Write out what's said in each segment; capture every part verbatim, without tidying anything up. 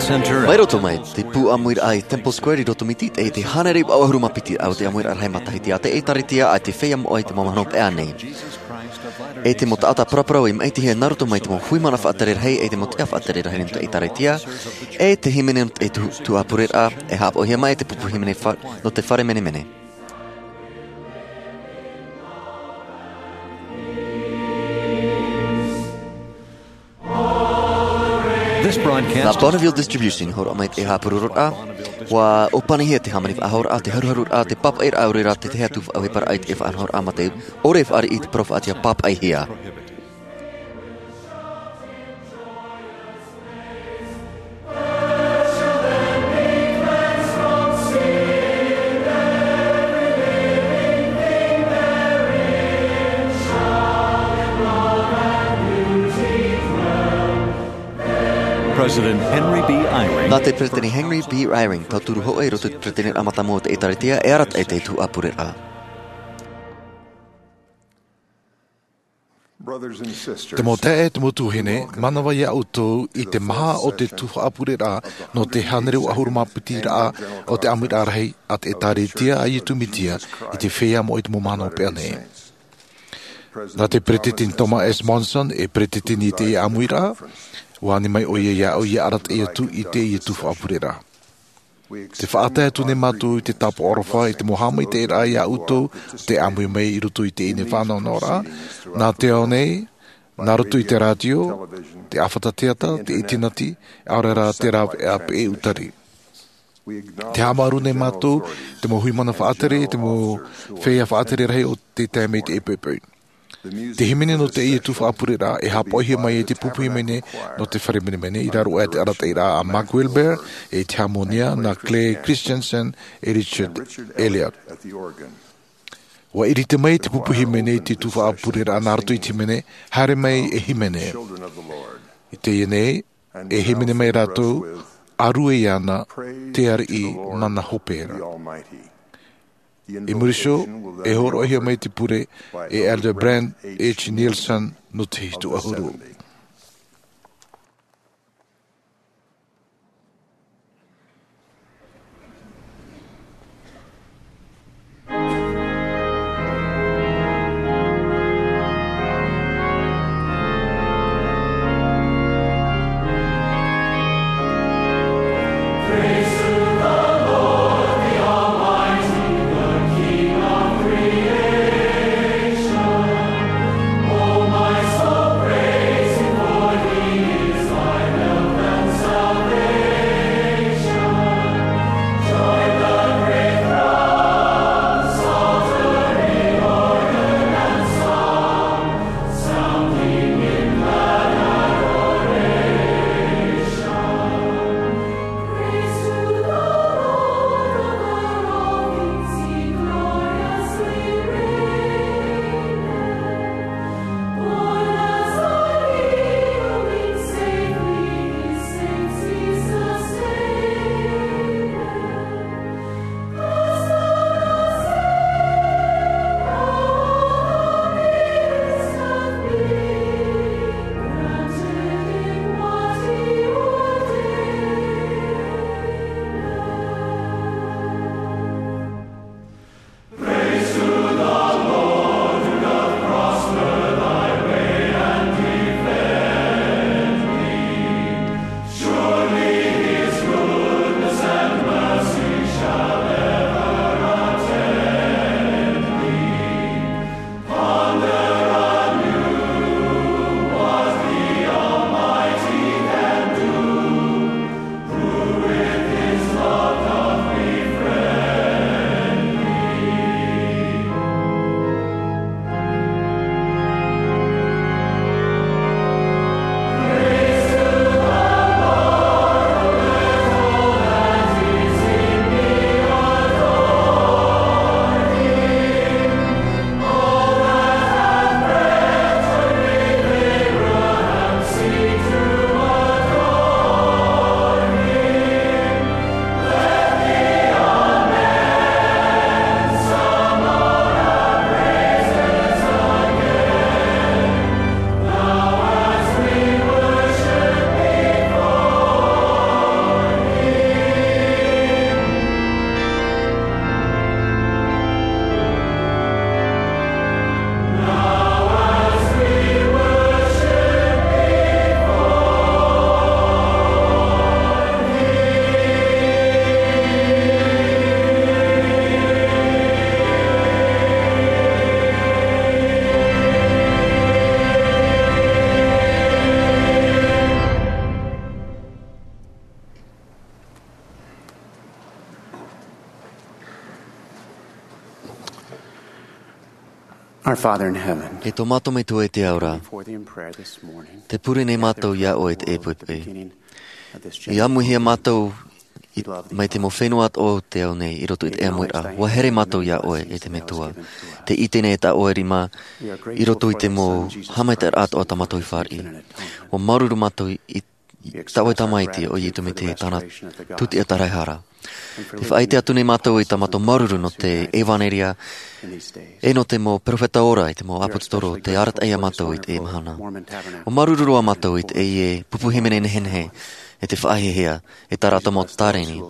Mai roto mai te pū ʻāmuiraʻa i Temple Square i roto mai i te hānere iva ʻahuru mā piti o te ʻāmuiraʻa rahi matahiti a te ʻĒtārētia a te Feiā Moʻa i te Mau Mahana Peʻa nei. E te mau taʻata paraparau i maʻitihia nā roto mai te mau hui mana faʻatere rahi, e te mau tiʻa faʻatere rahi nō te ʻĒtārētia, e te hīmene nō te tuhaʻa pureraʻa, e haʻapaʻohia mai e te pupu hīmene fa-, nō te fare menemene. This broadcast. Nā Bonneville Distribution, hōroʻa mai te haʻapurororaʻa, ʻua ʻōpanihia te hāmani faʻahouraʻa, te haruharuraʻa, te pāpaʻiraʻa, ʻaore rā te tahi atu faʻaʻohiparaʻa i te faʻanahoraʻa mā te ʻore e fāriʻi i te parau faʻatiʻa pāpaʻihia. President Henry B. Eyring. Nā te Peresideni Henry B. Eyring, tauturu hōʻē i roto i te Peresideniraʻa mātāmua o te ʻĒtārētia, e arataʻi i te tuhaʻa pureraʻa. Te mau taeaʻe, te mau tuahine, manava ia ʻoutou i te maha o te tuhaʻa pureraʻa nō te hānere iva ʻahuru mā piti raʻa o te ʻāmuiraʻa rahi a te ʻĒtārētia a Iesu Mesia i te Feiā Moʻa i te Mau Mahana Peʻa nei. Nā te Peresideni Thomas S. Monson e peresideni i teie ʻāmuiraʻa, ʻua ani mai ʻoia iāʻu ʻia arataʻi atu i teie tuhaʻa pureraʻa. Tē faʻatae atu nei mātou i te tāpaʻo aroha i te mau haʻamaitaʻiraʻa ia ʻoutou tē ʻāmui mai i roto i teie nei faʻanahonahoraʻa, nā te ao nei, nā roto i te rātio, te ʻāfata teata, te ʻītinati, ʻaore rā te rāveʻa peʻe ʻūtari. Tē haʻamāuruuru nei mātou i te mau hui mana faʻatere, te mau feiā faʻatere rahi o te taime i teie poʻipoʻi. Te hīmene nō teie tuhaʻa pureraʻa e haʻapaʻohia mai e te pupu hīmene nō te fare menemene i raro aʻe i te arataʻiraʻa a Mark Wilber, e i te hāmonia nā Clay Christensen e Richard Elliott. ʻUa ʻiriti mai te pupu hīmene i te tuhaʻa pureraʻa nā roto i te hīmene, Haere mai e hīmene. I teie nei, e hīmene mai rātou, ʻĀruʻe iāna te ariʻi mana hope ra. I muri iho, e hōroʻahia mai te pure e Elder Brent H. Nielsen nō te hitu ʻahuru. Our Father in heaven, e tō mātou Metua i te ao ra, before thee in prayer this morning, te pure nei mātou iā ʻoe i teie poʻipoʻi. I āmuhia mātou i, mai te mau fenua atoʻa o te ao nei i roto i te ʻāmuiraʻa. ʻUa here mātou iā ʻoe, e te Metua. Tē ʻite nei tā ʻoe rima i roto i te mau haʻamaitaʻiraʻa atoʻa tā mātou i fāriʻi. ʻUa māuruuru mātou i tā ʻoe Tamaiti, ʻo Iesu Mesia, tāna tūtia tāraehara. Tē faʻaʻite atu nei mātou i tā mātou māuruuru nō te ʻevanelia, e nō te mau peropheta ora, i te mau ʻāpōsetolo, tē arataʻi iā mātou i teie mahana. ʻUa māuruuru ā mātou i teie pupu hīmene nehenehe, e te faʻahiahia, e tā rātou mau tāreni.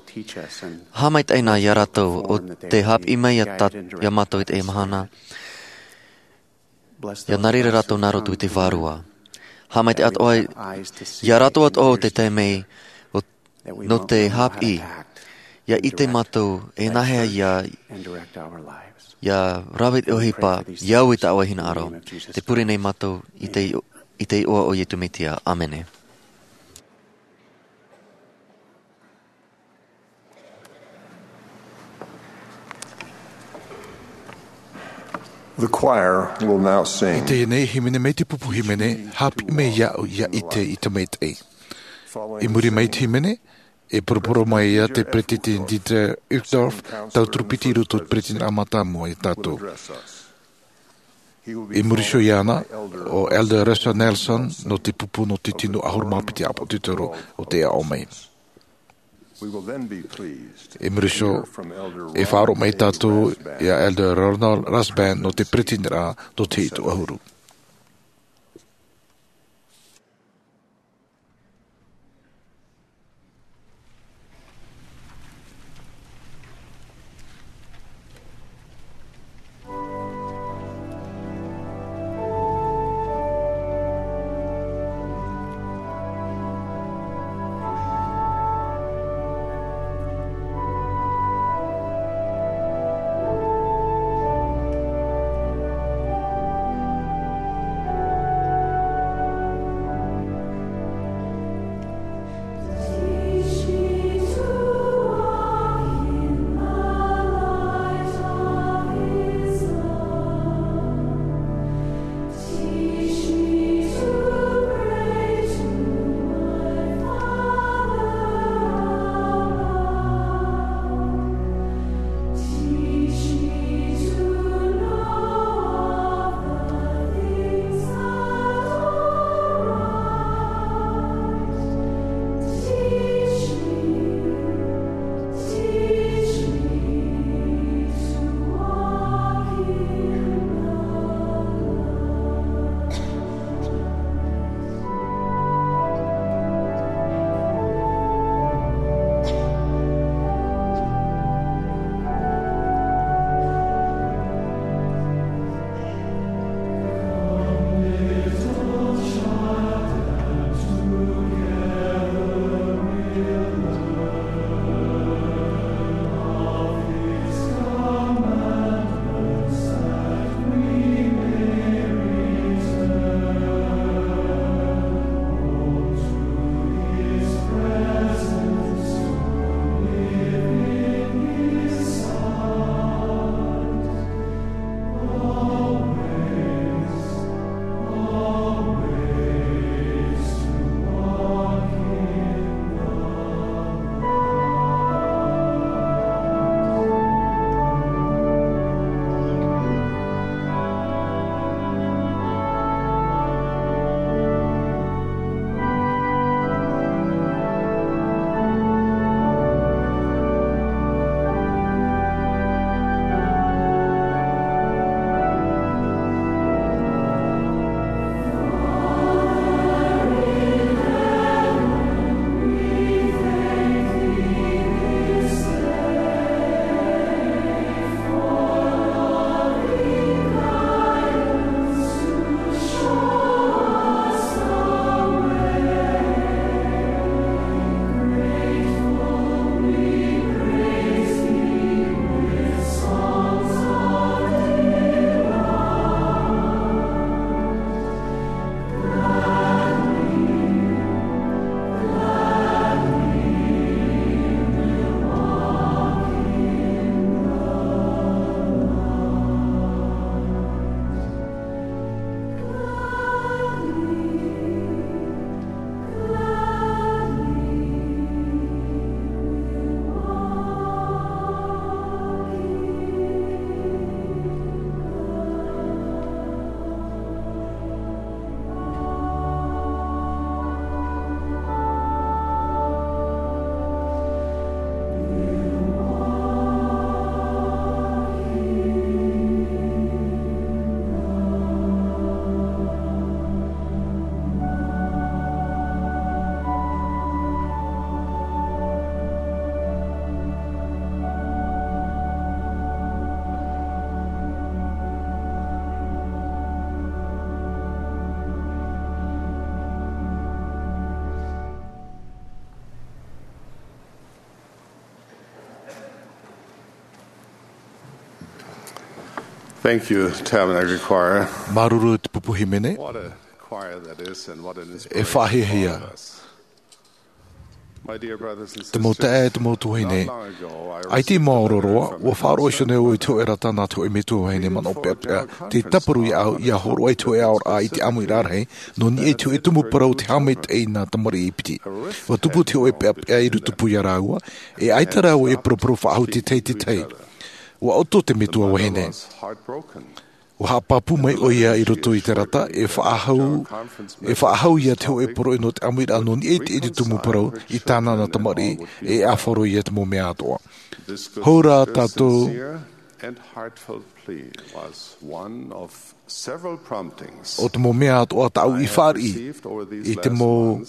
Haʻamaitaʻi na iā rātou ʻo tē haʻapiʻi mai iā tā, iā mātou i teie mahana. ʻIa nā reira rātou nā roto i te Vārua. Haʻamaitaʻi atoʻa iā rātou atoʻa ʻo tē tae mai, ʻo, nō te haʻapiʻi. ʻIa ʻite mātou e nāhea ʻia, ʻia rave te ʻohipa, ʻia au i tā ʻoe hinaʻaro. Tē pure nei mātou i te, i te iʻoa o Iesu Mesia. ʻĀmene. The choir will now sing. I teie nei hīmene mai te pupu hīmene, Haʻapiʻi Mai Iāʻu ʻIa ʻIte i te Maitaʻi. I muri mai te hīmene, e poroporo mai ā te Peresideni Dieter Uchtdorf, tauturu piti i roto i te Peresideniraʻa Mātāmua iā tātou. I muri iho iāna, ʻo Elder Russell Nelson, nō te pupu nō te tino ʻahuru mā piti ʻāpōsetolo o tē aʻo mai. I muri iho, e faʻaroʻo mai tātou iā Elder Ronald Rasband nō te Peresideniraʻa nō te hitu ʻahuru. Thank you, Tabernacle Choir. Māuruuru i te pupu hīmene. What a choir that is, and what an inspiration for all of us. E faʻahiahia. My dear brothers and sisters, te mau taeaʻe, te mau tuahine. Not long ago, I received a letter from a concerned mother. Ai te mau ororoa, ua faʻaroʻo iho nei au i te hōʻē rata nā te hōʻē metua vahine manaʻo peʻapeʻa. Tē tāparu iā ʻu, ʻia hōroʻa i te hōʻē aʻoraʻa i te ʻāmuiraʻa rahi, nō niʻa i te hōʻē tumu parau o te haʻamaitaʻi i nā tamariʻi piti. Ua tupu te hōʻē peʻapeʻa i rotopū iā rāua, e ʻaita rāua e paraparau faʻahou te tahi i te tahi. Ua ʻoto te metua vahine. Ua haʻapāpū mai ʻoia i roto i te rata, e faʻahou, e faʻahou ia te hōʻē poroʻi nō te ʻāmuiraʻa nō niʻa i te tumu parau i tāna nā tamariʻi, e ʻāfaʻi ia te mau mea atoʻa. Hou rā tātou. This good, sincere, and heartfelt plea was one of several promptings. ʻO te mau mea atoʻa tāʻu i fāriʻi i te mau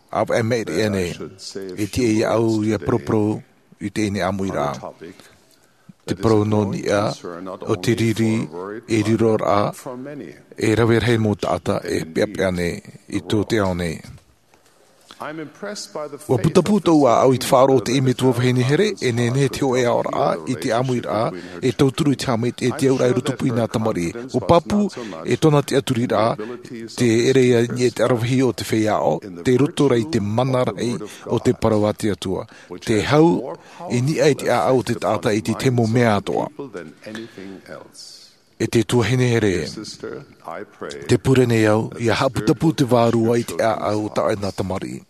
ʻāvaʻe maʻiri aʻe nei, e tiʻa iā ʻu ʻia paraparau i teie ʻāmuiraʻa. Te parau nō niʻa o te riri, e riroraʻa, e rave rahi mau taʻata e peʻapeʻa nei i tō te ao nei. Ua putapū tōʻu ʻāʻau i te faʻaroʻo o teie metua vahine here, e nehenehe te hōʻē aʻoraʻa i te ʻāmuiraʻa, e tauturu i te haʻamaitaʻi i te auraʻa i rotopū i nā tamariʻi. Ua pāpū, e tōna tiʻaturiraʻa, te ʻere ia niʻa i te ʻaravihi o te feiā aʻo, tei roto rā i te mana rahi o te parau a te Atua. Te hau i niʻa i te ʻāʻau o te taʻata i te tahi mau mea atoʻa. E te tuahine here, tē pure nei au, ʻia haʻaputapū te vārua i te ʻāʻau o tāʻu nā tamariʻi.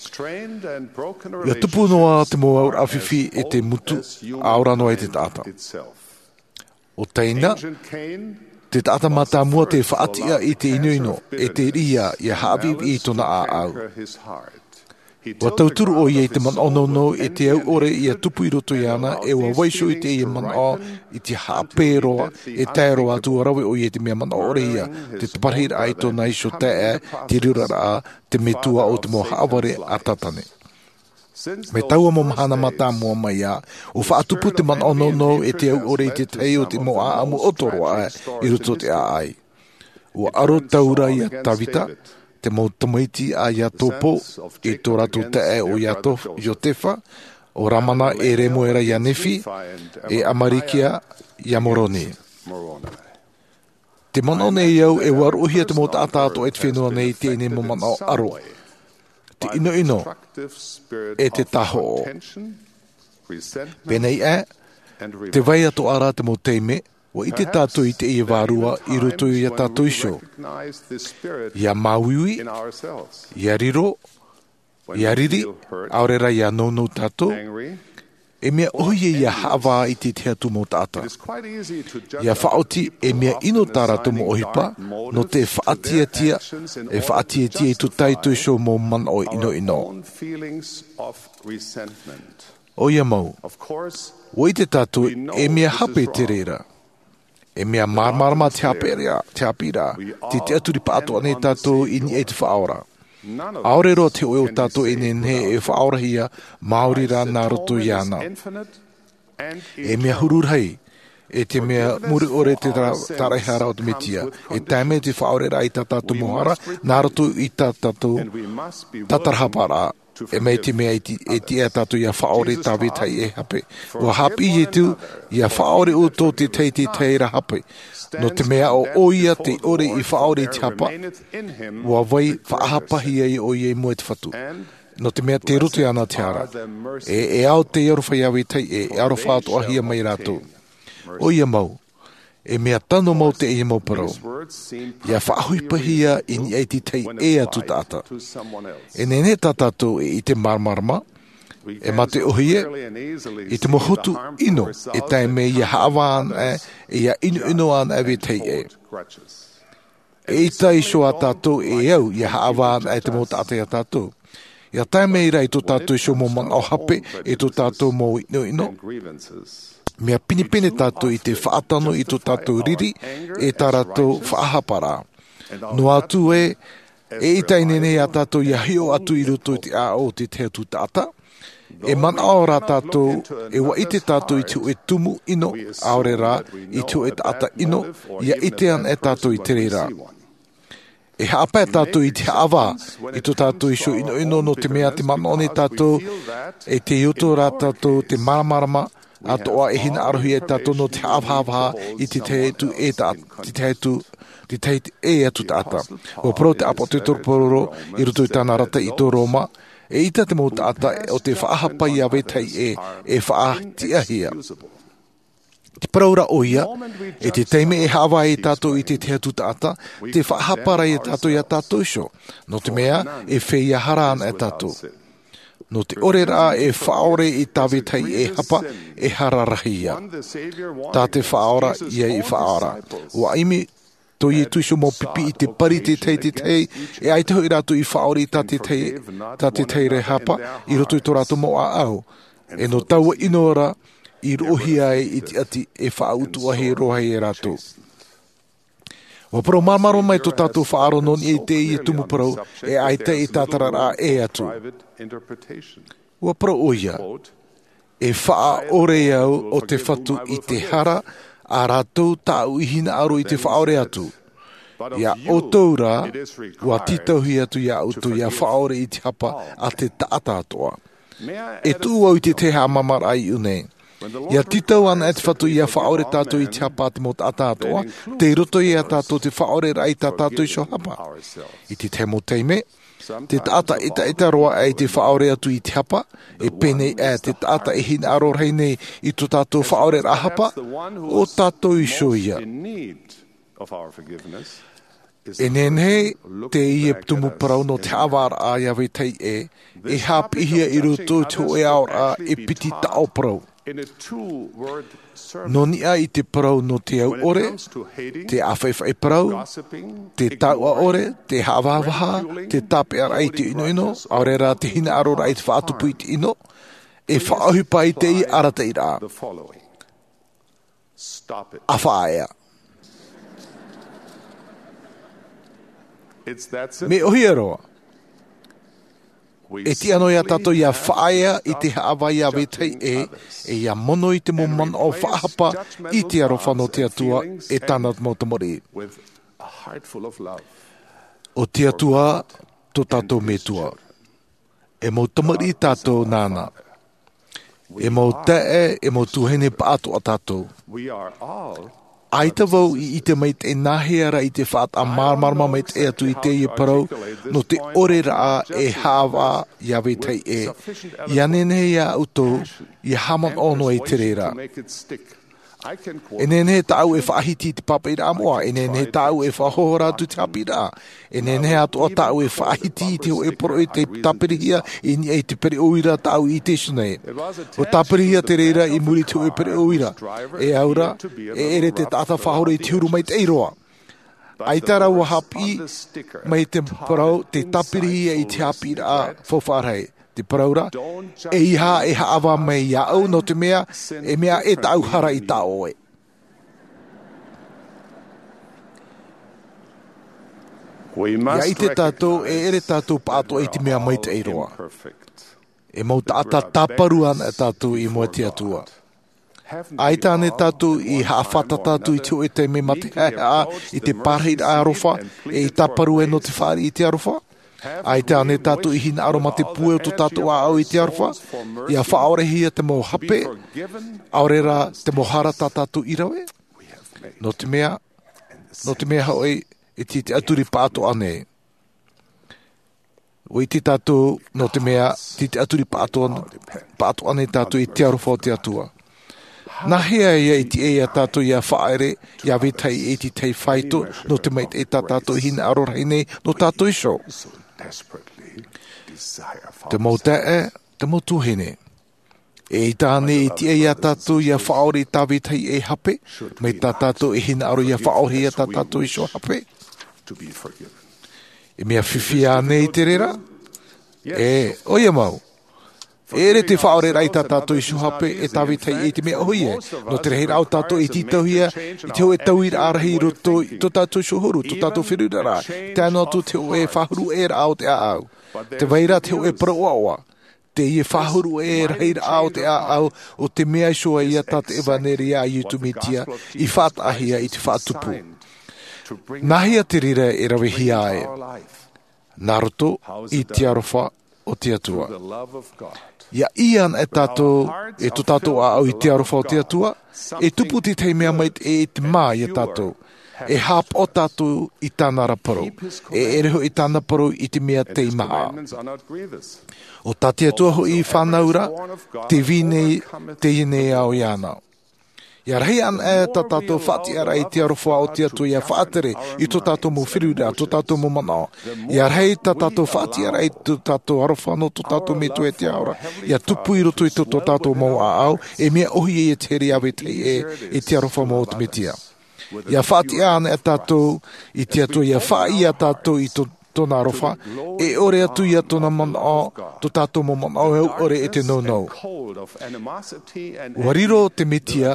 ʻIa tupu noa te mau auraʻa fifi e te mutu, ʻa ora noa i te taʻata. ʻO Taina, te taʻata mātāmua tē faʻatiʻa i te ʻinoʻino, e te riʻa, ʻia haʻaviʻiviʻi i tōna ʻāʻau. Ua tauturu ʻoia i te manaʻo nounou e te au ʻore ʻia tupu i roto iāna, e ua vaiiho i teie manaʻo i te haʻapae roa, e tae roa atu ʻua rave ʻoia i te mea manaʻo ʻore ia, te taparahiraʻa i tōna iho taeaʻe, te riroraʻa, te metua o te mau haʻavare a Tātane. Mai taua mau mahana mātāmua mai ā, ʻua faʻatupu te manaʻo nounou e te au ʻore i te tahi o te mau ʻāʻamu ʻoto roa aʻe i roto i te ʻāʻai. ʻUa aro taura ia Tavita, te mau tamaiti a Iakobo, e tō rātou taeaʻe ʻo Iato-, Iotefa, ʻo Lamana e Remuela ia Nephi, e Amalikia ia Moroni. Tē manaʻo nei au e ua roʻohia te mau taʻata atoʻa i te fenua nei i teie mau manaʻo ʻaro, te ʻinoʻino, e te tāhoʻo. Pēnei aʻe, tē vai atoʻa ra te mau taime, ʻua ʻite tātou i teie vārua i roto iā tātou iho. ʻIa māuiui, ʻia riro, ʻia riri, ʻaore rā ʻia nounou tātou, e mea ʻōhie ʻia haʻavā i te tahi atu mau taʻata. ʻIa faʻaoti, e mea ʻino tā rātou mau ʻohipa, nō te faʻatiʻatiʻa, e faʻatiʻatiʻa i tō tātou iho mau manaʻo ʻinoʻino. ʻOia mau, ʻua ʻite tātou, e mea hape te reira. E mea māramarama te haʻapiʻiraʻa, te haʻapiʻiraʻa, tē tiʻaturi pāʻatoʻa nei tātou i niʻa i te Faʻaora. ʻAore roa te hōʻē o tātou e nehenehe e faʻaorahia, maori rā nā roto iāna. E mea huru rahi, e te mea muri ʻore te tara-, taraehara o te Mesia. E tae mai te faʻaoreraʻa i tā tātou mau hara, nā roto i tā tātou tātarahaparaʻa. E mai te mea e ti-, e tiʻa tātou ʻia faʻaʻore i tā vetahi e hape. ʻUa haʻapiʻi Ietu, ʻia faʻaʻore ʻoutou te tahi i te tahi ra hape. Nō te mea ʻo ʻoia tē ʻore i faʻaʻore i te hapa, ʻua vai faʻahapahia ʻoia i mua i te Fatu. Nō te mea tei roto iāna te hara. E, e ao te aroha ia vetahi, e, e aroha atoʻahia mai rātou. ʻOia mau. E mea tano mau teie mau parau. ʻIa faʻaʻohipahia i niʻa i te tahi ʻē atu taʻata. E nehenehe tā tātou e ʻite māramarama, e mā te ʻōhie, i te mau hotu ʻino, e tae mai ʻia haʻavā ana, e ʻia ʻinoʻino ana e vetahi ʻē. E ʻaita iho ā tātou e au, ʻia haʻavā ana e te mau taʻata iā tātou. ʻIa tae mai rā i tō tātou iho mau manaʻo hape, e tō tātou mau ʻinoʻino. Mea pinepine tātou i te faʻatano i tō tātou riri, e tā rātou faʻahaparaʻa. Noa atu ē, e ʻaita e nehenehe ia tātou ʻia hiʻo atu i roto i te ʻāʻau o te tahi atu taʻata. E manaʻo rā tātou, e ʻua ʻite tātou i te hōʻē tumu ʻino, ʻaore rā, i te hōʻē taʻata ʻino, ʻia ʻite ana e tātou i te reira. E haʻapae tātou i te haʻavā, i tō tātou iho ʻinoʻino nō te mea tē manaʻo nei tātou, e tei ʻoto rā tātou te māramarama, Atoʻa e hinaʻarohia e tātou nō te haʻavahavaha i te tahi atu e ta te tahi atu te tahi atu taʻata. Ua parau te ʻāpōsetolo paulo i roto i tāna rata i tō roma, e ʻita te mau taʻata o te faʻahapa i a vetahi ʻē e faʻatiʻahia. Te parau ra ʻoia, e te taime e haʻavā ai tātou i te tahi atu taʻata, te faʻahapa ra ia tātou i a tātou iho, nō te mea e feiā hara ana e tātou. Nō te ʻore rā e faʻaʻore i tā vetahi ʻē hapa, e hara rahi ia. Tā te faʻaora ia i faʻaora. Ua ʻimi tō iesu iho mau pipi i te pari te tahi te tahi, e ʻaita hoʻi rātou i faʻaʻore i tā te tahi tā te tahi ʻē hapa i roto i tō rātou mau ʻāʻau. E nō taua ʻino ra i roʻohia ai i te ʻati e faʻautuʻahia roa ai e rātou. Ua parau māramarama mai tō tātou faʻaroʻo nō niʻa i teie tumu parau, e ʻaita i tātararaʻa ʻē atu. Ua parau ʻoia, e faʻaʻore au o te fatu i te hara a rātou tāʻu i hinaʻaro i te faʻaʻore atu. Ia ʻoutou rā, ua tītauhia atu ia ʻoutou ia faʻaʻore i te hapa a te taʻata atoʻa. E tuʻu au i te tahi haʻamāmāraʻa i ʻō nei. Ia tītau ana e te fatu ia faʻaʻore tātou i te hapa a te mau taʻata atoʻa, tei roto ia tātou te faʻaʻoreraʻa i tā tātou iho hapa. I te tahi mau taime, te taʻata ʻetaʻeta roa ʻā i te faʻaʻore atu i te hapa, e pēnei ʻā te taʻata e hinaʻaro rahi nei i tō tātou faʻaʻoreraʻa hapa, ʻo tātou iho ia. E nehenehe teie tumu parau nō te haʻavāraʻa i a vetahi ʻē, e haʻapiʻihia i roto i te hōʻē aʻoraʻa e piti taʻo parau. Nō niʻa i te parau nō te au ʻore, te ʻāfaʻifaʻi parau, te tauʻa ʻore, te haʻavahavaha, te tāpeʻaraʻa i te ʻinoʻino, ʻaore rā te hinaʻaroraʻa i te faʻatupu i te ʻino, e faʻaʻohipa ai teie arataʻiraʻa. ʻA faʻaea. Mea ʻōhie roa. E tiʻa noa ia tātou ia faʻaea i te haʻavā i a vetahi ʻē, e ia mono i te mau manaʻo faʻahapa i te aroha nō te Atua e tāna mau tamariʻi. ʻO te Atua tō tātou Metua. E mau tamariʻi tātou nāna. E mau taeaʻe, e mau tuahine pāʻatoʻa tātou. ʻAita vau i ʻite maitaʻi nāhea rā i te faʻataʻa māramarama maitaʻi atu i teie parau, nō te ʻoreraʻa e haʻavā i a vetahi ʻē. Ia nehenehe ia ʻoutou, ia haʻamanaʻo noa i te reira. E nehenehe tāʻu e faʻahiti i te pāpaʻiraʻa moʻa, e nehenehe tāʻu e faʻahohora atu i te haʻapiʻiraʻa. E nehenehe atoʻa tāʻu e faʻahiti i te hōʻē poroʻi tei tāpirihia i niʻa i te pereʻoʻo ra tāʻu i ʻite iho nei. ʻUa tāpirihia te reira i muri i te hōʻē pereʻoʻo ra. E au ra, e ʻere te taʻata faʻahoro i te huru maitaʻi roa. ʻAita rā ua haʻapiʻi mai te parau tei tāpirihia i te haʻapiʻiraʻa faufaʻa rahi. Te parau ra, ʻeiaha e haʻavā mai iāʻu nō te mea, e mea ʻē tāʻu hara i tā ʻoe. Ia ʻite tātou, e ʻere tātou pāʻatoʻa i te mea maitaʻi roa. E mau taʻata tāparu ana tātou i mua i te Atua. ʻAita ānei tātou i haʻafātata atu i te hōʻē taime mā te haʻehaʻa i te pārahiraʻa aroha, e i tāparu ai nō te fāriʻi i te aroha? ʻAita ānei tātou i hinaʻaro mā te puai o tō tātou ʻāʻau i te aroha, ia faʻaʻorehia te mau hape, ʻaore rā te mau hara tā tātou i rave? Nō te mea, nō te mea hoʻi, e te, te ʻaturi pāʻatoʻa nei. ʻUa ʻite tātou, nō te mea, te, te ʻaturi pāʻatoʻa, pāʻatoʻa nei tātou i te aroha o te Atua. Nāhea ia ʻite ai ia tātou ia faʻaʻere, ia vetahi i te tahi faito, nō te maitaʻi tā tātou i hinaʻaro rahi nei, nō tātou iho. Te mau taeaʻe, te mau tuahine. E ʻaita ānei e tiʻa ia tātou ia faʻaʻore i tā vetahi ʻē hape, mai tā tātou e hinaʻaro ia faʻaʻorehia tā tātou iho hape? E mea fifi ānei te reira? E, ʻoia mau. E ʻere te faʻaʻoreraʻa i tā tātou iho hape e tā vetahi ʻē i te mea ʻōhie. Nō te rahiraʻa o tātou e tītauhia i te hōʻē tauiraʻa rahi i roto i tō tātou iho huru, tō tātou feruriraʻa, tae noa atu te hōʻē faʻahuru ʻē raʻa o te ʻāʻau. Te vai ra te hōʻē parau ʻoaʻoa. Teie faʻahuru ʻē rahiraʻa o te ʻāʻau, ʻo te mea iho ïa tā te ʻevaneria a Iesu Mesia i faʻataʻahia i te faʻatupu. Nāhea te reira e ravehia ai? Nā roto i te aroha o te Atua. Ia ʻī ana e tātou, e tō tātou ʻāʻau i te aroha o te Atua, e tupu tētahi mea maitaʻi i te mā ia tātou. E hāpaʻo tātou i tāna ra parau. E ʻere hoʻi tāna parau i te mea tei maha. ʻO tā te Atua hoʻi i fānau ra, te vīnei, teie nei ao iāna. Ia rahi ana e tā tātou faʻatiʻaraʻa i te aroha o te Atua ia faʻatere i tō tātou mau feruriraʻa, tō tātou mau manaʻo. Ia rahi tā tātou faʻatiʻaraʻa i tō tātou aroha nō tō tātou Metua i te ao ra, ia tupu i roto i tō, tō tātou mau ʻāʻau, e mea ʻohie ia te here Iāvē Tahi ʻē, i te aroha mau o te Mesia. Ia faʻatiʻa ana e tātou i te Atua, ia faʻaʻī ia tātou i tō, tōna aroha, e ʻore atu ia tōna manaʻo, tō tātou mau manaʻo e ʻore e te nounou. Ua riro te Mesia,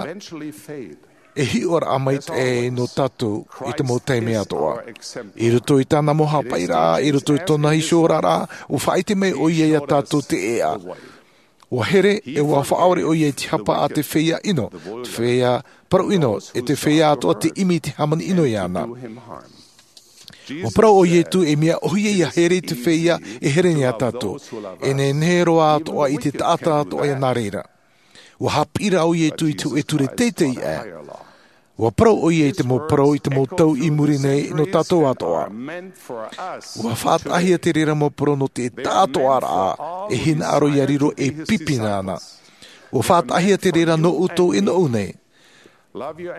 e hiʻoraʻa maitaʻi nō tātou i te mau taime atoʻa. I roto i tāna mau haʻapaʻiraʻa, i roto i tōna hiʻoraʻa, ua faʻaʻite mai ʻoia ia tātou te ʻēʻa. Ua here, e ua faʻaʻore ʻoia i te hapa a te feiā ʻino, te feiā parau ʻino, e te feiā atoʻa tē ʻimi i te hāmani ʻino iāna. Ua parau ʻo Ietu, e mea ʻohie ia here i te feiā e here nei ia tātou. E nehenehe roa atoʻa i te taʻata atoʻa ia nā reira. Ua haʻapiʻiraʻa ʻo Ietu i te hōʻē ture teitei aʻe. Ua parau ʻoia i te mau parau i te mau tau i muri nei nō tātou atoʻa. Ua faʻataʻahia te reira mau parau nō te taʻatoʻaraʻa, e hinaʻaro ia riro e pipi na. Ua faʻataʻahia te reira nō ʻoutou e nōʻu nei.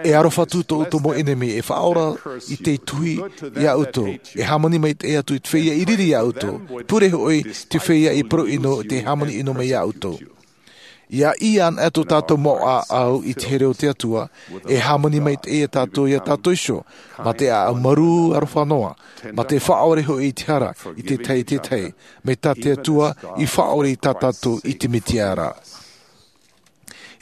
E aroha atu tō ʻoutou mau ʻenemi, e faʻaora i te tuhi ia ʻoutou, e hāmani maitaʻi atu i te feiā i riri ia ʻoutou, pure hoʻi te feiā i parau ʻino, tē hāmani ʻino mai ia ʻoutou. Ia ʻī ana e tō tātou mau ʻāʻau i te here o te Atua, e hāmani maitaʻi ia tātou, ia tātou iho, mā te ʻāʻau marū aroha noa, mā te faʻaʻore hoʻi i te hara, i te tahi, te tahi, mai tā te Atua, i faʻaʻore i tā tātou i te Mesia ra.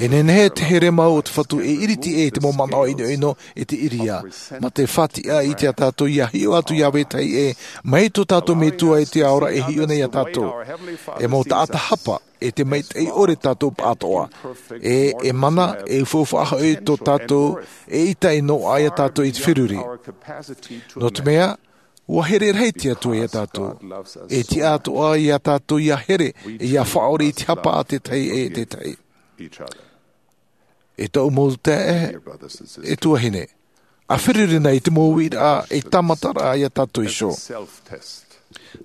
E nehenehe te here mau o te Fatu e iriti ʻē i te mau manaʻo ʻinoʻino e te ʻiriā, mā te faʻatiʻa i te tātou ia hiʻo atu Iāvē Tahi ʻē, mai tō tātou Metua i te ao ra e hiʻo nei ia tātou. E mau taʻata hapa, e te maitaʻi ʻore tātou pāʻatoʻa. E, e mana, e ufaʻufaʻa hoʻi tō tātou, e ʻita e noaʻa ia tātou i te feruri. Nō te mea, ua here rahi te Atua ia tātou. E tiʻa atoʻa ia tātou ia here, e ia faʻaʻore i te hapa a te tahi e te tahi. E tōʻu mau taeaʻe, e tuahine. ʻA feruri na i te mau uiraʻa, e tāmataraʻa ia tātou iho.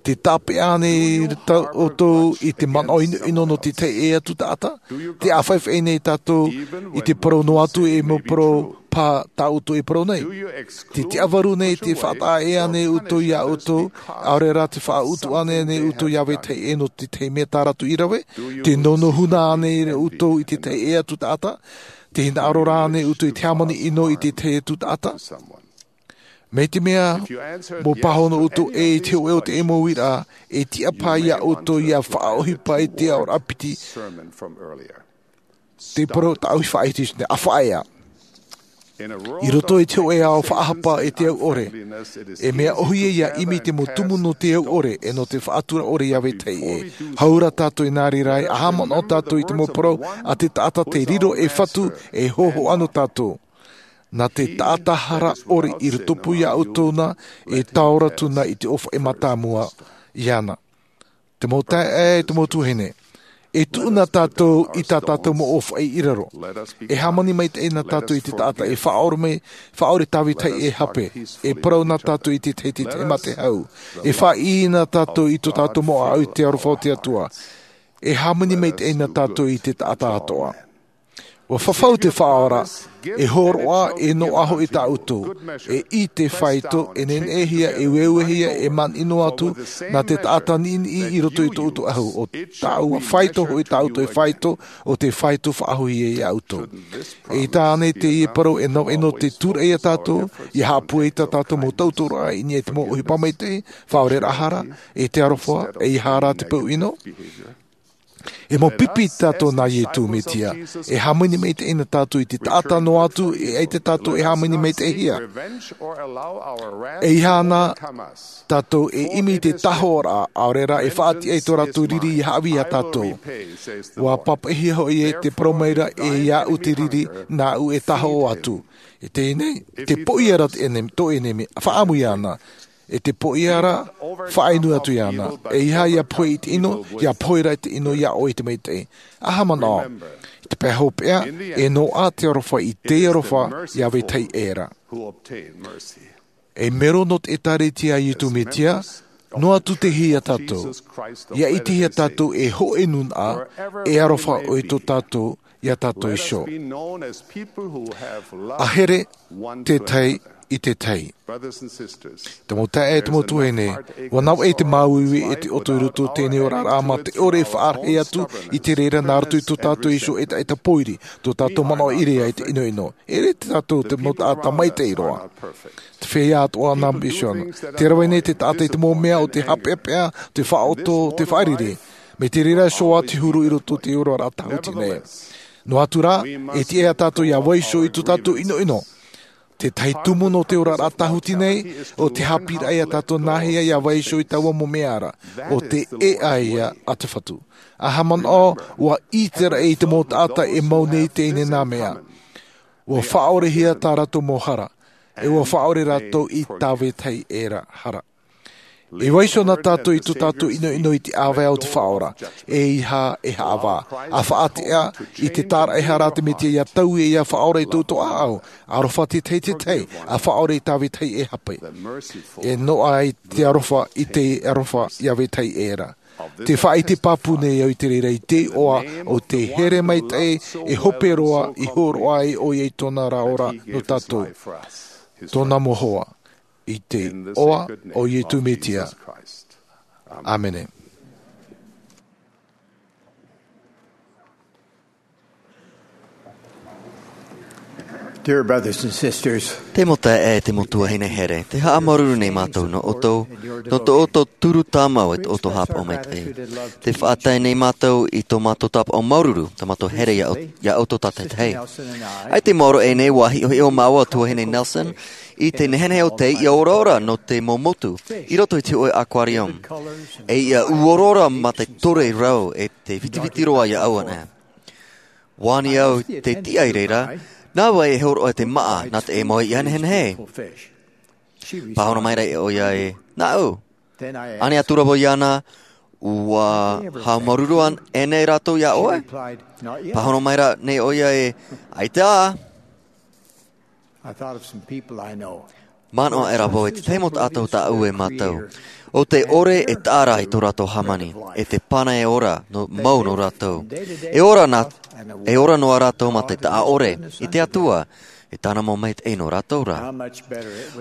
Tē tāpeʻa nei tā ʻoutou i te manaʻo ʻinoʻino nō te tahi e atu taʻata? Tē ʻāfaʻifaʻi nei tātou i te parau noa atu e mau parau pā tā ʻoutou e parau nei? Tē tiʻavarū nei, tē faʻataʻa ʻē ānei ʻoutou ia ʻoutou, ʻaore rā tē faʻautuʻa ʻē ānei ʻoutou Iāvē Tahi ʻē nō te tahi mea tā rātou i rave? Tē nounou huna ānei ʻoutou i te tahi e atu taʻata? Tē hinaʻaro rā ānei ʻoutou i te hāmani ʻino i te tahi atu taʻata? Mai te mea, mea pāhono ʻoutou ʻē i te hōʻē o te mau uiraʻa, e tiʻa paha ia ʻoutou ia faʻaʻohipa i te aʻoraʻa piti. Te parau tāʻu i faʻaʻite nei, ʻa faʻaea. I roto i te hōʻē ao faʻahapa e te au ʻore. E mea ʻohie ia ʻimi te mau tumu nō te au ʻore, e nō te faʻatura ʻore Iāvē Tahi ʻē. Hau ra tātou i nā reira, ʻa haʻamanaʻo tātou i te mau parau a te taʻata tē riro ei Fatu, e hōhoʻa nō tātou. Nā te taʻata hara ʻore i rotopū ia ʻoutou na, e taora atu na i te ʻōfaʻi mātāmua iāna. Te mau taeaʻe, te mau tuahine. E tuʻu na tātou i tā tātou mau ʻōfaʻi i raro. E hāmani maitaʻi na tātou i te taʻata, e faʻaʻore mai, faʻaʻore Tāvita e hape. E parau na tātou i te tahi, te tahi mā te hau. E faʻaʻī na tātou i tō tātou mau ʻāʻau i te aroha o te Atua. E hāmani maitaʻi na tātou i te taʻata atoʻa. Ua fafau te Faʻaora, e hōroʻa, e noaʻa hoʻi tā ʻoutou, e ʻite faito, e neneʻihia, e ueuehia, e manaʻo atu, nā te taʻata niʻiniʻi i roto i tō ʻoutou ʻahu, ʻo tāʻua faito hoʻi tā ʻoutou e faito, ʻo te faito faʻahou ia ʻoutou. E ʻita ānei teie parau e navaʻi nō te tūraʻi ia tātou, ia haʻapūai tā tātou mau tauturu i niʻa i te mau ʻohipa maitaʻi, faʻaoreraʻa hara, e te aroha, e ʻeiaha rā te peu ʻino? E mau pipi tātou nā Ietu Mesia, e hāmani maitaʻi na tātou i te taʻata noa atu, e ʻaita tātou e hāmani maitaʻihia. E ʻeiaha na tātou e ʻimi i te tāhōʻoraʻa, ʻaore rā e faʻatiʻa i tō rātou riri ia haʻavī ia tātou. Ua pāpaʻihia hoʻi ē, tē parau mai ra ē, ia ʻu te riri, nāʻu e tāhōʻo atu. E teie nei, tē poʻia ra te ʻenemi, tō ʻenemi, faʻaʻamu iāna. E te poʻia ra, faʻainu atu iāna. E ʻeiaha ia pohe i te ʻino, ia pohe ra i te ʻino, ia ʻoe i te maitaʻi. ʻAha manaʻo, i te pae hopeʻa, e noaʻa te aroha i te aroha ia vetahi ʻē ra. E mero nō te ʻēkālesia a Iesu Mesia, noa atu te hia tātou. Ia ʻitehia tātou e hōʻē nūnaʻa, e aroha ʻoe i tō tātou, iā tātou iho. A here tētahi i tētahi. Te mau taeaʻe, te mau tuahine, ʻua navaʻi te māuiui e te ʻoto i roto i teie nei oraraʻa mā te ʻore e faʻarahi atu i te reira nā roto i tō tātou iho ʻetaʻeta pōiri, tō tātou manaʻo ʻīrea i te ʻinoʻino. E ʻere tātou te mau taʻata maitaʻi roa. Te feiā atoʻa nā misiona. Tē rave nei te taʻata i te mau mea o te haʻapeʻapeʻa, te faʻaʻoto, te faʻariri. Mai te reira iho ā te huru i roto i te oraraʻa tāhuti nei. Noa atu rā, e tiʻa iā tātou ia vaiiho i tō tātou ʻinoʻino. Te tahi tumu nō te oraraʻa tāhuti nei, ʻo te haʻapiʻiraʻa iā tātou nāhea ia vaiiho i taua mau mea ra, ʻo te ʻēʻa ia a te Fatu. ʻAha manaʻo, ʻua ʻite ra i te mau taʻata e mau nei teie nā mea. ʻUa faʻaʻorehia tā rātou mau hara, e ʻua faʻaʻore rātou i tā vetahi ʻē ra hara. E vaiiho na tātou i tō tātou ʻinoʻino i te ʻāvae o te Faʻaora, ʻeiaha e haʻavā. ʻA faʻatiʻa i te tāraʻehara a te Mesia ia taui e ia faʻaora i tō ʻoutou ʻāʻau, aroha tētahi i tētahi, ʻa faʻaʻore i tā vetahi ʻē hape. E noaʻa i te aroha, i te aroha iā vetahi ʻē ra. Te faʻaʻite pāpū nei au i te reira i te iʻoa o te here maitaʻi e hope roa, i hōroʻa ai ʻoia i tōna ra ora nō tātou. Tōna mau hoa. I te iʻoa o Iesu Mesia. ʻĀmene. Dear brothers and sisters, te mau taeaʻe, te mau tuahine here, tē haʻamāuruuru nei mātou nō ʻoutou, nō tō ʻoutou turu tāmau e tō ʻoutou haʻapaʻo maitaʻi. Tē faʻatae nei mātou i tō mātou tāpaʻo māuruuru, tā mātou here iā ʻou-, iā ʻoutou tātaʻitahi. ʻAita i maoro aʻe nei, ʻua hiʻohiʻo māua Tuahine Nelson i te nehenehe o te iʻa oraora nō te mau motu i roto i te hōʻē aquarium. E iʻa ʻū oraora mā te tore rau e te vitiviti roa iāʻu anaʻe. ʻUa ani au i te tiʻa i reira, nā vai e hōroʻa te māʻa nā te ʻē mau iʻa nehenehe. Pāhono mai ra ʻoia ē, nāʻu. Ani atu ra vau iāna, ʻua haʻamāuruuru ānei rātou iā ʻoe? Pāhono mai ra ānei ʻoia ē, ʻaita. Manaʻo aʻera vau i te tahi mau taʻata o tāʻu e mātau, ʻo tē ʻore e taʻa ra i tō rātou hāmani, e te pana e ora nō, mau nō rātou. E ora nā, e ora noa rātou mā te taʻa ʻore i te Atua, e tāna mau maitaʻi nō rātou ra.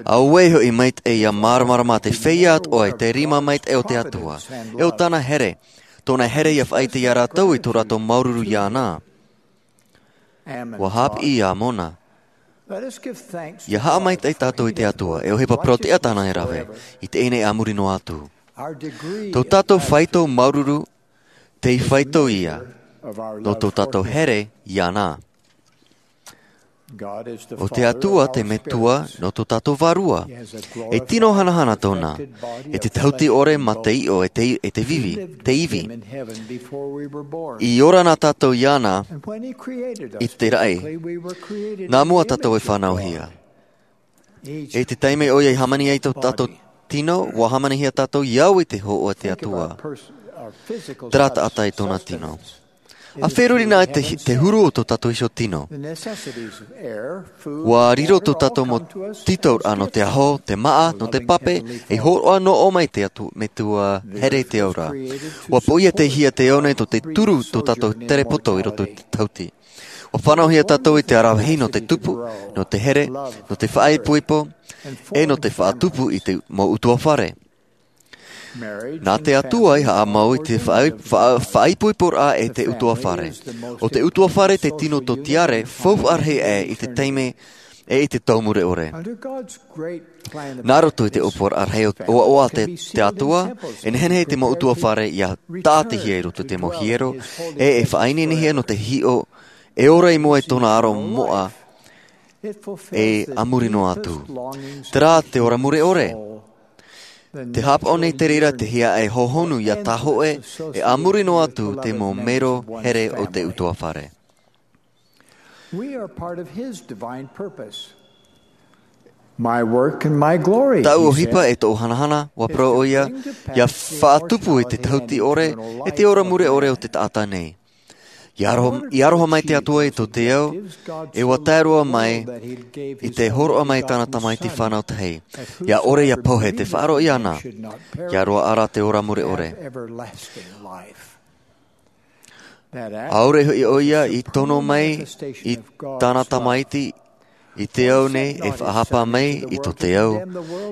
Auē hoʻi maitaʻi ia māramarama te feiā atoʻa i te rima maitaʻi o te Atua, e ʻo tāna here, tōna here ia faʻaʻite iā rātou i tō rātou māuruuru iāna. ʻUa haʻapiʻi ia Amona. Ia haʻamaitaʻi tātou i te Atua, e ʻohipa parau-tiʻa tāna e rave, i teie nei a muri noa atu. Tō tātou faito māuruuru, tei faito ia, nō tō tātou here iāna. ʻO te Atua te Metua nō tō tātou vārua. E tino hanahana tōna, e te tahuti ʻore mā te iʻo e te, e te vivi, te ivi. I ora na tātou iāna i te raʻi. Nā mua tātou e fānauhia. I te taime ʻoia i hāmani ai tō tātou tino, ʻua hāmanihia tātou i au i te hōʻē o te Atua. Terā taʻata i tōna tino. ʻA feruri na te, te huru o tō tātou iho tino. ʻUa riro tō tātou mau tītauraʻa nō te aho, te māʻa, nō te pape, e hōroʻa nō ʻō mai te Atua, Metua here i te ao ra. ʻUa poʻia te hia te ao nei tō te turu tō tātou terepoto i roto i te tahuti. ʻUa fānauhia tātou i te aravihi nō te tupu, nō te here, nō te faʻaipoipo, e nō te faʻatupu i te mau ʻutuāfare. Nā te Atua i haʻamau i te faʻai-, faʻa-, faʻaipoiporaʻa e te ʻutuāfare. ʻO te ʻutuāfare te tino tōtiare faufaʻa rahi aʻe i te taime e i te tau mure ʻore. Nā roto i te ʻōpuaraʻa rahi ʻoaʻoa a te, te Atua, e nehenehe te mau ʻutuāfare ia tāʻatihia i roto i te mau hiero, e e faʻaineinehia nō te hiʻo, e ora i mua i tōna aro moʻa, e a muri noa atu. Terā te ora mure ʻore. Te haʻapaʻo nei te reira te hia e hōhonu ia tāhōʻē, e a muri noa atu te mau mero here o te ʻutuāfare. We are part of his divine purpose. My work and my glory, Tāʻu he ʻohipa said. E tōʻu hanahana, ʻua parau ʻoia, ia faʻatupu i te tahuti ʻore, e te ora mure ʻore o te taʻata nei. I aroha, i aroha mai te Atua i tō te ao, e ʻua tae roa mai, i te hōroʻa mai tāna tamaiti fānau tahi. Ia ʻore ia pohe te faʻaroʻo iāna, ia roaʻa rā te ora mure ʻore. ʻAore hoʻi ʻoia i tono mai i tāna tamaiti i te ao nei e faʻahapa mai i tō te ao,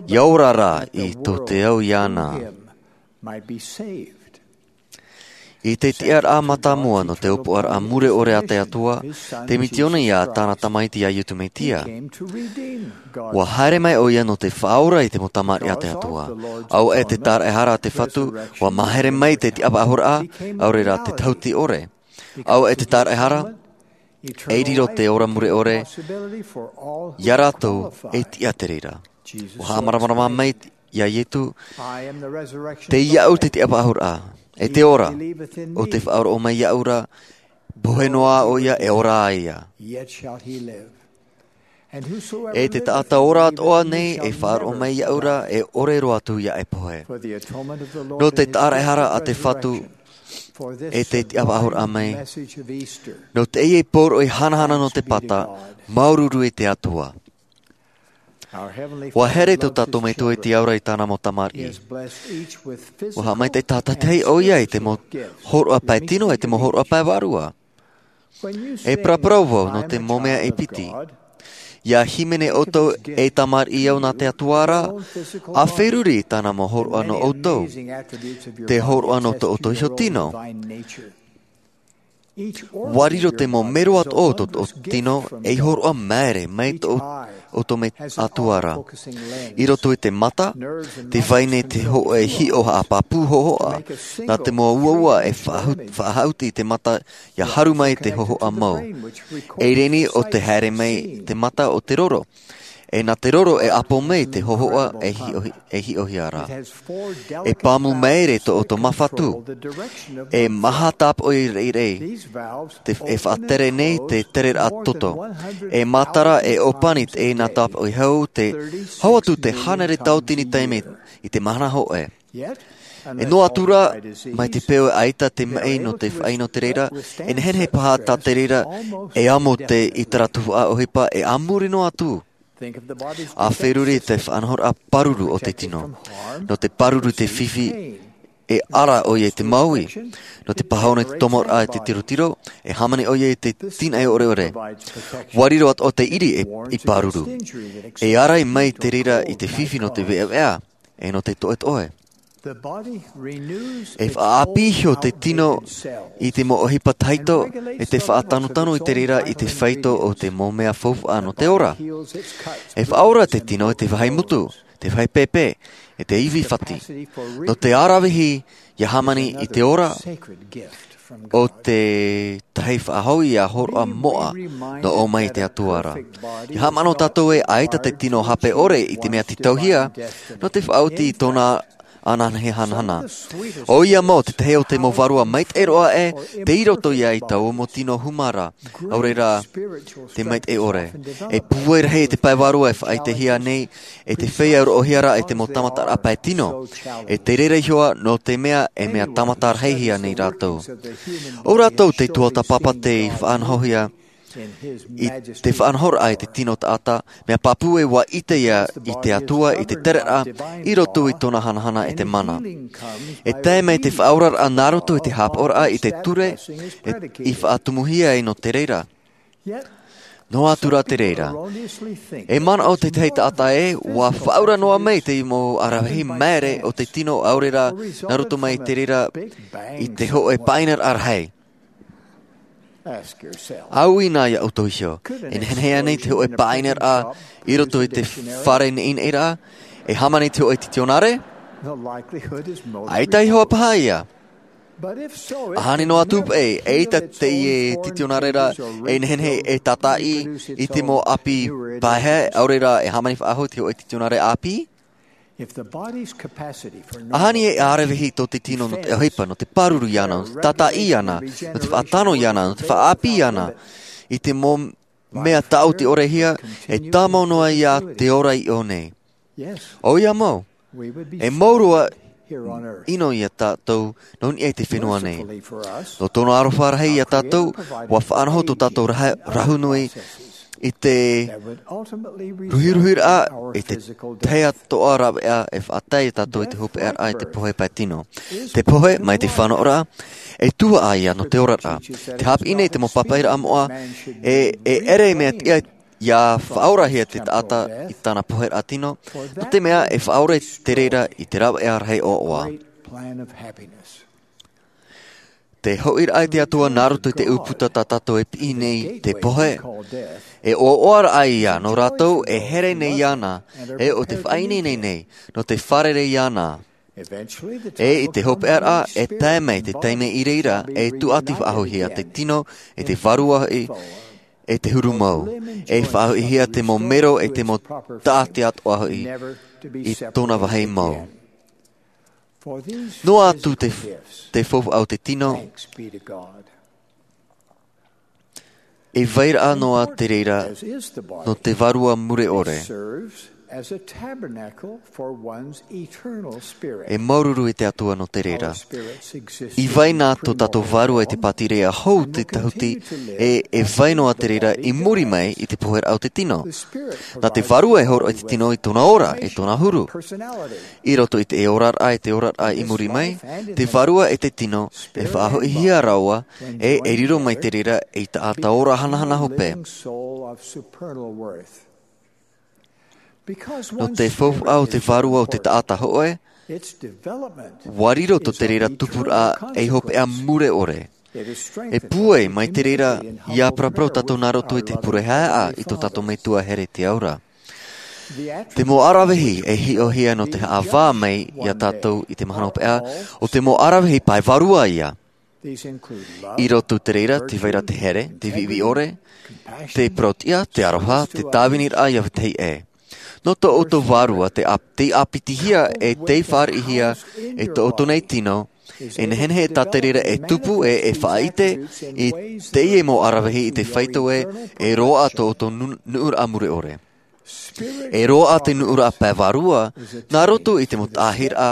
ia ora rā i tō te ao iāna. I te tiʻaraʻa mātāmua nō te ʻōpuaraʻa mure ʻore a te Atua, te mitiona ia tāna tamaiti a Iesu Mesia. ʻUa haere mai ʻoia nō te faʻaora i te mau tamariʻi a te Atua. ʻAore te tāraʻehara a te Fatu, ʻua mahere mai te tiʻafaʻahoraʻa, ʻaore rā te tahuti ʻore. ʻAore te tāraʻehara, e riro te ora mure ʻore, ia rātou e tiʻa te reira. ʻUa haʻamāramarama mai ia Iesu, tei iāʻu te tiʻafaʻahoraʻa, e te ora, ʻo tē faʻaroʻo mai iāʻu ra, pohe noa ʻoia e ora ia. E te taʻata ora atoʻa nei e faʻaroʻo mai iāʻu ra e ʻore roa atu ia e pohe. Nō te tāraʻehara a te Fatu, e te tiʻafaʻahoraʻa mai. Nō teie pōroʻi hanahana nō te pata, māuruuru i te Atua. ʻUa here tō tātou Metua i te ao ra i tāna mau tamariʻi. ʻUa haʻamaitaʻi tātaʻitahi ʻoia i te mau hōroʻa pae tino, e te mau hōroʻa pae vārua. E paraparau vau nō te mau mea e piti. Ia hīmene ʻoutou ei tamariʻi au nā te Atua ra, ʻa feruri i tāna mau hōroʻa nō ʻoutou. Te hōroʻa nō tō ʻoutou iho tino. ʻUa riro te mau mero atoʻa o tō ʻoutou tino, ei hōroʻa māere, mai tō ʻoutou Metua ra. I roto i te mata, tē vai nei te hōʻē hiʻo haʻapāpū hōhoʻa, nā te mau uaua e faʻahu-, faʻahaʻuti i te mata, ia haru mai te hōhoʻa mau. E reni ʻo te haere mai te mata o te roro. E nā te roro e ʻapo mai te hōhoʻa e hiʻohi-, e hiʻohia ra. E pāmu māere tō ʻoutou māfatu. E maha tāpoʻi rairai. Te, e faʻatere nei te tereraʻa toto. E matara e ʻōpani te nā tāpoʻi hau te, hau atu te hānere tauatini taime i te mahana hōʻē. E noa atu rā, mai te peu ʻaita te maʻi nō te faʻaʻino te reira, e nehenehe paha tā te reira, e amo te ʻitara tuhaʻa ʻohipa, e a muri noa atu. ʻA feruri te faʻanahoraʻa pāruru o te tino. Nō te pāruru te fifi, e ara ʻoia i te māuiui. Nō te pāhono i te tomoraʻa i te tirotiro, e hāmani ʻoia i te tīnaʻi ʻoreʻore. ʻUa riro atoʻa te ʻiri e, i pāruru. E ārai mai te reira i te fifi nō te veʻaveʻa, e nō te toʻetoʻe. E faʻaʻāpī iho te tino i te mau ʻohipa tahito, e te faʻatanotano i te reira i te fāito o te mau mea faufaʻa nō te ora. E faʻaora te tino i te vāhi mutu, te vāhi pēpē, e te ivi fati. Nō te aravihi, ia hāmani i te ora, ʻo te tahi faʻahou ia hōroʻa moʻa, nō ʻō mai te Atua ra. Ia haʻamanaʻo tātou ē ʻaita te tino hape ʻore i te mea tītauhia, nō te faʻaoti i tōna ananehe hanahana. ʻOia mau te tahi o te mau vārua maitaʻi roa ē, tei roto ia i taua mau tino huma ra, ʻaore rā, te maitaʻi ʻore. E pūai rahi te pae vārua e faʻaʻitehia nei, e te feiā roʻohia ra e te mau tāmataraʻa pae tino. E te reira iho ā, nō te mea, e mea tāmata rahihia nei rātou. ʻO rātou te tuatāpapa tei faʻanahohia, i te faʻanahoraʻa i te tino taʻata, mea pāpū ē ʻua ʻite ia i te Atua, i te tereraʻa, i roto i tōna hanahana e te mana. E tae mai te faʻaoraraʻa nā roto i te haʻapaʻoraʻa i te ture, e, i faʻatumuhia ai nō te reira. Noa atu rā te reira. E manaʻo te tahi taʻata ē, ʻua faʻaora noa mai te mau aravihi māere o te tino ʻaore rā, nā roto mai te reira i te hōʻē pāʻinaraʻa rahi. ʻA ui nā ia ʻoutou iho, e nehenehe ānei te hōʻē pāʻinaraʻa i roto i te fare neʻineʻiraʻa, e hāmani te hōʻē titionare? ʻAita iho ā paha ia. ʻAhani noa atu paʻi, eʻita teie titionare ra, e nehenehe e tātaʻi i te mau ʻāpī paehae, ʻaore rā e hāmani faʻahou te hōʻē titionare ʻāpī? ʻAhani e aravihi tō te tino nō te ʻohipa, nō te pāruru iāna, nō te tātaʻi iāna, nō te faʻatano iāna, nō te faʻaʻāpī iāna, i te mau mea tāʻoti ʻore hia, e tāmau noa iā te ora i ʻō nei. ʻOia mau, e mau roa ʻino iā tātou nō niʻa i te fenua nei. Nō tōna aroha rahi iā tātou, ua faʻanaho tō tātou rahu nui i te ruhiruhiraʻa i te tahi atoʻa rāveʻa e faʻatae iā tātou i te hopeʻaraʻa i te pohe pae tino. Te pohe mai te fānaʻoraʻa, e tuhaʻa ia nō te oraraʻa. Te hāpiʻi nei te mau pāpaʻiraʻa moʻa, e ʻere mea tiʻa ia faʻaorahia te taʻata i tāna poheraʻa tino, nō te mea e faʻaora te reira i te rāveʻa rahi ʻoaʻoa. Te hoʻiraʻa i te atua nā roto i te ʻūputa tā tātou e piʻi nei te pohe, e ʻoaʻoa raʻa ia nō rātou e here nei iāna, e o te faʻaineine nei nō te fārerei iāna. E i te hopeʻaraʻa e tae mai te taime i reira e tuʻati faʻahoʻihia te tino, e te vārua hoʻi, e te huru mau, e faʻahoʻihia te mau mero e te mau taʻati atoʻa hoʻi i tōna vāhi mau. Noa atu te faufaʻa o te tino, e vairaʻa noa te reira nō te vārua mure ʻore. E māuruuru i te atua nō te reira. I vai nā tō tātou vārua i te pātireia hou te tahuti, e e vai noa te reira i muri mai i te poheraʻa o te tino. Nā te vārua e hōroʻa i te tino i tōna ora, i tōna huru. I roto i te oraraʻa e te oraraʻa i muri mai, te vārua e te tino e faʻahoʻihia rāua, e e riro mai te reira i taʻata ora hanahana hope. Nō te faufaʻa o te vārua o te taʻata hoʻe, ua riro tō te reira tupuraʻa ei hopeʻa mure ʻore. E pūai mai te reira ia paraparau tātou nā roto i te pure haeaʻa i tō tātou metua here i te aura. Te mau aravihi e hiʻohia nō te haʻavā mai iā tātou i te mahana hopeʻa, o te mau aravihi pae vārua ia. I roto te reira te vaira te here, te viʻiviʻi ʻore, te parauʻtiʻa, te aroha, te tāviniraʻa iā vetahi ʻē. Nō tō ʻoutou vārua te ʻāpitihia e te fāriʻihia e tō ʻoutou nei tino, e nehenehe tā te reira e tupu e e faʻaʻite i teie mau aravihi i te faito ē, e roaʻa tō ʻoutou nuʻuraʻa mure ʻore. E roaʻa te nuʻuraʻa pae vārua nā roto i te mau taʻahiraʻa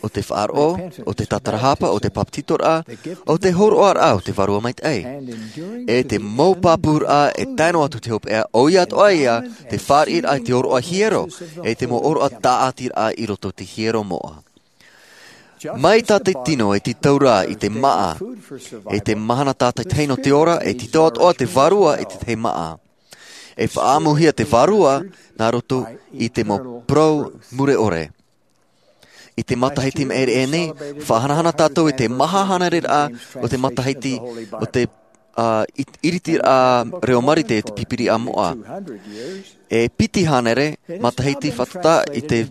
o te faʻaroʻo, o te tatarahapa, o te papetitoraʻa, o te hōroʻaraʻa o te vārua maitaʻi. E te mau pāpūraʻa e tae noa atu te hopeʻa, ʻoia atoʻa ia te fāriʻiraʻa i te ʻōroʻa hiero, e te mau ʻōroʻa tāʻatiraʻa i roto i te hiero moʻa. Mai tā te tino e tītau rā i te māʻa, e te mahana tātaʻitahi nō te ora, e tītau atoʻa te vārua i te tahi māʻa. E faʻaʻamuhia te vārua nā roto i te mau parau mure ʻore. I te matahiti maʻiri aʻe nei, faʻahanahana tātou i te maha hānere raʻa o te matahiti o te ʻiritiraʻa reo marite i te pīpīria moʻa. E piti hānere matahiti fātata i te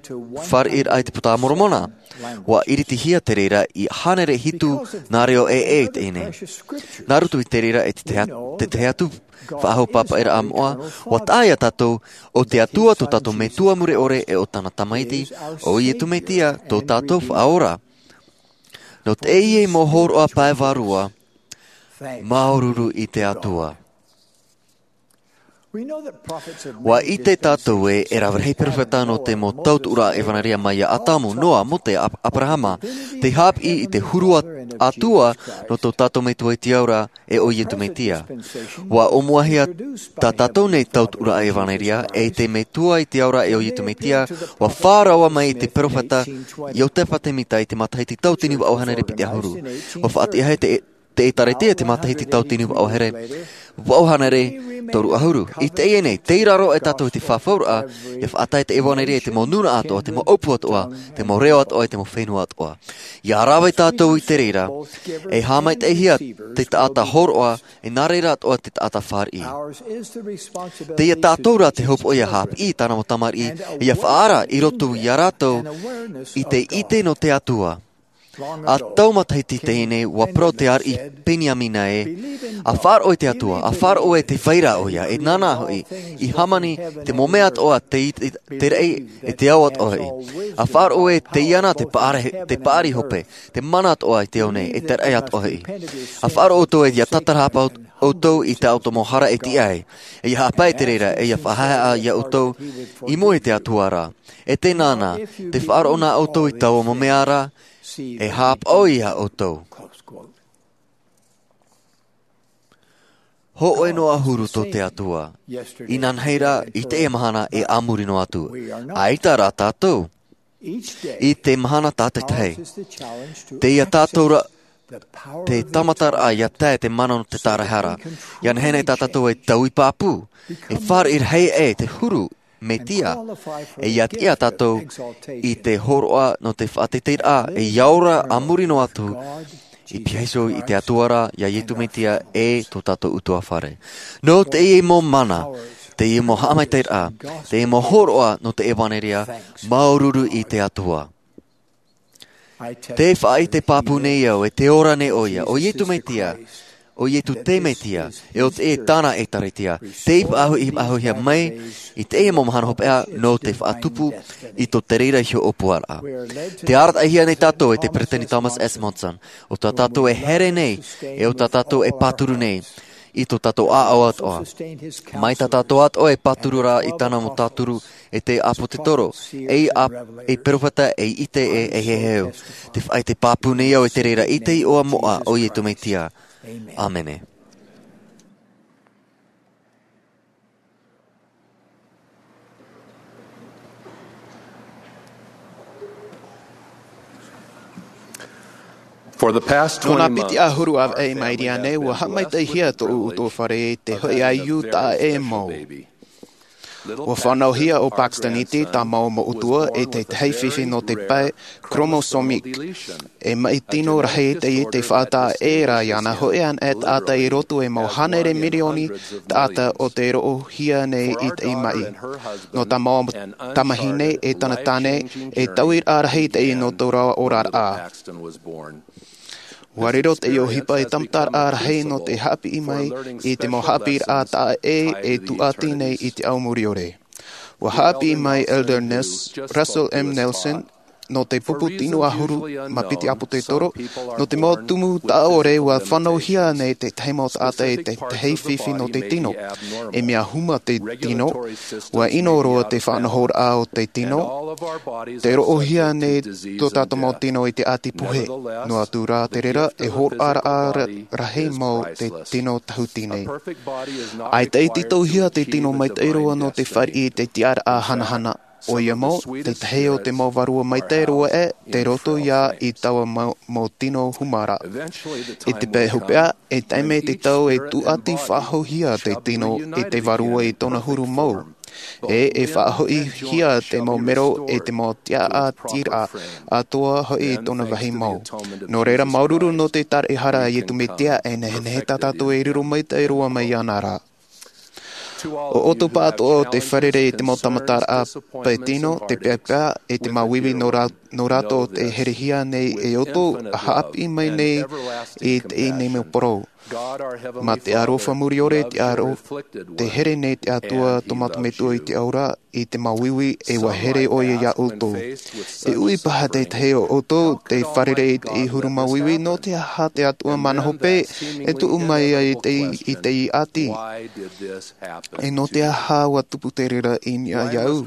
fāriʻiraʻa i te puta a Moromona. Ua ʻiritihia te reira i hānere hitu nā reo ʻē ʻē i teie nei. Nā roto i te reira e te tahi atu faʻahaupāpaʻiraʻa moʻa, ua taʻa iā tātou, o te atua tō tātou metua mure ʻore e o tāna tamaiti, o iesu mesia tō tātou faʻaora. Nō teie mau hōroʻa pae vārua, māuruuru i te atua. Ua ʻite tātou ē e rave rahi peropheta nō te mau tautuʻuraʻa ʻevanelia mai iā adamu, noa, mose, abrahama, te hāpiʻi i te huru atua nō tō tātou metua i te aura, e o iesu mesia. Ua ʻōmuahia tā tātou nei tautuʻuraʻa ʻevanelia e te metua i te aura e o iesu mesia, ua fā raua mai i te peropheta iosepha semita i te matahiti tauatini vaʻu hānere piti ʻahuru. Ua faʻatiʻahia te ʻēkālesia i te matahiti tauatini vaʻu hānere toru ʻahuru. I teie nei tei raro e tātou i te fafauraʻa ia faʻatae te ʻevanelia i te mau nūnaʻa atoʻa, te mau ʻōpū atoʻa, te mau reo atoʻa, i te mau fenua atoʻa. Ia rave tātou i te reira e haʻamaitaʻihia te taʻata hōroʻa, e nā reira atoʻa te taʻata fāriʻi. Teie tātou rā te hopoʻa ia hāpiʻi i tāna mau tamariʻi, ia faʻaara i roto iā rātou i te ʻite nō te atua. A tau matahiti teie nei, ua parau te ariʻi Peniamina ē, a faʻaroʻo i te Atua, a faʻaroʻo ē tē vai ra ʻoia, e nāna hoʻi, i hāmani te mau mea atoʻa te, te, te raʻi, e te ao atoʻa hoʻi. A faʻaroʻo ē tei iāna te paʻari, te paʻari hope, te mana atoʻa i te ao nei, e te raʻi atoʻa hoʻi. A faʻaroʻo ʻoutou ē ʻia tātarahapa ʻoutou i tā ʻoutou mau hara e tiʻa ai, e ʻia haʻapae i te reira, e ʻia faʻahaehaʻa iā ʻoutou, i mua i te Atua ra. E tē nāna, tē faʻaroʻo na ʻoutou i taua mau mea ra, e haʻapaʻo iā ʻoutou. Hōʻē noa huru tō te Atua. Inanahi ra, i teie mahana e a muri noa atu. ʻAita rā tātou. I te mahana tātaʻitahi. Tei iā tātou ra, te tāmataraʻa ʻia tae te mana nō te tāraʻehara. ʻIa nehenehe tā tātou e taui pāpū. E fāriʻi rahi e te huru, Metia. E ʻia tiʻa tātou i te hōroʻa nō te faʻateiteiraʻa, e ʻia ora a muri noa atu, i pihaʻi iho i te Atua ra, iā Iesu Metia e tō tātou ʻutuāfare. Nō teie mau mana, teie mau haʻamaitaʻiraʻa, teie mau hōroʻa nō te ʻevanelia, māuruuru i te Atua. Tē faʻaʻite pāpū nei au, e tē ora nei ʻoia, ʻo Iesu Metia, ʻo Iesu te Metia, e ʻo te, e tāna ʻĒtārētia, tei faʻahoʻi, faʻahoʻihia mai, i teie mau mahana hopeʻa, nō te faʻatupu, i tō te reira iho ʻōpuaraʻa. Tē arataʻihia nei tātou e te Peresideni Thomas S. Monson, ʻo tā tātou e here nei, e ʻo tā tātou e pāturu nei, i tō tātou ʻāʻau atoʻa. Mai tā tātou atoʻa e pāturu ra i tāna mau tāturu e te ʻāpōsetolo, e ʻā-, e perofeta, e ʻite, e, e heheu. Tē faʻaʻite pāpū nei au e te reira i te iʻoa moʻa o Iesu Metia. ʻĀmene. For the past Nō nā twenty piti months, ʻahuru ʻāvaʻe i maʻiri aʻe nei, ua haʻamaitaʻihia tōʻu ʻutuāfare i te hoʻi ʻaiū taʻa ʻē mau. Ua fānauhia ʻo Paxton Eete, tā māua mau ʻutuāfare, e te tahi fifi nō te pae chromosomique. E maʻi tino rahi teie tei faʻataʻa ʻē ra iāna, hōʻē anaʻe taʻata i roto i te mau hānere mirioni taʻata o tei roʻohia nei i teie maʻi. Nō tā māua tamahine e tāna tāne, e tauiraʻa rahi teie nō tō rāua oraraʻa. Ua riro teie ʻohipa ei tāmataraʻa rahi nō te haʻapiʻi mai i te mau haʻapiʻiraʻa taʻa ʻē e tūʻati nei i te ao muriore. Ua haʻapiʻi mai Elder Nes-, Russell M. Nelson, nō te pupu tino ʻahuru mā piti ʻāpōsetolo, nō te mau tumu taʻa ʻore ua fānauhia nei te tahi mau taʻata i te tahi fifi nō te tino. E mea huma te tino, ua ʻino roa te faʻanahoraʻa o te tino, tē roʻohia nei tō tātou mau tino i te ʻati puhe. Noa atu rā te reira, e hōroʻaraʻa ra-, rahi mau te tino tāhuti nei. ʻAita i tītauhia te tino maitaʻi roa nō te fāriʻi i te tiʻaraʻa hanahana. ʻOia mau, te tahi o te mau vārua maitaʻi roa ē, tei roto ia i taua mau, mau tino huma ra. I te pae hopeʻa, e tae mai te tau e tūʻati faʻahouhia te tino i te vārua i tōna huru mau. E, e faʻahoʻihia te mau mero e te mau tiʻaʻatiraʻa atoʻa hoʻi i tōna vāhi mau. Nō reira, māuruuru nō te tāraʻehara a Iesu Metia, e nehenehe tā tātou e riro maitaʻi roa mai iāna ra. ʻO ʻoutou pāʻatoʻa o tei fārerei i te mau tāmataraʻa pae tino, te peapea, e te māuiui nō rā-, nō rātou tē herehia nei e ʻoutou, ʻa haʻapiʻi mai nei i teie nei mau parau. Mā te aroha muriore, te aro, tē here nei te Atua tō mātou Metua i te ao ra, i te māuiui, e ʻua here ʻoia iā ʻoutou. E ui paha te tahi o ʻoutou, tē fārerei i te huru māuiui, nō te aha te Atua mana hope, e tuʻu mai ai i te, i te ʻati. E nō te aha ʻua tupu te reira i niʻa iāʻu?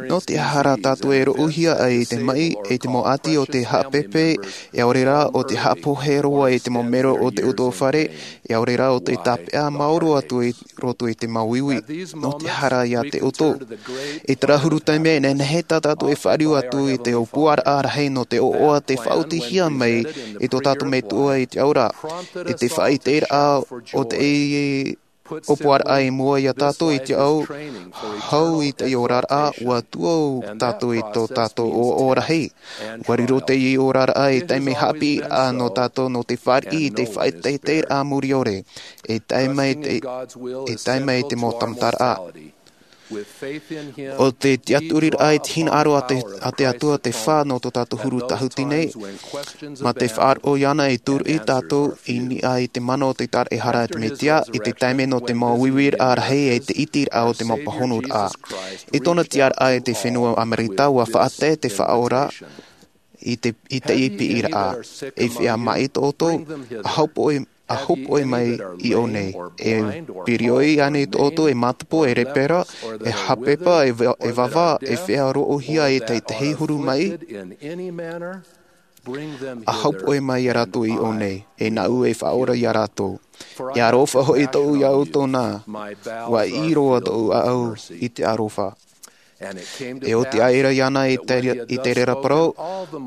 Nō te aha rā tātou e roʻohia ai i te maʻi, e te mau ʻati o te haʻapepe, e ʻaore rā ʻo te haʻapohe roa i te mau mero o te ʻutuāfare, e ʻaore rā ʻo te tāpeʻa maoro atu i roto i te māuiui. Nō te aha rā ia te ʻoutou? I terā huru taime, e nehenehe tā tātou e fāriu atu i te ʻōpuaraʻa rahi nō te ʻoaʻoa tē faʻaotihia mai e tō tātou Metua i te ao ra. I te faʻaʻiteraʻa o te ʻōpuaraʻa i mua iā tātou i te ao, hau i te oraraʻa, ʻua tuʻu tātou i tō tātou ʻoaʻoa rahi. ʻUa riro teie oraraʻa ei taime haʻapiʻiraʻa nō tātou nō te fāriʻi i te faʻateiteiraʻa muriore. E tae mai te, e tae mai te mau tāmataraʻa. ʻO te tiʻaturiraʻa i te hinaʻaro a te, a te Atua te fā nō tō tātou huru tāhuti nei, mā te faʻaroʻo iāna e tūruʻi tātou i niʻa i te mana o te taraehara a te Mesia, i te taime nō te mau uiuiraʻa rahi e te ʻitiraʻa o te mau pāhonuraʻa. I tōna tiʻaraʻa i te fenua Amerika, ua faʻatae te Faʻaora i te, i te piʻiraʻa. E feiā maʻi tō ʻoutou, ʻa hopoʻe, ʻa hopoʻe mai iʻō nei. E pīrioi ānei tō ʻoutou, e mātapo, e lepera, e hāpepa, e va-, e vava, e feiā roʻohia i te, te huru maʻi? ʻA hopoʻe mai ia rātou iʻō nei, e nāʻu e faʻaora ia rātou. E aroha hoʻi tōʻu ia ʻoutou nā, ua ʻī roa tōʻu ʻāʻau i te aroha. E oti aʻera iāna i te, i te reira parau,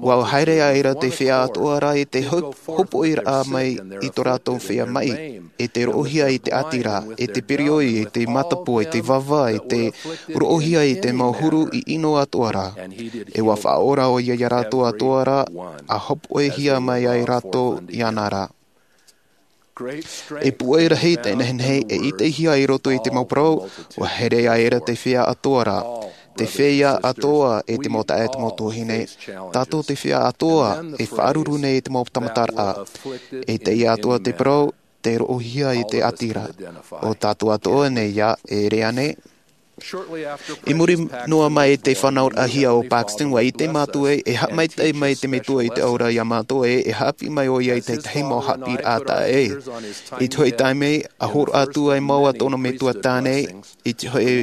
ua haere aʻera te feiā atoʻa ra i te hop-, hopoiraʻa mai i tō rātou feiā maʻi, i te roʻohia i te ʻati ra, i te pīrioi, i te mātapo, i te vava, i te roʻohia i te mau huru ʻino atoʻa ra. E ua faʻaora ʻoia ia rātou atoʻa ra, ʻa hopoihia mai ai rātou iāna ra. E pūai rahi te nehenehe e ʻitehia i roto i te mau parau, ua haere aʻera te feiā atoʻa ra. Te feiā atoʻa e te mau taeaʻe, te mau tuahine. Tātou te feiā atoʻa e faʻaruru nei i te mau tāmataraʻa. E teie atoʻa te parau, te roʻohia i te ʻati ra. ʻO tātou atoʻa nei ia, e ʻere ānei? I muri noa mai i te fānauraʻahia o Paxton, ua ʻite mātou ē, e haʻamaitaʻi mai te Metua i te ao ra ia mātou ē, e haʻapiʻi mai ʻoia i te tahi mau haʻapiʻiraʻa taʻa ʻē. I te hoʻi taime, ʻa hōroʻa atu ai mau ā tōna metua tāne, i te hoʻi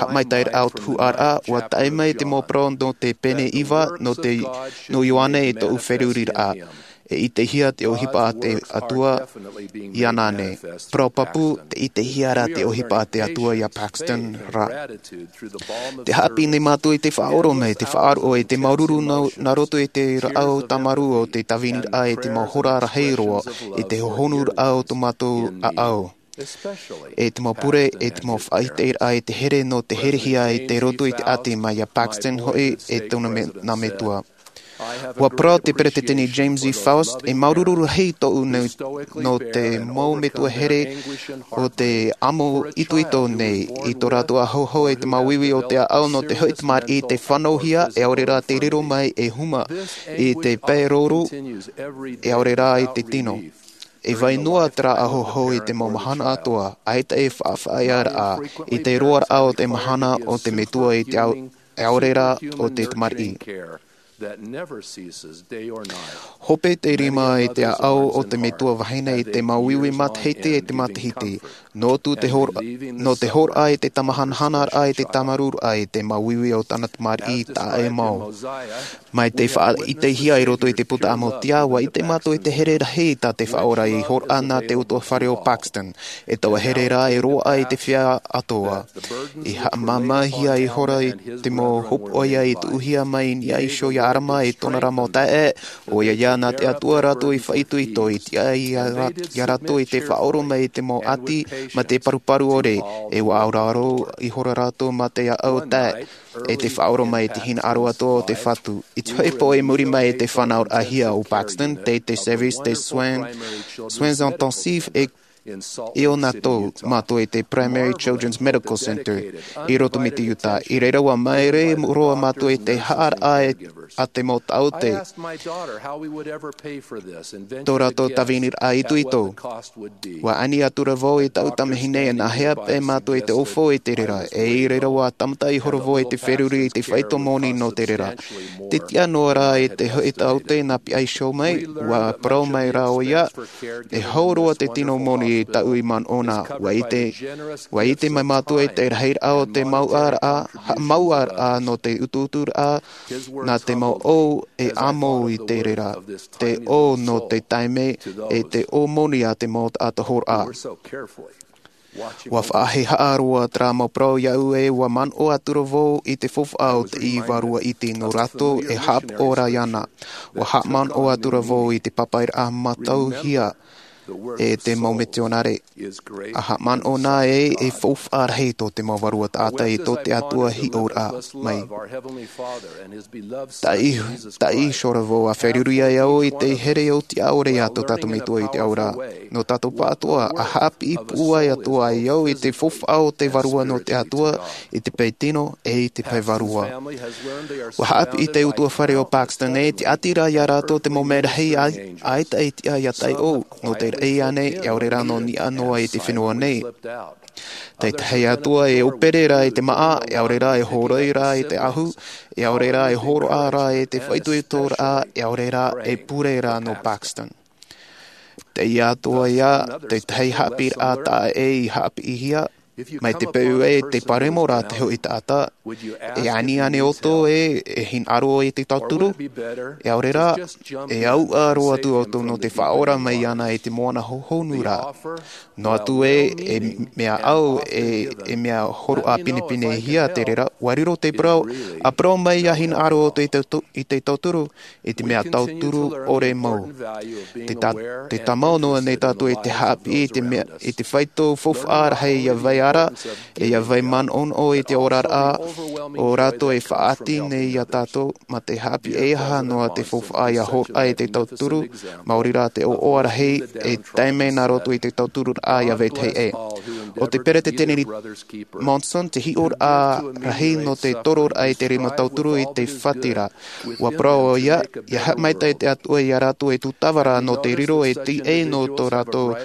haʻamaitaʻiraʻa o te huʻaraʻa, ua tae mai te mau parau nō te pene iva, nō te, nō Ioane i tōʻu feruriraʻa. E ʻitehia te ʻohipa a te Atua iāna nei. Parau pāpū, tē ʻitehia ra te ʻohipa a te Atua ia Paxton ra. Tē haʻapiʻi nei mātou i te faʻaʻoromaʻi, te faʻaroʻo, i te māuruuru nā, nā roto i te rāʻau tāmarū o te tāviniraʻa i te mau hora rahi roa, i te hohonuraʻa o tō mātou ʻāʻau. E te mau pure, e te mau faʻaʻiteraʻa i te here nō te herehia i te roto i te ʻati mai ia Paxton hoʻi e tōna me-, nā metua. Ua parau te Peretiteni James E. Faust, e māuruuru rahi tōʻu nei nō te mau metua here o te amo itoito nei i tō rātou ʻāhauhau i te māuiui o te ʻāʻau nō te hoʻi tamariʻi i te fānauhia, e ʻaore rā te riro mai e huma i te pae rouru, e ʻaore rā i te tino. E vai noa terā ʻāhauhau i te mau mahana atoʻa, ʻaita e faʻafaʻaearaʻa i te roaraʻa o te mahana o te metua i te ao-, e ʻaore rā o te tamariʻi. Hope te rima i te ʻāʻau o te metua vahine i te māuiui matahiti e te matahiti, nō tū te hor-, nō te hōroʻa i te tāmahanahanaraʻa i te tāmarūraʻa i te māuiui o tāna tamariʻi taʻa ʻē mau. Mai te faʻaʻitehia i roto i te puta a Mosaia, ua ʻite mātou i te here rahi tā te Faʻaora i hōroʻa nā te utuafare o Paxton, e taua here rā e roaʻa i te feiā atoʻa. I haʻamāmāhia ihora i te mau hopoiʻa i tuʻuhia mai i niʻa iho ia ʻArama e tōna ra mau taeaʻe, ʻoia ia nā te Atua rātou i faʻaitoito i tiʻa ia rā-, ia rātou i te faʻaʻoromaʻi i te mau ʻati, mā te paruparu ʻore, e ua auraro ihora rātou mā te ʻāʻau tae, e te faʻaʻoromaʻi i te hinaʻaro atoʻa o te Fatu. I te hoʻi pō i muri mai i te fānauraʻahia o Paxton, tei te service de soins, soins intensifs e neonatal mātou i te Primary Children's Medical Center i roto mai te Utah. I reira ua māere roa mātou i te haʻaraʻa e, a te mau taote. Tō rātou tāviniraʻa itoito. Ua ani atura vau i taʻu tamahine e nāhea paʻi mātou i te ʻaufau i te reira, e i reira ua tāmata ihora vau i te feruri i te faito moni nō te reira. Te tiʻa noa rā i te hoʻi taote nā pihaʻi iho mai, ua parau mai rā ʻoia, e hau roa te tino moni i taʻu i manaʻo na. Ua ʻite, ua ʻite mai mātou i te rahiraʻa o te mauʻaraʻa, ha-, mauʻaraʻa nō te utuuturaʻa, nā te mau ʻō e amo i te reira, te ʻō nō te taime, e te ʻō moni a te mau taʻata hōroʻa. Ua faʻahehaʻa roa terā mau parau iāʻu e ua manaʻo atura vau i te faufaʻa o te iva rua iti nō rātou e haʻapaʻo ra iāna. Ua haʻamanaʻo atura vau i te papairaʻa mātauhia e te mau mitionare. A haʻamanaʻo na e e faufaʻa rahi tō te mau vārua taʻata i tō te Atua hiʻoraʻa mai. Taʻi taʻi sora vau a feruri ai au i te here o te aore a tō tātou metua i te aura. Nō tātou pāʻatoa a haʻapiʻi pūai atu ai au i te faufaʻa o te vārua nō te Atua i te pae tino e i te pae vārua. Ua haʻapiʻi te utuafare o Paxton e te ʻati rā iā rātou te mau mea rahi ai ai taʻi tiʻa iā taiʻo. Nō te raʻi ānei e aore rā nō niʻa noa i te fenua nei. Tētahi atu e ʻōpere rā i te māʻa e aore rā e hōroi rā i te ahu, e aore rā e hōroʻa rā i te faʻaitoitoraʻa e aore rā e pure rā nō Paxton. Teie atu ia tētahi haʻapiʻiraʻa taʻa ʻē i haʻapiʻihia mai te peu e te paremo rā te hoʻi taʻata. E aniani ʻoutou e e hinaʻaro i te tauturu? E aore rā e auʻa roa atu ʻoutou nō te faʻaora mai ana i te moana hohonu rā. Noa atu e e mea ʻau e e mea horoʻa pinepinehia te reira ua riro te parau. A parau mai ia hinaʻaro ʻoutou i te tau- i te tauturu i te mea tauturu ʻore mau. Te ta- te tāmau noa nei tātou i te haʻapiʻi i te mea i te faito faufaʻa rahi ia vai ara e ia vai manaʻonaʻo i te oraraʻa o rātou e faʻaʻati nei iā tātou. Mā te haʻapiʻi e aha noa te faufaʻa ia horoʻa i te tauturu. Maori rā te ʻoaʻoa rahi e tae mai nā roto i te tauturu raʻa ia vetahi ʻē. O te peretiteni Monson te hiʻoraʻa rahi nō te tororaʻa i te rima tauturu i te fati rā. Ua parau ia ia haʻamaitaʻi te Atua iā rātou e tūtava rā nō te riro e tiʻai nō tō rātou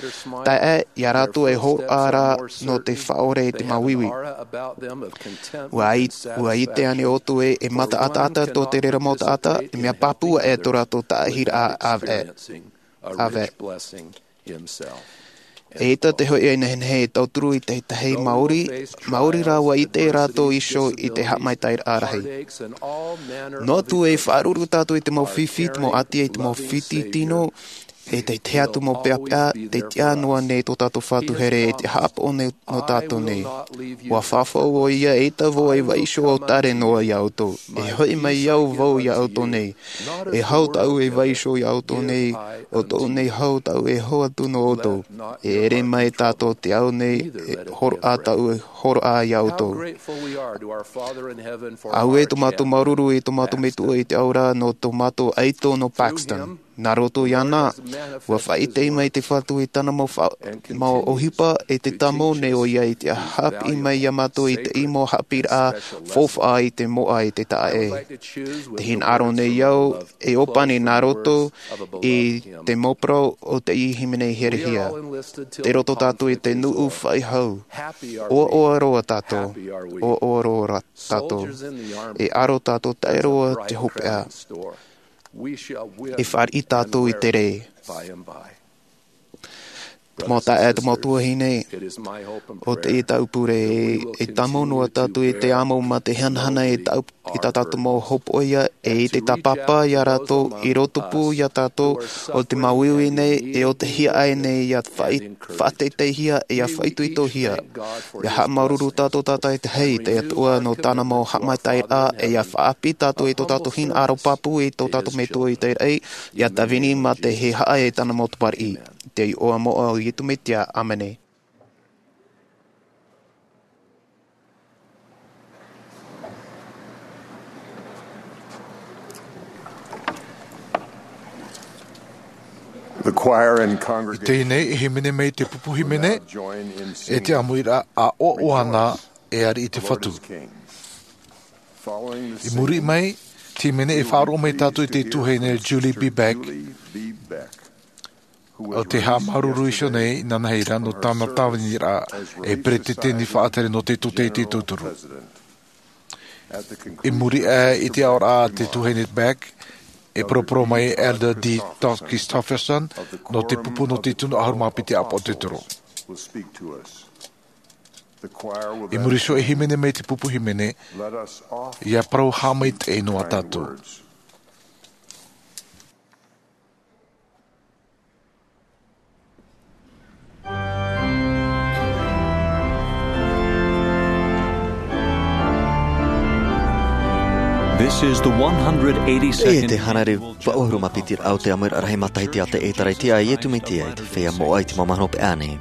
taeaʻe iā rātou e horoʻa rā nō te faʻaora i te māuiui. Ua ʻite ānei ʻoutou e e mataʻataʻata tō te reira mau taʻata te mea pāpū aʻe tō rātou taʻahiraʻa ʻāvaʻe. E ʻita te hoʻi e nehenehe e tauturu i tētahi māori māori rā ua ʻite rātou iho i te haʻamaitaʻiraʻa rahi. Noa atu e faʻaruru tātou i te mau fifi te mau ʻati e te mau fiti tino e tētahi atu mau peʻapeʻa te tiʻa noa nei tō tātou fatu here e te haʻapaʻo nei nō tātou nei. Ua fāfau ʻo ia e ʻita vau e vaiiho au tare noa iā ʻoutou e hoʻi mai au vau iā ʻoutou nei. E hau tāʻu e vaiiho iā ʻoutou nei o tōʻu nei hau tāʻu e hau atu nō ʻoutou. E ere mai tātou te au nei e horoʻa tāʻu e horoʻa iā ʻoutou. Auē tō mātou māuruuru i tō mātou metua i te aura nō tō mātou ʻaito nō Paxton. Nā roto iāna ua faʻaʻite mai te fatu i tāna mau ʻohipa e te tāmau nei ʻo ia i te haʻapiʻi mai iā mātou i te ʻimo haʻapiʻiraʻa faufaʻa i te moʻa i te taʻaʻē. Te hinaʻaro nei au e ʻōpani nā roto i te mau parau o te hīmene herehia. Te roto tātou i te nuʻu faʻaʻī hau. ʻOaʻoa roa tātou. ʻOaʻoa roa tātou. E aro tātou taʻe roa te hopeʻa. E fāriʻi tātou i te rē. Te mau taeaʻe te mau tuahine, o te ʻita ʻupure e tāmau noa tātou i te amo mā te hanahana i tā tātou mau hopoʻia e i te tāpapa iā rātou i rotopū iā tātou o te māuiui nei e o te hiaʻai nei ia faʻateiteihia e ia faʻaitoitohia. Ia haʻamāuruuru tātou tātaitahi i te Atua nō tāna mau haʻamaitaʻiraʻa e ia faʻaʻapi tātou i tō tātou hinaʻaro pāpū i tō tātou metua i te raʻi ia tāvini mā te haʻa e tāna mau tamariʻi. Te iʻoa moʻa o iesu mesia, ʻāmene. I teie nei e hīmene mai te pupu hīmene e te ʻāmuiraʻa ʻoaʻoa ana e ari i te fatu. I muri mai te hīmene e faʻaroʻo mai tātou i te tuahine Julie B. Beck. O te haʻamāuruuru iho nei nāna hei rā nō tāna tāviniraʻa e peretiteni faʻatere nō te tūtei te tauturu. I muri aʻe i te aoraʻa a te tuahine Beck e poroporo mai elder d todd christofferson nō te pupu nō te tino ʻahuru mā piti ʻāpōsetolo. I muri iho e hīmene mai te pupu hīmene ia parau haʻamaitaʻi noa tātou. This is the one hundred eighty-second. E te hānere vaʻu ʻahuru mā piti raʻa o te ʻāmuiraʻa rahi matahiti a te ʻĒtārētia a Iesu Mesia i te feiā moʻa i te mau mahana hopeʻa nei.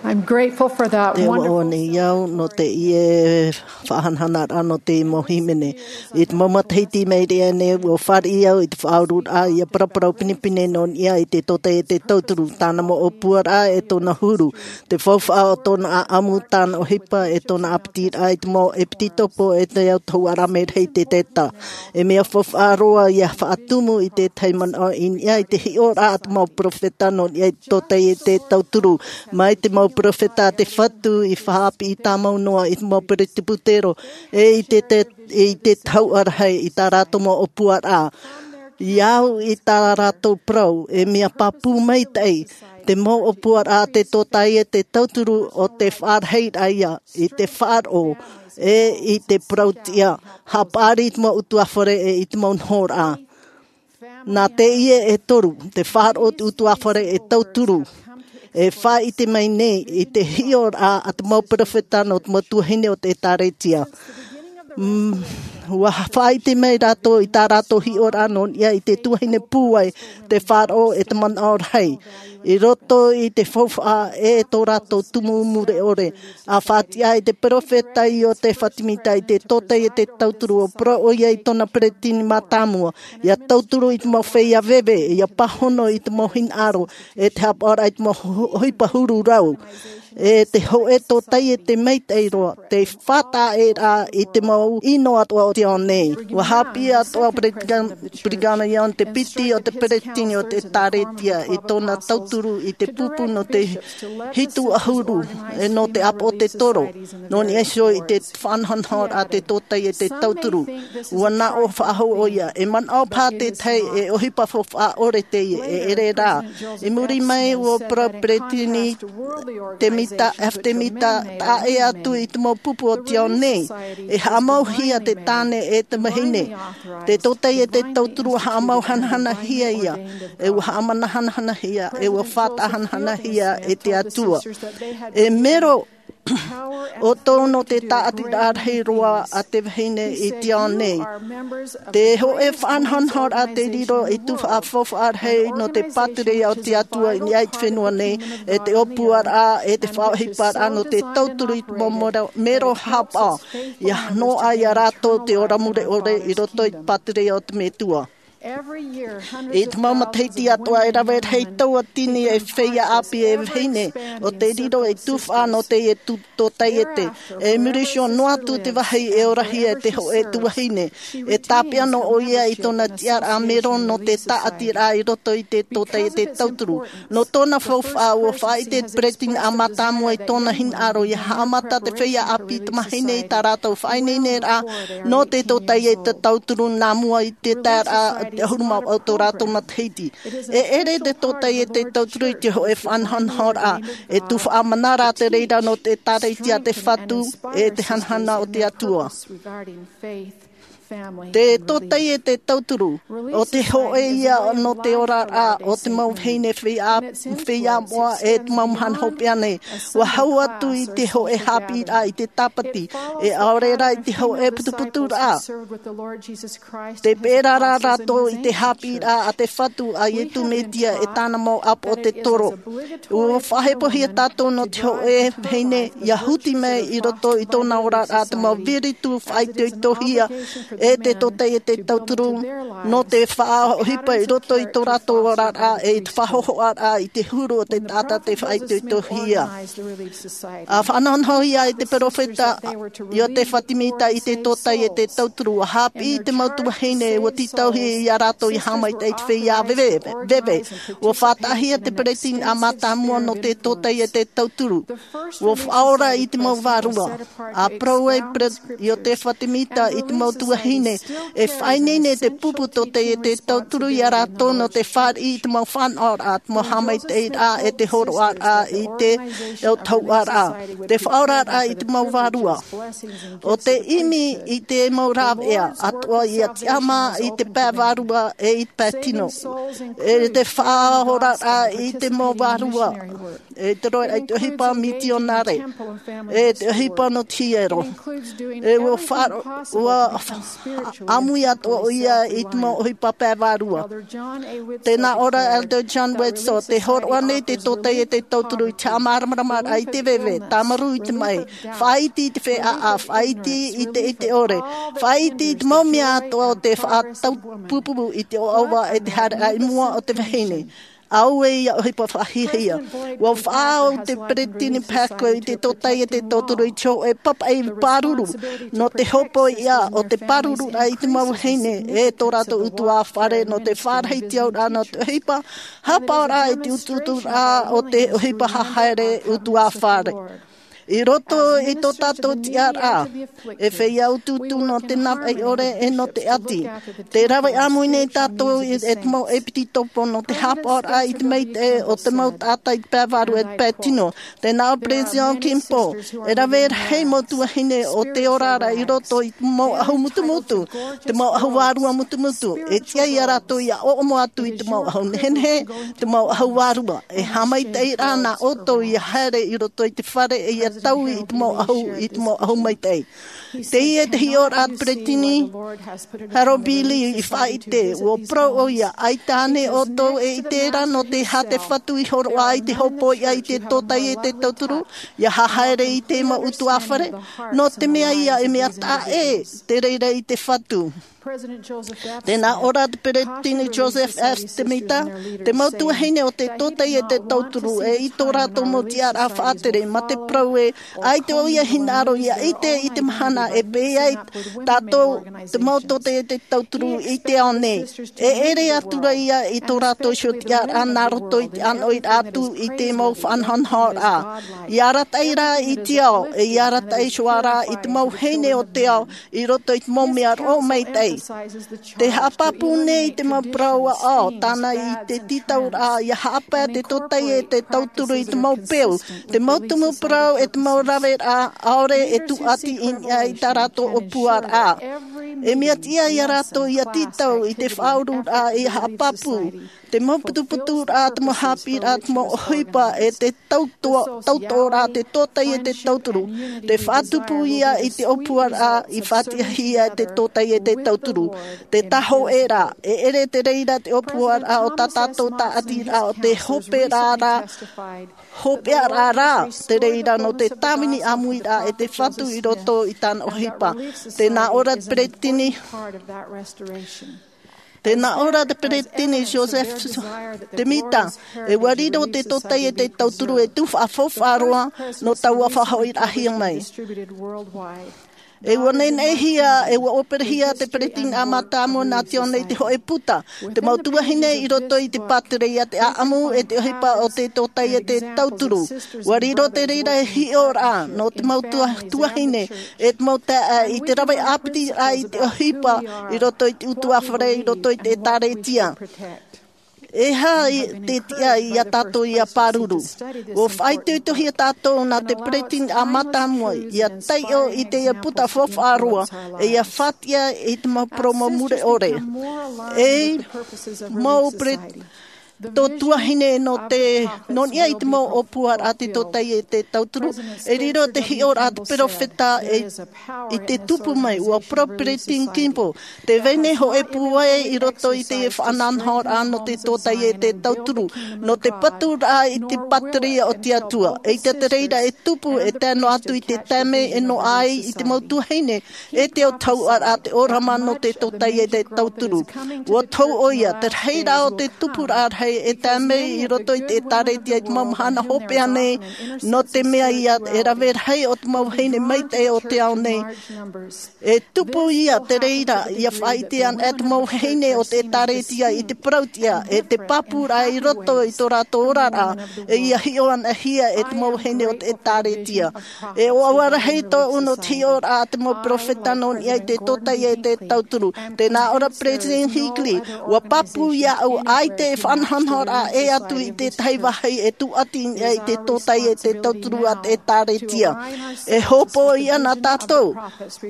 I'm grateful for that. Te wonderful ʻoaʻoa nei au nō teie faʻahanahanaraʻa nō te mau hīmene. I te mau matahiti i maʻiri aʻe nei, ʻua fāriʻi au i te faʻaururaʻa ʻia paraparau pinepine nō niʻa i te tōtaiete tauturu, tāna mau ʻōpuaraʻa e tōna huru, te faufaʻa o tōna ʻaʻamu, tāna ʻohipa e tōna ʻāpitiraʻa i te mau ʻepitopo e te autahuʻaraʻa merahi i te taiete. E mea faufaʻa roa ʻia faʻatumu i te tahi manaʻo i niʻa i te hiʻoraʻa a te mau perofeta nō niʻa i te tōtaiete tauturu. Mai te mau perofeta a te Fatu i faʻaʻāpī tāmau noa i te mau peresibutero, e i te, te, i te tahuʻa rahi i tā rātou mau ʻōpuaraʻa. I au i tā rātou parau, e mea pāpū maitaʻi te mau ʻōpuaraʻa a te tōtaiete tauturu o te faʻarahiraʻa ia i te faʻaroʻo, e i te parau tiʻa, haʻapaʻari i te mau ʻutuāfare e i te mau nohoraʻa. Nā teie e toru, te faʻaroʻo o te ʻutuāfare e tauturu, e faʻaʻite mai nei i te hiʻoraʻa a te mau perofeta nō te mau tuahine o te ʻĒtārētia. Mm, ʻua faʻaʻite mai rātou i tā rātou hiʻoraʻa nō niʻa i te tuahine pūai, te faʻaroʻo e te manaʻo rahi. I roto i te faufaʻa e tō rātou tumu mure ʻore, ʻa faʻatiʻa ai te perofeta Iosepha Sāmita i te tōtaiete tauturu, ʻua parau ʻoia i tōna peretiteni mātāmua, ʻia tauturu i te mau feiā veve, ʻia pāhono i te mau hinaʻaro, e te haʻapaʻoraʻa i te mau ho-, ʻohipa huru rau. E te hoʻe tōtaiete maitaʻi roa, te faʻataʻa ra i te mau ʻino atoʻa o te ao nei. Ua haʻapiʻi atoʻa Brigham Young, te piti o te peretiteni o te ʻēkālesia, i tōna tauturu i te pupu nō te hitu ʻahuru, e nō te ʻāpoʻo o te toro. Nō niʻa iho i te faʻanahonahoraʻa a te tōtaiete tauturu. Ua naʻo faʻahou ʻoia, e manaʻo paha te tahi e ʻohipa faufaʻa ʻore teie, e ʻere rā. I muri mai ua parau Peretiteni Temita, F. Temita, taʻa ʻē atu i te mau pupu o te ao nei, e haʻamauhia te tāne e te vahine. Te tōtaiete tauturu ua haʻamau hanahanahia ia, e ua haʻamana hanahanahia, e ua faʻataʻa hanahanahia e te Atua. E mero ʻoutou nō te tāʻatiraʻa rahi roa a te vahine i te ao nei. Te hoʻe faʻanahonahoraʻa te riro i tuhaʻa faufaʻa rahi nō te pātireia o te Atua i niʻa i te fenua nei, e te ʻōpuaraʻa, e te faʻaʻohiparaʻa nō te tauturu i te mau mero, mero haʻapaʻo. ʻIa noaʻa ia rātou te ora mure ʻore i roto i te pātireia o te Metua. I te mau matahiti atoʻa e rave rahi tauatini e feiā ʻāpī e vahine, ʻo te riro i tuhaʻa nō teie tōtaiete. E muri iho noa atu te vāhi e orahia e te hoʻe tuahine. E tāpeʻa noa ʻoia i tōna tiʻaraʻa mero nō te tāʻatiraʻa i roto i te tōtaiete tauturu. Nō tōna faufaʻa ua faʻaʻite te peretiteni mātāmua i tōna hinaʻaro ʻia haʻamata te feiā ʻāpī tamāhine i tā rātou faʻaineineraʻa nō te tōtaiete tauturu nā mua i te taeraʻa ʻahuru mā vaʻu tō rātou matahiti. E ʻere te tōtaiete tauturu i te hoʻe faʻanahonahoraʻa, e tuhaʻa mana rā te reira nō te ʻēkālesia a te Fatu, e te hanahana o te Atua. Te tōtaiete tauturu, ʻo te hoʻe ia nō te oraraʻa o te mau vahine feiā, feiā moʻa e te mau mahana hopeʻa nei. Ua hau atu i te hoʻe haʻapiʻiraʻa i te tāpati, e ʻaore rā i te hoʻe putuputuraʻa. Te pērā rā rātou i te haʻapiʻiraʻa a te Fatu a Iesu Mesia e tāna mau ʻāpoʻo o te toro. Ua faʻahepohia tātou nō te hoʻe vahine ʻia huti mai i roto i tōna oraraʻa te mau viritu faʻaitoitohia e te tōtaiete tauturu nō te faʻaʻohipa i roto i tō rātou oraraʻa e i te faʻahōhoʻaraʻa i te huru o te taʻata tei faʻaitoitohia. ʻA faʻanahonahohia e te peropheta Iotefa Temita i te tōtaiete tauturu, ʻa haʻapiʻi i te mau tuahine ua tītauhia ia rātou ʻia haʻamaitaʻi i te feiā veve, veve. Ua faʻataʻahia te peretiteni mātāmua nō te tōtaiete tauturu. Ua faʻaora i te mau vārua. ʻA parau ai Iotefa Temita i te mau tuahine, e faʻaineine te pupu tōtaiete tauturu ia rātou nō te fāriʻi i te mau fānaʻoraʻa, te mau haʻamaitaʻiraʻa e te hōroʻaraʻa i te autahuʻaraʻa. Te faʻaoraraʻa i te mau vārua. ʻO te ʻimi i te mau rāveʻa atoʻa ʻia tiʻamā i te pae vārua e i te pae tino. E te faʻaoraraʻa i te mau vārua. E te roaraʻa i te ʻohipa mitionare. E te ʻohipa nō te hiero. E ua faʻa-, ua ʻāmui atoʻa ʻoia i te mau ʻohipa pae vārua. Tē nā ʻō ra Elder John Widtsoe, tē hōroʻa nei te tōtaiete tauturu i te haʻamāramaramaraʻa i te veve, tāmarū i te maʻi, faʻaiti i te feiā, faʻaiti i te, i te ʻore, faʻaiti i te mau mea atoʻa o te faʻataupupū i te ʻoaʻoa e te haereʻa i mua o te vahine. Auē ia ʻohipa faʻahiahia. Ua faʻaau te peretiteni Packer i te tōtaiete tauturu i te hōʻē papaʻi pāruru nō te hopoiʻa o te pāruruʻraʻa i te mau vahine e tō rātou ʻutuāfare nō te fārahi tiauraʻa nō te ʻohipa haʻapaʻoraʻa i te utuuturaʻa o te ʻohipa hahaere ʻutuāfare. I roto i tō tātou tiʻaraʻa, e feiā utuutu nō te navaʻi ʻore e nō te ʻati. Tē rave ʻāmui nei tātou i, e te mau ʻepitopo nō te haʻapaʻoraʻa i te maitaʻi o te mau taʻata i te pae vārua e te pae tino. Tē nā ʻō Peretiteni Kimball, e rave rahi mau tuahine o te oraraʻa i roto i te mau ʻahu mutumutu, te mau ʻahu vārua mutumutu. E tiʻa ia rātou ʻia ʻoʻomo atu i te mau ʻahu nehenehe, te mau ʻahu vārua. E haʻamaitaʻi rā nā ʻoutou ʻia haere i roto i te fare e ʻia taui i te mau ʻahu, i te mau ʻahu maitaʻi. Teie te hiʻoraʻa a te peresideni Harold B. Lee i faʻaʻite, ʻua parau ʻoia, ʻaita ānei ʻoutou e ʻite ra nō te aha te Fatu i hōroʻa i te hopoiʻa i te tōtaiete tauturu, ʻia haere i te mau ʻutuāfare, nō te mea ïa e mea taʻa ʻē te reira i te Fatu. Tē nā ʻō ra te peresideni Joseph F. Smith, te mau tuahine o te tōtaiete tauturu ʻe i tō rātou mau tiʻaraʻa faʻatere mā te parau ē, ʻaita ʻoia e hinaʻaro ʻia ʻite i te mahana e pē ai tātou te mau tōtaiete tauturu i te ao nei. E ʻere atu ra ïa i tō rātou iho tiʻaraʻa nā roto i te ʻānoʻiraʻa atu i te mau faʻanahonahoraʻa. ʻIa arataʻi rā i te ao, ʻe ʻia arataʻi iho ā rā i te mau vahine o te ao, i roto i te mau mea roʻo maitaʻi. Tē haʻapāpū nei te mau parau ʻāʻau, tāna i te tītauraʻa, ʻia haʻapae te tōtaiete tauturu i te mau peu, te mau tumu parau ʻe te mau raveraʻa, ʻaore e tūʻati i niʻa i tā rātou ʻōpuaraʻa. E mea tiʻa ia rātou ʻia tītau i te faʻaururaʻa ʻia haʻapāpū. Te mau putuputuraʻa, te mau haʻapiʻiraʻa, te mau ʻohipa ʻe te tautoʻo-, tautoʻoraʻa, te tōtaiete tauturu. Te faʻatupu ïa i te ʻōpuaraʻa i faʻatiʻahia e te tōtaiete tauturu. Te tāhōʻēraʻa, e ʻere te reira te ʻōpuaraʻa o tā tātou tāʻatiraʻa, ʻo te hopeʻaraʻa, hopeʻaraʻa rā te reira nō te tāvini ʻāmuiraʻa e te Fatu i roto i tāna ʻohipa. Tē nā ʻō ra te peresideni Tē nā ʻō ra te peresideni Joseph Smith, ʻe ʻua riro te tōtaiete tauturu e tū faʻafaufaʻa roa nō taua faʻahoʻiraʻahia mai. ʻE ʻua neneʻihia, ʻe ʻua ʻōperehia te peresideni mātāmua nā te ao nei te hōʻē puta, te mau tuahine i roto i te pātireia, te ʻāʻamu ʻe te ʻohipa o te tōtaiete tauturu. ʻUa riro te reira e hiʻoraʻa nō te mau tua-, tuahine ʻe te mau taeaʻe i te rave ʻāpitiraʻa i te ʻohipa i roto i te ʻutuāfare, i roto i te ʻĒtārētia. E aha i te tiʻa ia tātou ʻia pāruru? ʻUa faʻaitoitohia tātou nā te peresideni mātāmua ʻia taiʻo i teie puta faufaʻa roa, ʻe ʻia faʻatiʻa i te mau parau mure ʻore. E mau pere-, tō tuahine nō te, nō niʻa i te mau ʻōpuaraʻa te tōtaiete tauturu, e riro te hiʻoraʻa a te peropheta e, i te tupu mai, ʻua parau Peresideni Kimball, tē vai nei hōʻē pūai i roto i te faʻanahonahoraʻa nō te tōtaiete tauturu, nō te paturaʻa i te pātireia o te Atua. ʻEita te reira e tupu e tae noa atu i te taime e noaʻa ai i te mau tuahine, e te autahuʻaraʻa te ʻōrama nō te tōtaiete tauturu. ʻUa tohu ʻoia, te rahiraʻa o te tupuraʻa rahi e tae mai i roto i te ʻĒtārētia i te mau mahana hopeʻa nei, nō te mea ia e rave rahi o te mau vahine maitaʻi o te ao nei. E tupu ia te reira, ʻia faʻaʻite ana e te mau vahine o te ʻĒtārētia i te parauʻtiʻa, ʻe te pāpūraʻa i roto i tō rātou oraraʻa, ʻe ʻia hiʻo anahia e te mau vahine o te ʻĒtārētia. E ʻoaʻoa rahi tōʻu nō te hiʻoraʻa a te mau peropheta nō niʻa i te tōtaiete tauturu. Tē nā ʻō ra Peresideni Hinckley, ʻua pāpū iāʻu, ʻaita e faʻanahonahoraʻa ʻē atu i te tahi vāhi e tūʻati i niʻa i te tōtaiete tauturu a te ʻĒtārētia. E hōpoi ana tātou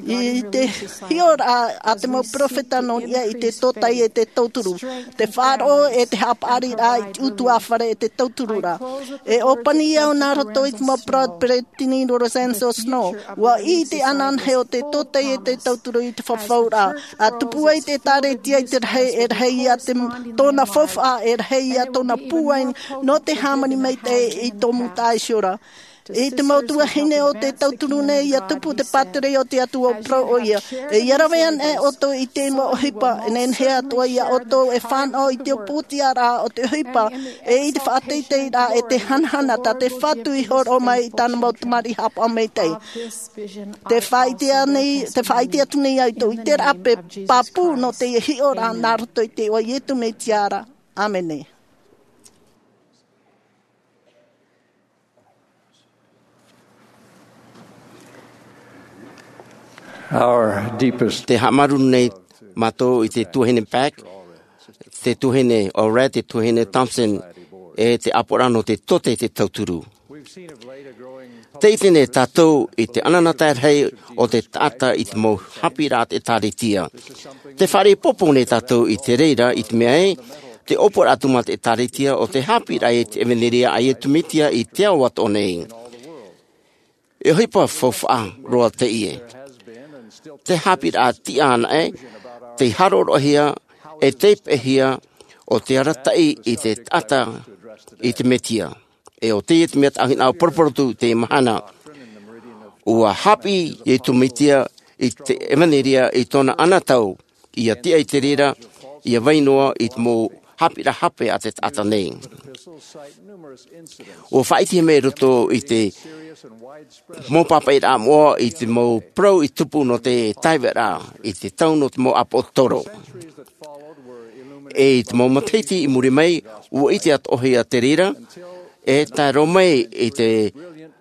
i te hiʻoraʻa a te mau peropheta nō niʻa i te tōtaiete tauturu, te faʻaroʻo ʻe te haʻapaʻariraʻa i te ʻutuāfare ʻe te tautururaʻa. E ʻōpani au nā roto i te mau parau a Peresideni Lorenzo Snow, ʻua ʻite ananahi ʻo te tōtaiete tauturu i te fafauraʻa, ʻa tupu ai te ʻĒtārētia i te rahi, e rahi ia te, tōna faufaʻa, e rahi ia tōna pūai nō te hāmani maitaʻi i tō mūtaʻa iho ra. I te mau tuahine o te tauturu nei, ʻia tupu te pātireia o te Atua, ʻua parau ʻoia. E ʻia rave ana ʻoutou i te mau ʻohipa, e nehenehe atoʻa ia ʻoutou e fānaʻo i te ʻōpūtiaraʻa o te ʻohipa, ʻe i te faʻateiteiraʻa ʻe te hanahana tā te Fatu i hōroʻa mai i tāna mau tamariʻi haʻapaʻo maitaʻi. Te faʻaʻite nei, te faʻaʻite atu nei au i tō ʻiteraʻa pāpū nō teie hiʻoraʻa nā roto i te iʻoa o Iesu Mesia ra. ʻĀmene. Our deepest Te haʻamāuruuru nei mātou i te tuahine Pack, te tuahine Allred, te tuahine Thompson, ʻe te ʻāpoʻoraʻa nō te tōtaiete tauturu. Tē ʻite nei tātou i te anaanatae rahi o te taʻata i te mau haʻapiʻiraʻa a te ʻĒtārētia. Tē fāriʻi ʻoiʻoi nei tātou i te reira, i te mea ē, te ʻōpuaraʻa tumu a te ʻĒtārētia ʻo te haʻapiʻiraʻa i te ʻevanelia a Iesu Mesia i te ao atoʻa nei. E ʻohipa faufaʻa roa teie. Te haʻapiʻiraʻa tiʻa anaʻe, te hāroʻaroʻahia, e te peʻehia o te arataʻi i te taʻata i te Mesia. E ʻo teie te mea tāʻu hinaʻaro poroporotu i teie mahana. ʻUa haʻapiʻi Iesu Mesia i te ʻevanelia i tōna anotau, ʻia tiʻa i te reira, ʻia vai noa i te mau haʻapiʻiraʻa hape a te taʻata nei. ʻUa faʻaʻitehia mai i roto i te mau pāpaʻiraʻa moʻa i te mau parau i tupu nō te taeaʻeraʻa, i te tau nō te mau ʻāpōsetolo. E i te mau matahiti i muri mai, ʻua ʻite atoʻahia te reira, e tae roa mai i te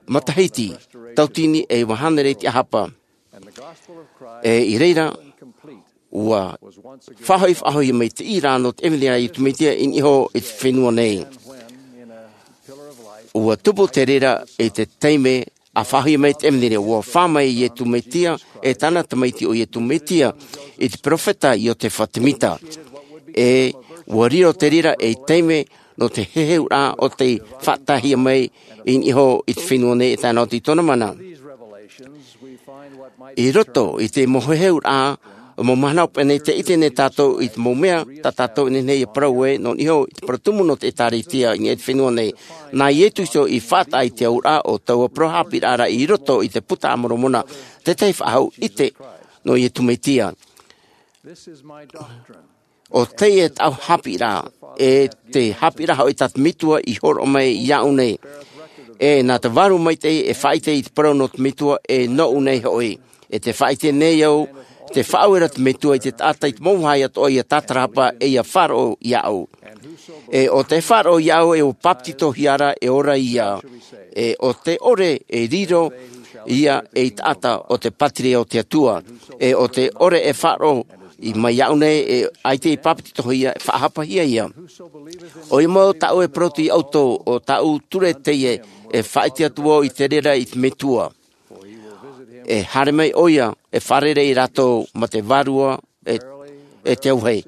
matahiti, tauatini e iva hānere i te ʻahapa. E i reira, ʻua faʻahoʻi, faʻahoʻi mai te ʻīrā nō te ʻevanelia a Iesu Mesia i niʻa iho i te fenua nei. ʻUa tupu te reira i te taime a faʻahoʻi mai te ʻevanelia, ʻua fā mai Iesu Mesia, e tāna tamaiti ʻo Iesu Mesia, i te peropheta Iosefa Semita. E ʻua riro te reira ei taime nō te heheuraʻa o tei faʻataehia mai i niʻa iho i te fenua nei e tae noa atu i tōna mana. I roto i te mau heheuraʻa, mau mahana hopeʻa nei, tē ʻite nei tātou i te mau mea tā tātou e nehenehe ʻia parau ai, nō niʻa iho i te parau tumu nō te ʻĒtārētia i niʻa i te fenua nei. Nā Iesu Kristo i faʻataʻa i te auraʻa o taua parau haʻapiʻiraʻa ra i roto i te Buka a Moromona, te tahi faʻahou ʻite nō Iesu Mesia. ʻO teie tāʻu haʻapiʻiraʻa, e te haʻapiʻiraʻa hoʻi tā te Metua i hōroʻa mai iāʻu nei. E nā te Vārua Maitaʻi e faʻaʻite i te parau nō te Metua, e nōʻu nei hoʻi. E tē faʻaʻite nei au, tē faʻaue ra te Metua i te taʻata i te mau vāhi atoʻa ʻia tātarahapa, e ʻia faʻaroʻo iāʻu. E ʻo tē faʻaroʻo iāʻu, e ʻua bāpetizohia ra, e ora ia. E ʻo tē ʻore, e riro ia ei taʻata ʻo te pātireia o te Atua. E ʻo tē ʻore e faʻaroʻo i, mai iāʻu nei, e ʻaita i bāpetizohia, e faʻahapahia ia. ʻOia mau tāʻu e parau atu iā ʻoutou, ʻo tāʻu ture teie, e faʻaʻite atu vau i te reira i te Metua. E haere mai ʻoia, e fārerei ia rātou mā te Vārua, e, e te auahi.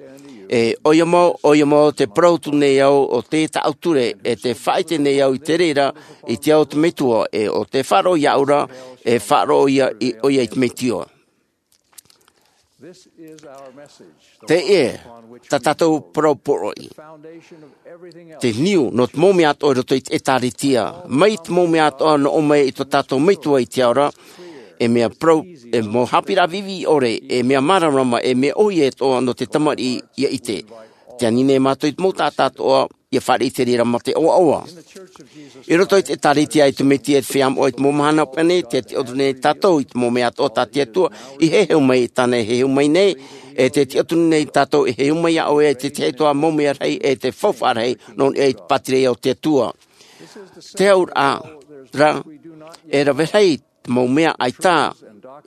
E ʻoia mau, ʻoia mau, tē parau atu nei au, ʻo teie tāʻu ture, e tē faʻaʻite nei au i te reira i te ao o te Metua, e ʻo tē faʻaroʻo iāʻu ra, e faʻaroʻo ia i, ʻoia i te Metua. Teie tā tātou parau poroʻi. Te niu nō te mau mea atoʻa i roto i te ʻĒtārētia. Mai te mau mea atoʻa nō ʻō mai i tō tātou Metua i te ao ra, e mea parau, e mau haʻapiʻiraʻa viʻiviʻi ʻore, e mea māramarama, e mea ʻōhie atoʻa nō te tamariʻi ʻia ʻite. Tē ani nei mātou i te mau taʻata atoʻa, ʻia fāriʻi i te reira mā te ʻoaʻoa. I roto i te ʻĒtārētia a Iesu Mesia i te feiā moʻa i te mau mahana hopeʻa nei, tē tiʻaturi nei tātou i te mau mea atoʻa tā te Atua i heheu mai, tāna e heheu mai nei, e tē tiʻaturi nei tātou e heheu mai iā ʻoe i te tahi atoʻa mau mea rahi, e te faufaʻa rahi, nō niʻa i te pātireia o te Atua. Te auraʻa ra, e rave rahi te mau mea ʻaita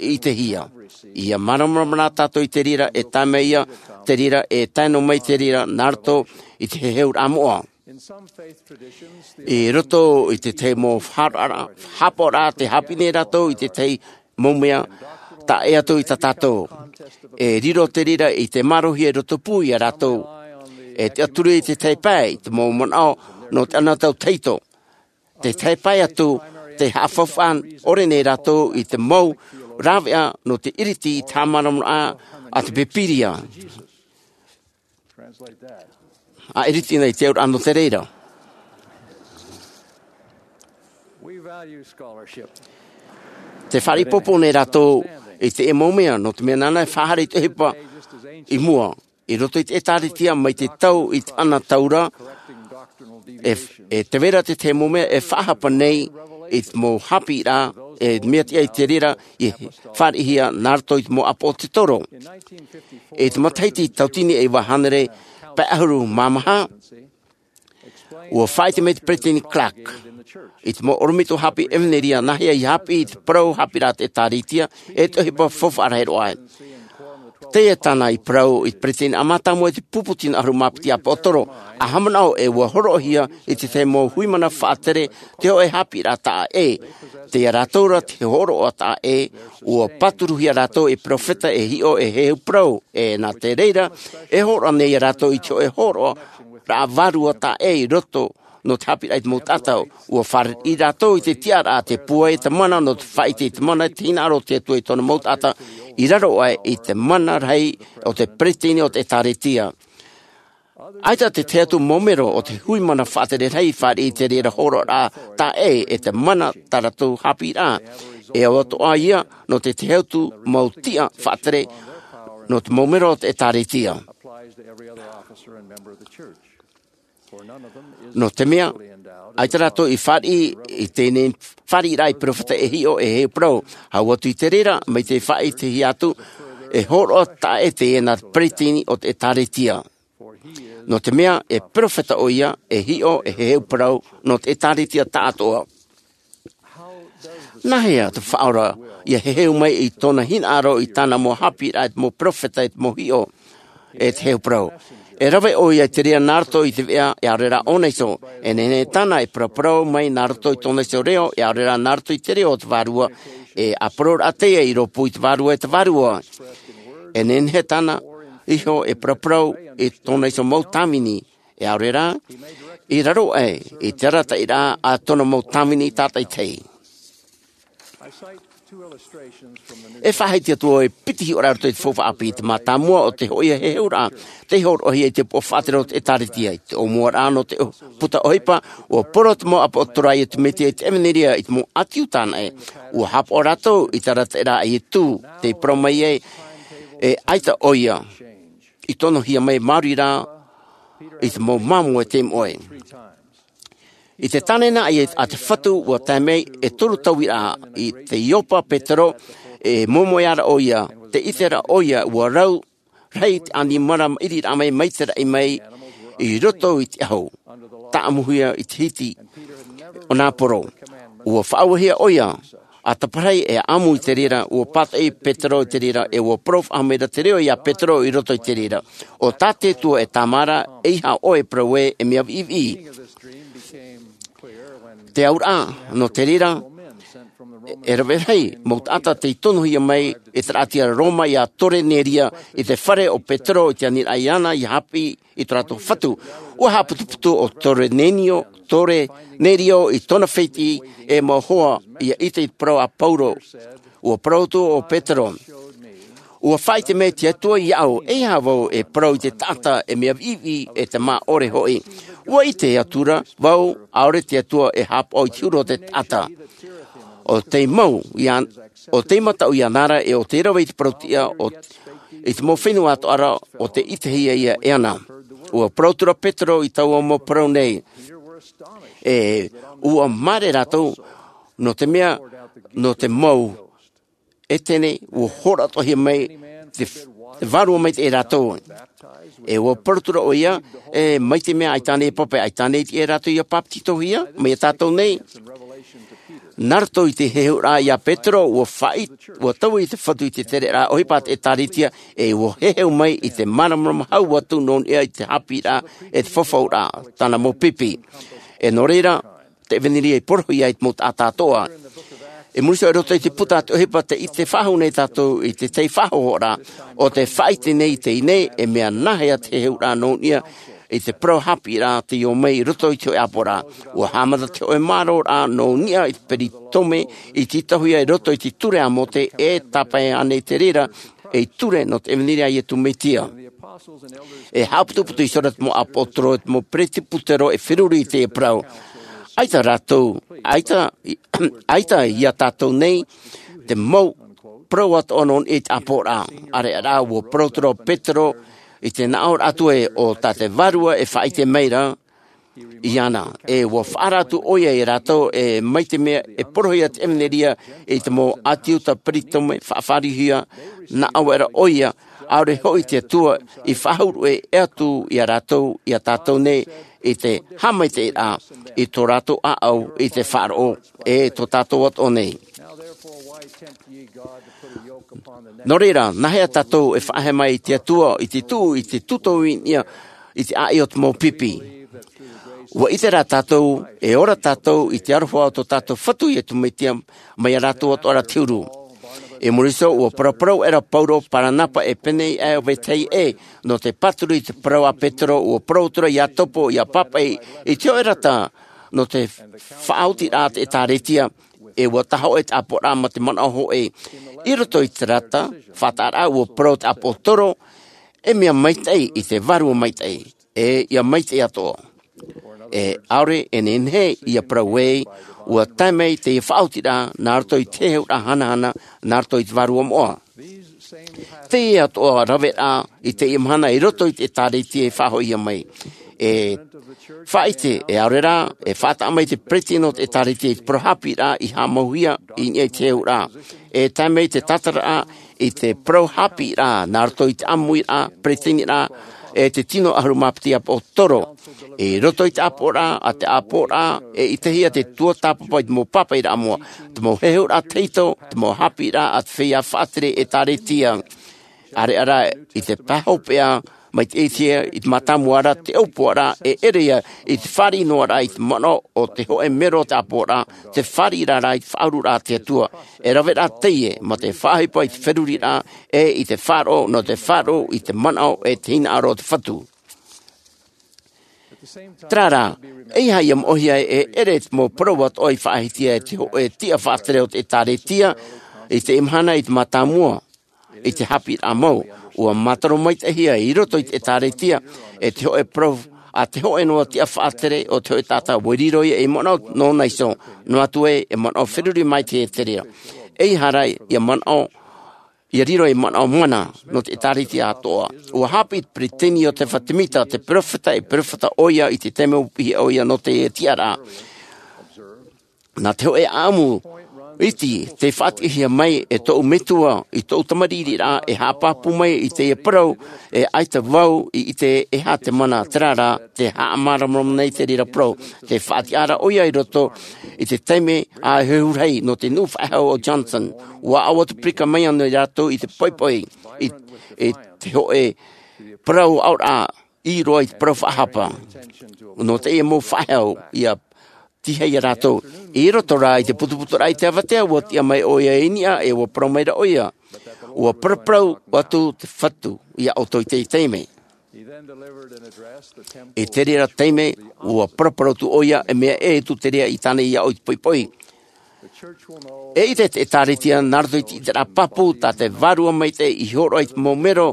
i ʻitehia. ʻIa māramarama rā tātou i te reira, e tae mai ia te reira, e tae noa mai te reira, nā roto i te heheuraʻa moʻa. I roto i te tahi mau faʻaroʻoraʻa, haʻapaʻoraʻa, tē haʻapiʻi nei rātou i te tahi mau mea taʻa ʻē atu i tā tātou. E riro te reira i te mārohia i roto pū ia rātou. E tiʻaturi i te tahi pae, i te mau manaʻo nō te anotau tahito. Te tahi pae atu, tē haʻafaufaʻa ʻore nei rātou i te mau rāveʻa nō te ʻiriti i te haʻamāramarama a te Pīpīria. A ʻiriti nei te auraʻa nō te reira. Tē fāriʻi ʻoutou nei rātou i te mau mea, nō te mea nāna e faʻahaere i te ʻohipa i mua. I roto i te ʻĒtārētia mai te tau i te anotau ra, e, e tē vai ra te tahi mau mea e faʻahapa nei i te mau haʻapiʻiraʻa, e mea tiʻa i te reira i fāriʻihia nā roto i te mau ʻāpōsetolo. I te matahiti tauatini e iva hānere pae ʻahuru mā maha, ʻua faʻaʻite mai te Peresideni Clark, i te mau ʻorometua haʻapiʻi ʻevanelia, nāhea i haʻapiʻi i te parau haʻapiʻiraʻa a te ʻĒtārētia, e te ʻohipa faufaʻa rahi roa. Teie tāna i parau i te Peresideni ʻāmui atoʻa i te pupu tino ʻahuru mā piti ʻāpōsetolo, ʻa haʻamanaʻo ē ʻua hōroʻahia i te tahi mau hui mana faʻatere te hōʻē haʻapiʻiraʻa taʻa ʻē. Teie rātou ra te hōroʻa taʻa ʻē, ʻua pāturuhia rātou ei peropheta e hiʻo e heheu parau, e nā te reira, e hōroʻa nei ia rātou i te hōʻē hōroʻaraʻa vārua taʻa ʻē i roto nō te haʻapiʻiraʻa i te mau taʻata. Ua fāriʻi rātou i te tiʻaraʻa, te pūai, te mana, nō te faʻaʻite i te mana, te hinaʻaro o te Atua i tōna mau taʻata, i raro aʻe i te mana rahi o te peretiteni o te ʻĒtārētia. ʻAita te tahi atu mau melo o te hui mana faʻatere rahi i fāriʻi i te reira hōroʻaraʻa taʻa ʻē e te mana tā rātou haʻapiʻiraʻa. E au atoʻa ia nō te tahi atu mau tiʻa faʻatere nō te mau melo o te ʻĒtārētia. Nō te mea, ʻaita rātou i fāriʻi i teie nei fāriʻiraʻa i peropheta e hiʻo e heheu parau. Hau atu i te reira, mai te faʻaʻitehia atu, e hōroʻa taʻa ʻē teie nā te peretiteni o te ʻĒtārētia. Nō te mea, e peropheta ʻoia, e hiʻo, e heheu parau, nō te ʻĒtārētia tāʻatoʻa. Nāhea te Faʻaora ʻia heheu mai i tōna hinaʻaro i tāna mau haʻapiʻiraʻa, i te mau peropheta, i te mau hiʻo, e te heheu parau? E rave ʻoia i te reira nā roto i te veʻa, e ʻaore rā ʻōnaʻa iho. E nehenehe tāna e paraparau mai nā roto i tōna iho reo, e ʻaore rā nā roto i te reo o te Vārua, e ʻāpōroʻraʻa teie i rōpū i te Vārua, e te Vārua. E nehenehe tāna iho e paraparau i tōna iho mau tāvini, e ʻaore rā, i raro aʻe i te arataʻiraʻa a tōna mau tāvini tātaʻitahi. E faʻahiti atu au e piti hiʻoraʻa i roto i te faufaʻa ʻāpī, te mātāmua o te hōʻē heheuraʻa, tei hōroʻahia i te upoʻo faʻatere o te ʻĒtārētia. I te ʻōmuaraʻa nō te puta ʻohipa, ua parau te mau ʻāpōsetolo a Iesu Mesia i te ʻevanelia i te mau ʻĀti Iuda anaʻe. Ua haʻapaʻo rātou i te arataʻiraʻa a Iesu, tei parau mai ai, e ʻaita ʻoia i tonohia mai māuruuru i te mau māmoe tei moʻe. I te tāne anaʻe a te Fatu, ua tae mai e toru tauiraʻa i te Iopa Petero, e moemoeā ra ʻoia, tē ʻite ra ʻoia, ua rau rahi te ʻanimara maʻiriraʻa mai, mai te raʻi mai i roto i te ʻahu, tāʻamuhia i te hiti o nā poro. Ua faʻauehia ʻoia, ʻa taparahi e ʻamu i te reira, ua pātoʻi Petero i te reira, e ua parau faʻahou mai ra te reo ia Petero i roto i te reira. ʻO tā te Atua e tāmā ra, ʻeiaha ʻoe e parau ē, e mea viʻiviʻi. Te auraʻa, nō te reira, e rave rahi mau taʻata tei tonohia mai e te rāʻau a Roma ia Korenerio i te fare o Petero i te aniraʻa iāna ʻia haʻapiʻi i tō rātou fatu. Ua haʻaputuputu ʻo Korenerio, Korenerio i tōna fētiʻi e mau hoa ʻia ʻite i te parau a Pauro. Ua parau atu ʻo Petero, ua faʻaʻite mai te Atua iāʻu, ʻeiaha vau e parau i te taʻata e mea viʻiviʻi e te mā ʻore hoʻi. Ua ʻite atu ra vau, ʻaore te Atua e haʻapaʻo i te huru o te taʻata. ʻO tei mau ia, ʻo tei mataʻu iāna ra, e ʻo tei rave i te parau tiʻa o, i te mau fenua atoʻa ra, ʻo tei ʻitehia ia e ana. Ua parau atu ra Petero i taua mau parau nei. E, ua māere rātou, nō te mea, nō te mau ʻētene, ua hōroʻa atoʻahia mai te, te Vārua mai te rātou. E ua parau atu ra ʻoia, e mai te mea ʻaita ānei e pape, ʻaita ānei e rātou ʻia bāpetizohia, mai ia tātou nei. Nā roto i te heheuraʻa ia Petero, ua faʻaʻi-, ua taui te Fatu i te tereraʻa ʻohipa a te ʻĒtārētia, e ua heheu mai i te māramarama hau atu nō niʻa i te haʻapiʻiraʻa, e te fafauraʻa, tāna mau pipi. E nō reira, te ʻevanelia i porohia ai te mau taʻata atoʻa. I muri iho i roto i te puta a te ʻohipa tē ʻite faʻahou nei tātou i te tahi faʻahohoraʻa, ʻo tē faʻaʻite nei i teie nei, e mea nāhea te heheuraʻa nō niʻa i te parau haʻapiʻiraʻa tei ō mai i roto i te hōʻē ʻāpoʻoraʻa. Ua haʻamata te hōʻē mārōraʻa nō niʻa i te peritome i tītauhia i roto i te ture a Mōse, e tāpae ānei te reira, ei ture nō te ʻevanelia a Iesu Mesia. E haʻaputuputu iho ra te mau ʻāpōsetolo, te mau peresibutero e feruri i teie parau. ʻAita rātou, ʻaita, ʻaita ia tātou nei, te mau parau atoʻa nō niʻa i te ʻāpoʻoraʻa. ʻAreʻa rā, ua parau atu ra ʻo Petero, i te nāʻōraʻa atu ē, ʻo tā te Vārua e faʻaʻite mai ra, iāna. E ua faʻaara atu ʻoia ia rātou, e mai te mea e porohia te ʻevanelia i te mau ʻĀti Iuda peritome faʻafārihia, nā ʻō ra ʻoia, ʻaore hoʻi te Atua i faʻahuru ʻē atu ia rātou, ia tātou nei, i te haʻamaitaʻiraʻa, i tō rātou ʻāʻau, i te faʻaroʻo, e tō tātou atoʻa nei. Nō reira, nāhea tātou e faʻaea mai i te Atua, i te tuʻu, i te tūtau i niʻa, i te ʻāʻi o te mau pipi? Ua ʻite rā tātou, e ora tātou i te aroha o tō tātou Fatu Iesu Mesia, mai ia rātou atoʻa ra te huru. I muri iho, ua paraparau aʻera Paulo, Paranapa e pēneiaʻe ʻo vetahi ʻē, nō te pāturu i te parau a Petero, ua parau atu ra ʻia topo, ʻia pāpaʻi i te hōʻē rata, nō te faʻaotiraʻa te ʻĒtārētia, e ua tāhōʻē te ʻāpoʻoraʻa mā te manaʻo hōʻē. I roto i te rata, faʻataʻaraʻa ua parau te ʻāpōsetolo, e mea maitaʻi i te vārua maitaʻi, e ʻia maitaʻi atoʻa. E ʻaore e nehenehe ʻia parau ē, ua tae mai teie faʻaotiraʻa, nā roto i te heheuraʻa hanahana, nā roto i te vārua moʻa. Teie atoʻa raveraʻa i teie mahana i roto i te ʻĒtārētia i faʻahoʻihia mai. E faʻaʻite, e ʻaore rā, e faʻataʻa mai te peretiteni o te ʻĒtārētia i te parau haʻapiʻiraʻa i haʻamauhia i niʻa i te heheuraʻa. E tae mai te tātararaʻa i te parau haʻapiʻiraʻa, nā roto i te ʻāmuiraʻa, peretiteniraʻa, e te tino ʻahuru mā piti ʻāpōsetolo. I roto i te ʻāpoʻoraʻa, a te ʻāpoʻoraʻa, e ʻitehia te tuatāpapa i te mau pāpaʻiraʻa moʻa, te mau heheuraʻa tahito, te mau haʻapiʻiraʻa a te feiā faʻatere ʻĒtārētia. ʻAreʻa rā i te pae hopeʻa, mai te ʻitehia i te mātāmua ra te ʻōpuaraʻa, e ʻere ia i te fāriʻi noa ra i te manaʻo o te hōʻē mero o te ʻāpoʻoraʻa, te fāriʻiraʻa i te faʻaururaʻa a te Atua. E raveraʻa teie, mā te faʻaʻohipa i te feruriraʻa, e i te faʻaroʻo, nō te faʻaroʻo i te manaʻo e te hinaʻaro o te Fatu. Terā rā, ʻeiaha ʻia moʻehia e ʻere te mau parau atoʻa i faʻahiahia e te hōʻē tiʻa faʻatere o te ʻĒtārētia, i teie mahana i te mātāmua, i te haʻapiʻiraʻa mau, ua mātaro maitaʻihia i roto i te ʻĒtārētia, e te hōʻē parau, a te hōʻē noa tiʻa faʻatere o te hōʻē taʻata, ua riro ia ei manaʻo nōna iho, noa atu ē, e manaʻo feruri mai te Eterea. ʻEiaha rā, ʻia manaʻo, ʻia riro ei manaʻo mana, nō te ʻĒtārētia atoʻa. Ua haʻapiʻi te peretiteni Iotefa Temita, te peropheta, e peropheta ʻoia i te taime ua piʻihia ʻoia nō te tiʻaraʻa. Nā te hōʻē ʻāʻamu iti, tei faʻatiʻahia mai e tōʻu metua, i tōʻu tamariʻiraʻa, e haʻapāpū mai i teie parau, e ʻaita vau i ʻite e aha te mana, terā rā, te haʻamāramarama nei te reira parau, tei faʻatiʻa ra ʻoia i roto i te taime a hehurahi nō te nuʻu faʻehau o Johnson. Ua ʻau atu pirika mai ana rātou i te poʻipoʻi, i, i te hōʻē parau aʻoraʻa, i roto i te parau faʻahapa. Nō teie mau faʻehau, ʻia tīaʻi ia rātou. I roto rā i te putuputuraʻa i te avatea, ua tiʻa mai ʻoia i niʻa, e ua parau mai ra ʻoia. Ua paraparau atu te Fatu ia ʻoutou i teie taime. I te reira taime, ua paraparau atu ʻoia, e mea ʻē atu te reira i tāna i aʻo i te poʻipoʻi. E ʻite te ʻĒtārētia, nā roto i te ʻiteraʻa pāpū, tā te Vārua Maitaʻi i hōroʻa i te mau mero,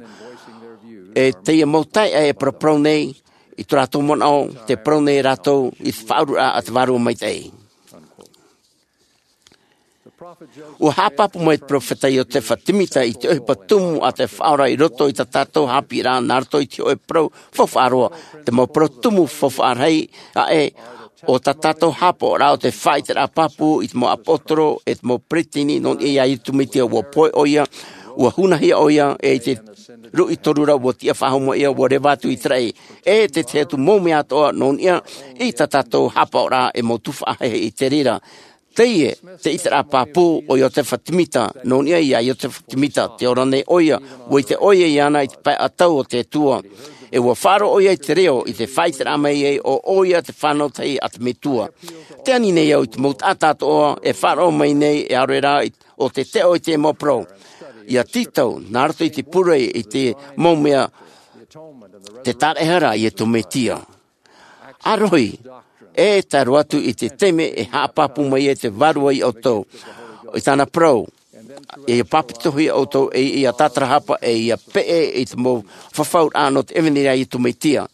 e teie mau taeaʻe e paraparau nei, i tō rātou manaʻo, tē parau nei rātou, i te faʻaururaʻa a te Vārua Maitaʻi. Ua haʻapāpū mai te peropheta Iotefa Temita i te ʻohipa tumu a te Faʻaora i roto i tā tātou haʻapiʻiraʻa nā roto i te hōʻē parau faufaʻa roa, te mau parau tumu faufaʻa rahi aʻe o tā tātou haʻapaʻoraʻa o te faʻaʻiteraʻa pāpū i te mau ʻāpōsetolo e te mau peretiteni nō niʻa iā Iesu Mesia. Ua pohe ʻoia, ua hunahia ʻoia, e i te ruʻi toru ra ua tiʻa faʻahou mai ʻoia, ua reva atu i te raʻi. E te tahi atu mau mea atoʻa nō niʻa i tā tātou haʻapaʻoraʻa e mau tuhaʻa heheu i te reira. Teie te ʻiteraʻa pāpū o Iotefa Temita, nō niʻa iā Iotefa Temita, tē ora nei ʻoia, ua ʻite ʻoia iāna i te pae ʻatau o te Atua. E ua faʻaroʻo ʻoia i te reo, i te faʻaʻiteraʻa mai ai ʻo ʻoia te fānau tahi a te Metua. Tē ani nei au i te mau taʻata atoʻa, e faʻaroʻo mai nei, e ʻaore rā, i, ʻo tē teʻo i te mau parau. ʻIa tītau, nā roto i te pure, i te mau mea, te tāraʻehara a Iesu Mesia. ʻA rohi, e tae roa atu i te taime e haʻapāpū mai ai te Vārua iā ʻoutou. I tāna parau, ʻia pāpetitohia ʻoutou, e ʻia tātarahapa, e ʻia peʻe i te mau fafauraʻa nō te ʻevanelia a Iesu Mesia.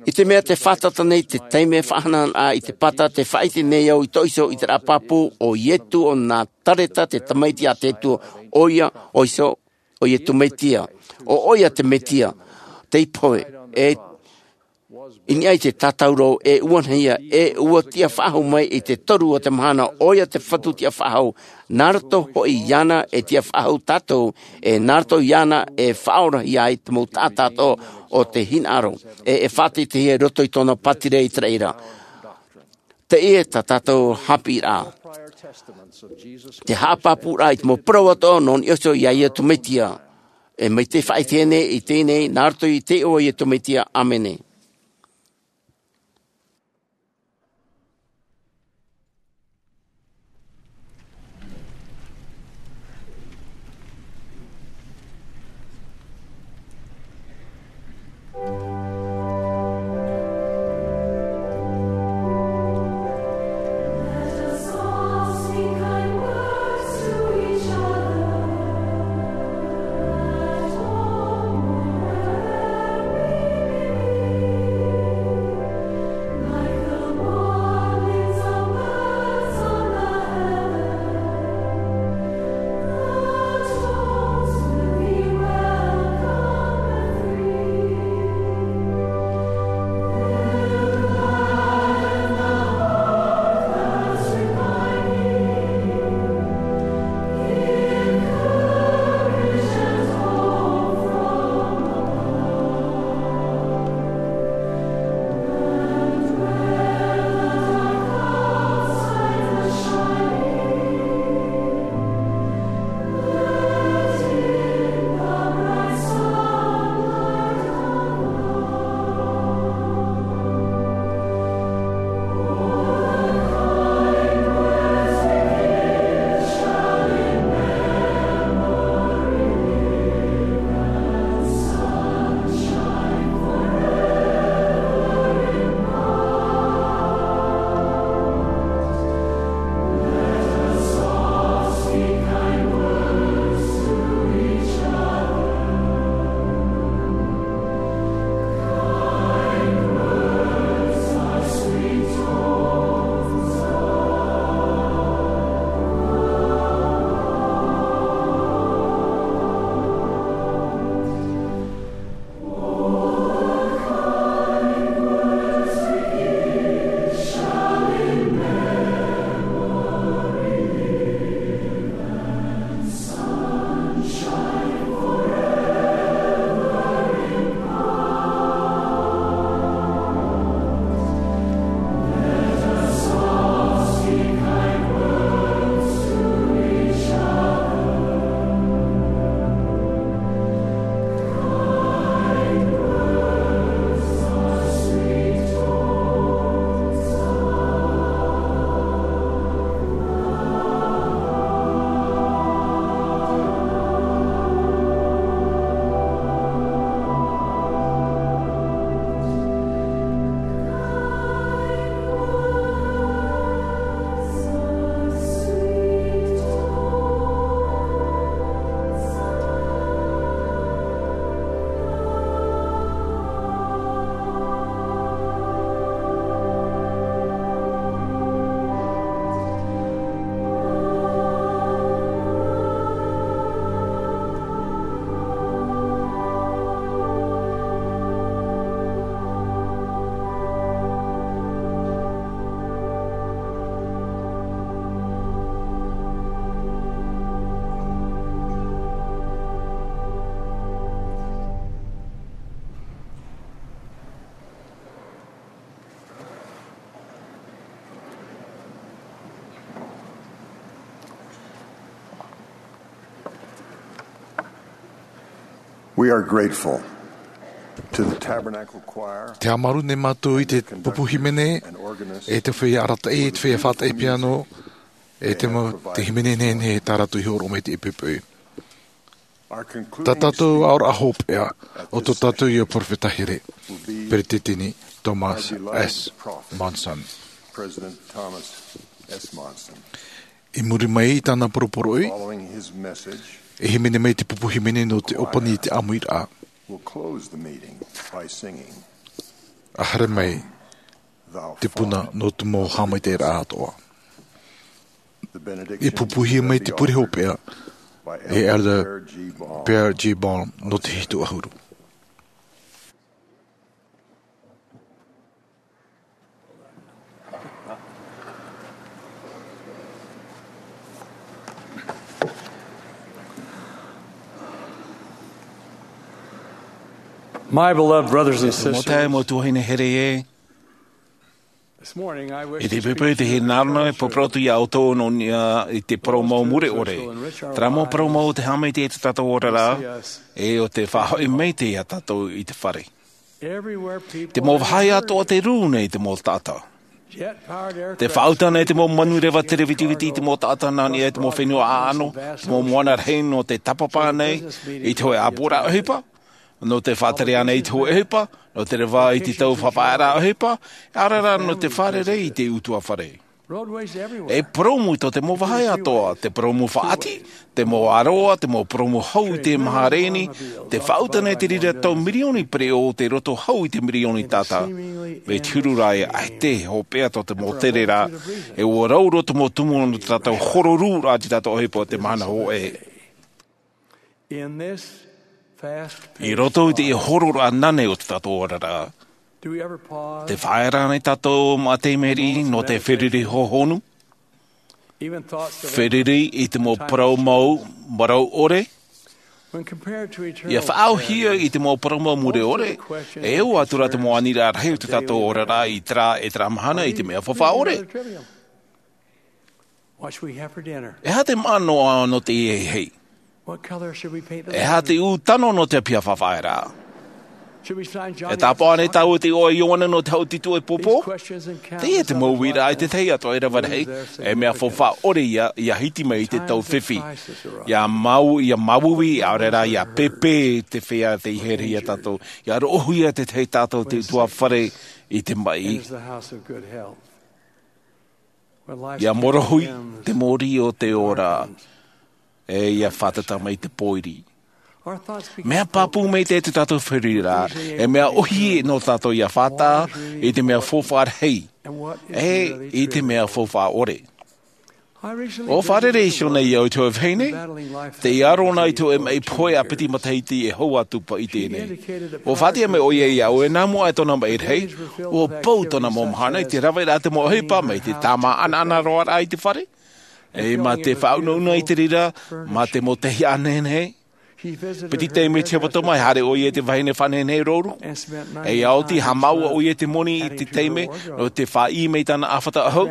I te mea tē fātata nei te taime faʻahanahanaraʻa i te Pāta, tē faʻaʻite nei au i tō ʻoe ʻiteraʻa pāpū, ʻo Iesu o Nāzareta, te Tamaiti a te Atua, ʻoia, ʻoe ʻo ʻo Iesu Mesia, ʻo ʻoia te Mesia, tei pohe, e i niʻa i te tātauro, e ua nahia, e ua tiʻa faʻahou mai i te toru o te mahana, ʻoia te Fatu tiʻa faʻahou, nā roto hoʻi iāna e tiʻa faʻahou tātou, e nā roto iāna e faʻaorahia ai te mau taʻata atoʻa o te hinaʻaro, e, e faʻateiteihia i roto i tōna pātireia i te raʻi ra. Teie tā tātou haʻapiʻiraʻa. Te haʻapāpūraʻa i te mau parau atoʻa nō niʻa iho iā Iesu Mesia. E mai te faʻaʻite nei i teie nei, nā roto i te iʻoa o Iesu Mesia. ʻĀmene. We are grateful to the Tabernacle Choir, Te haʻamāuruuru nei mātou i te pupu hīmene, e te feiā arataʻi, e te feiā faʻataʻi piano, e te mau, te hīmene nehenehe tā rātou i hōroʻa mai te ʻepoʻe. Tā tātou aʻoraʻa hopeʻa, ʻo tō tātou ia perofeta here, Peretiteni Thomas S. Monson. President Thomas S. Monson. I muri mai i tāna poroporoʻi, Following his message, e hīmene mai te pupu hīmene nō te ʻōpani i te ʻāmuiraʻa. We'll close the meeting by singing, A haere mai Thou te puna Father. Nō te mau haʻamaitaʻiraʻa atoʻa. The benediction I pupuhia mai te pure hopeʻa by e Elder Elder Pierre G. Baum. Pierre G. Baum nō te hitu ʻahuru. My beloved brothers and sisters, Mau tuahine here e. This morning, I wish I te pepe te hinaʻaro e pōpōrotu i a ʻoutou nō niʻa i te parau mau mure ʻore. Terā mau parau mau te haʻamaitaʻi i tō tātou oraraʻa, e ʻo te faʻahoʻi maitaʻi ia tātou i te fare. Te mau vāhi atoʻa te rū nei te mau taʻata. Te faʻauta nei te mau manureva terevitiviti i te mau taʻata nā niʻa i te mau fenua ʻaʻano, te mau moana rahi nō te tāpapa nei, i te hōʻē ʻāpoʻoraʻa ʻohipa, nō te faʻatere anaʻe i te hōʻē ʻohipa, nō te reva i te tau faʻafaʻaearaʻa ʻohipa, ʻaore rā nō te fārerei i te ʻutuāfare. E purōmu tō te mau vāhi atoʻa, te purōmu faʻaʻati, te mau aroā, te mau purōmu hau i te maha reni, te faʻauta nei te reira tau mirioni pereʻoʻo o te roto hau i te mirioni taʻata. Mai te huru ra e ʻaita e hopeʻa tō te mau tere ra, e ʻua rau roa te mau tumu nō te tātou hororūraʻa i te tātou ʻohipa o te mahana hōʻē. In this fast I roto i te hororaʻa nānei o te tātou oraraʻa, do we ever pause? Te faʻaea nei tātou mau taime riʻi nō te feruri hōhonu? Even thoughts that are Feruri i te mau parau mau, marau ʻore, when compared to eternal ia faʻaauhia i te mau parau mau mure ʻore, e ʻoaʻoa atu rā te mau aniraʻa rahi o te tātou oraraʻa i terā, e terā mahana i te mea faufaʻa ʻore. What should we have for dinner? E aha te maʻa noa nō te ʻēʻē? What color should we paint the E aha te room? Ū tano nō te ʻāpī faʻafaʻaearaʻa? Should we sign John E tāpaʻo nei tāua te iʻoa Ioane nō te hau tito e pōpō? These questions and countless Teie te mau uira i te tahi atoʻa e rave rahi, e mea faufaʻa ʻore ia, ia hiti mai i te tau fifi. Ia mau, ia mauiui, ʻaore rā, ia pēpē te feiā tei here ia tātou. Ia roʻohia te tahi tātou te ʻutuāfare i te maʻi. Enters the house of good health. Ia morohi te mōrī o te ora, e ia fātata mai te pōiri. Mea pāpū maitaʻi te tātou feruri ra, e mea ʻohie nō tātou ia fātata i te mea faufaʻa rahi, e i te mea faufaʻa ʻore. ʻUa fārerei iho nei au i te hōʻē vahine, tei aro na i te hōʻē maʻi pohe ʻāpiti matahiti e hau atu paʻi teie nei. ʻUa faʻaʻite mai ʻoia iāʻu e nā mua e tōna maʻi rahi, ʻua pau tōna mau mahana i te raveraʻa te mau ʻohipa mai te tāmā ʻanaʻana roa raʻa i te fare. E mā te faʻaunauna i te reira, mā te mau tahi ʻānenehe. Piti taime te hepetoma e haere ʻoia i te vahine faʻanehenehe rouru. E ia oti haʻamāuʻa ʻoia i te moni i te taime, nō te fāʻī mai tāna ʻāfata ʻahu.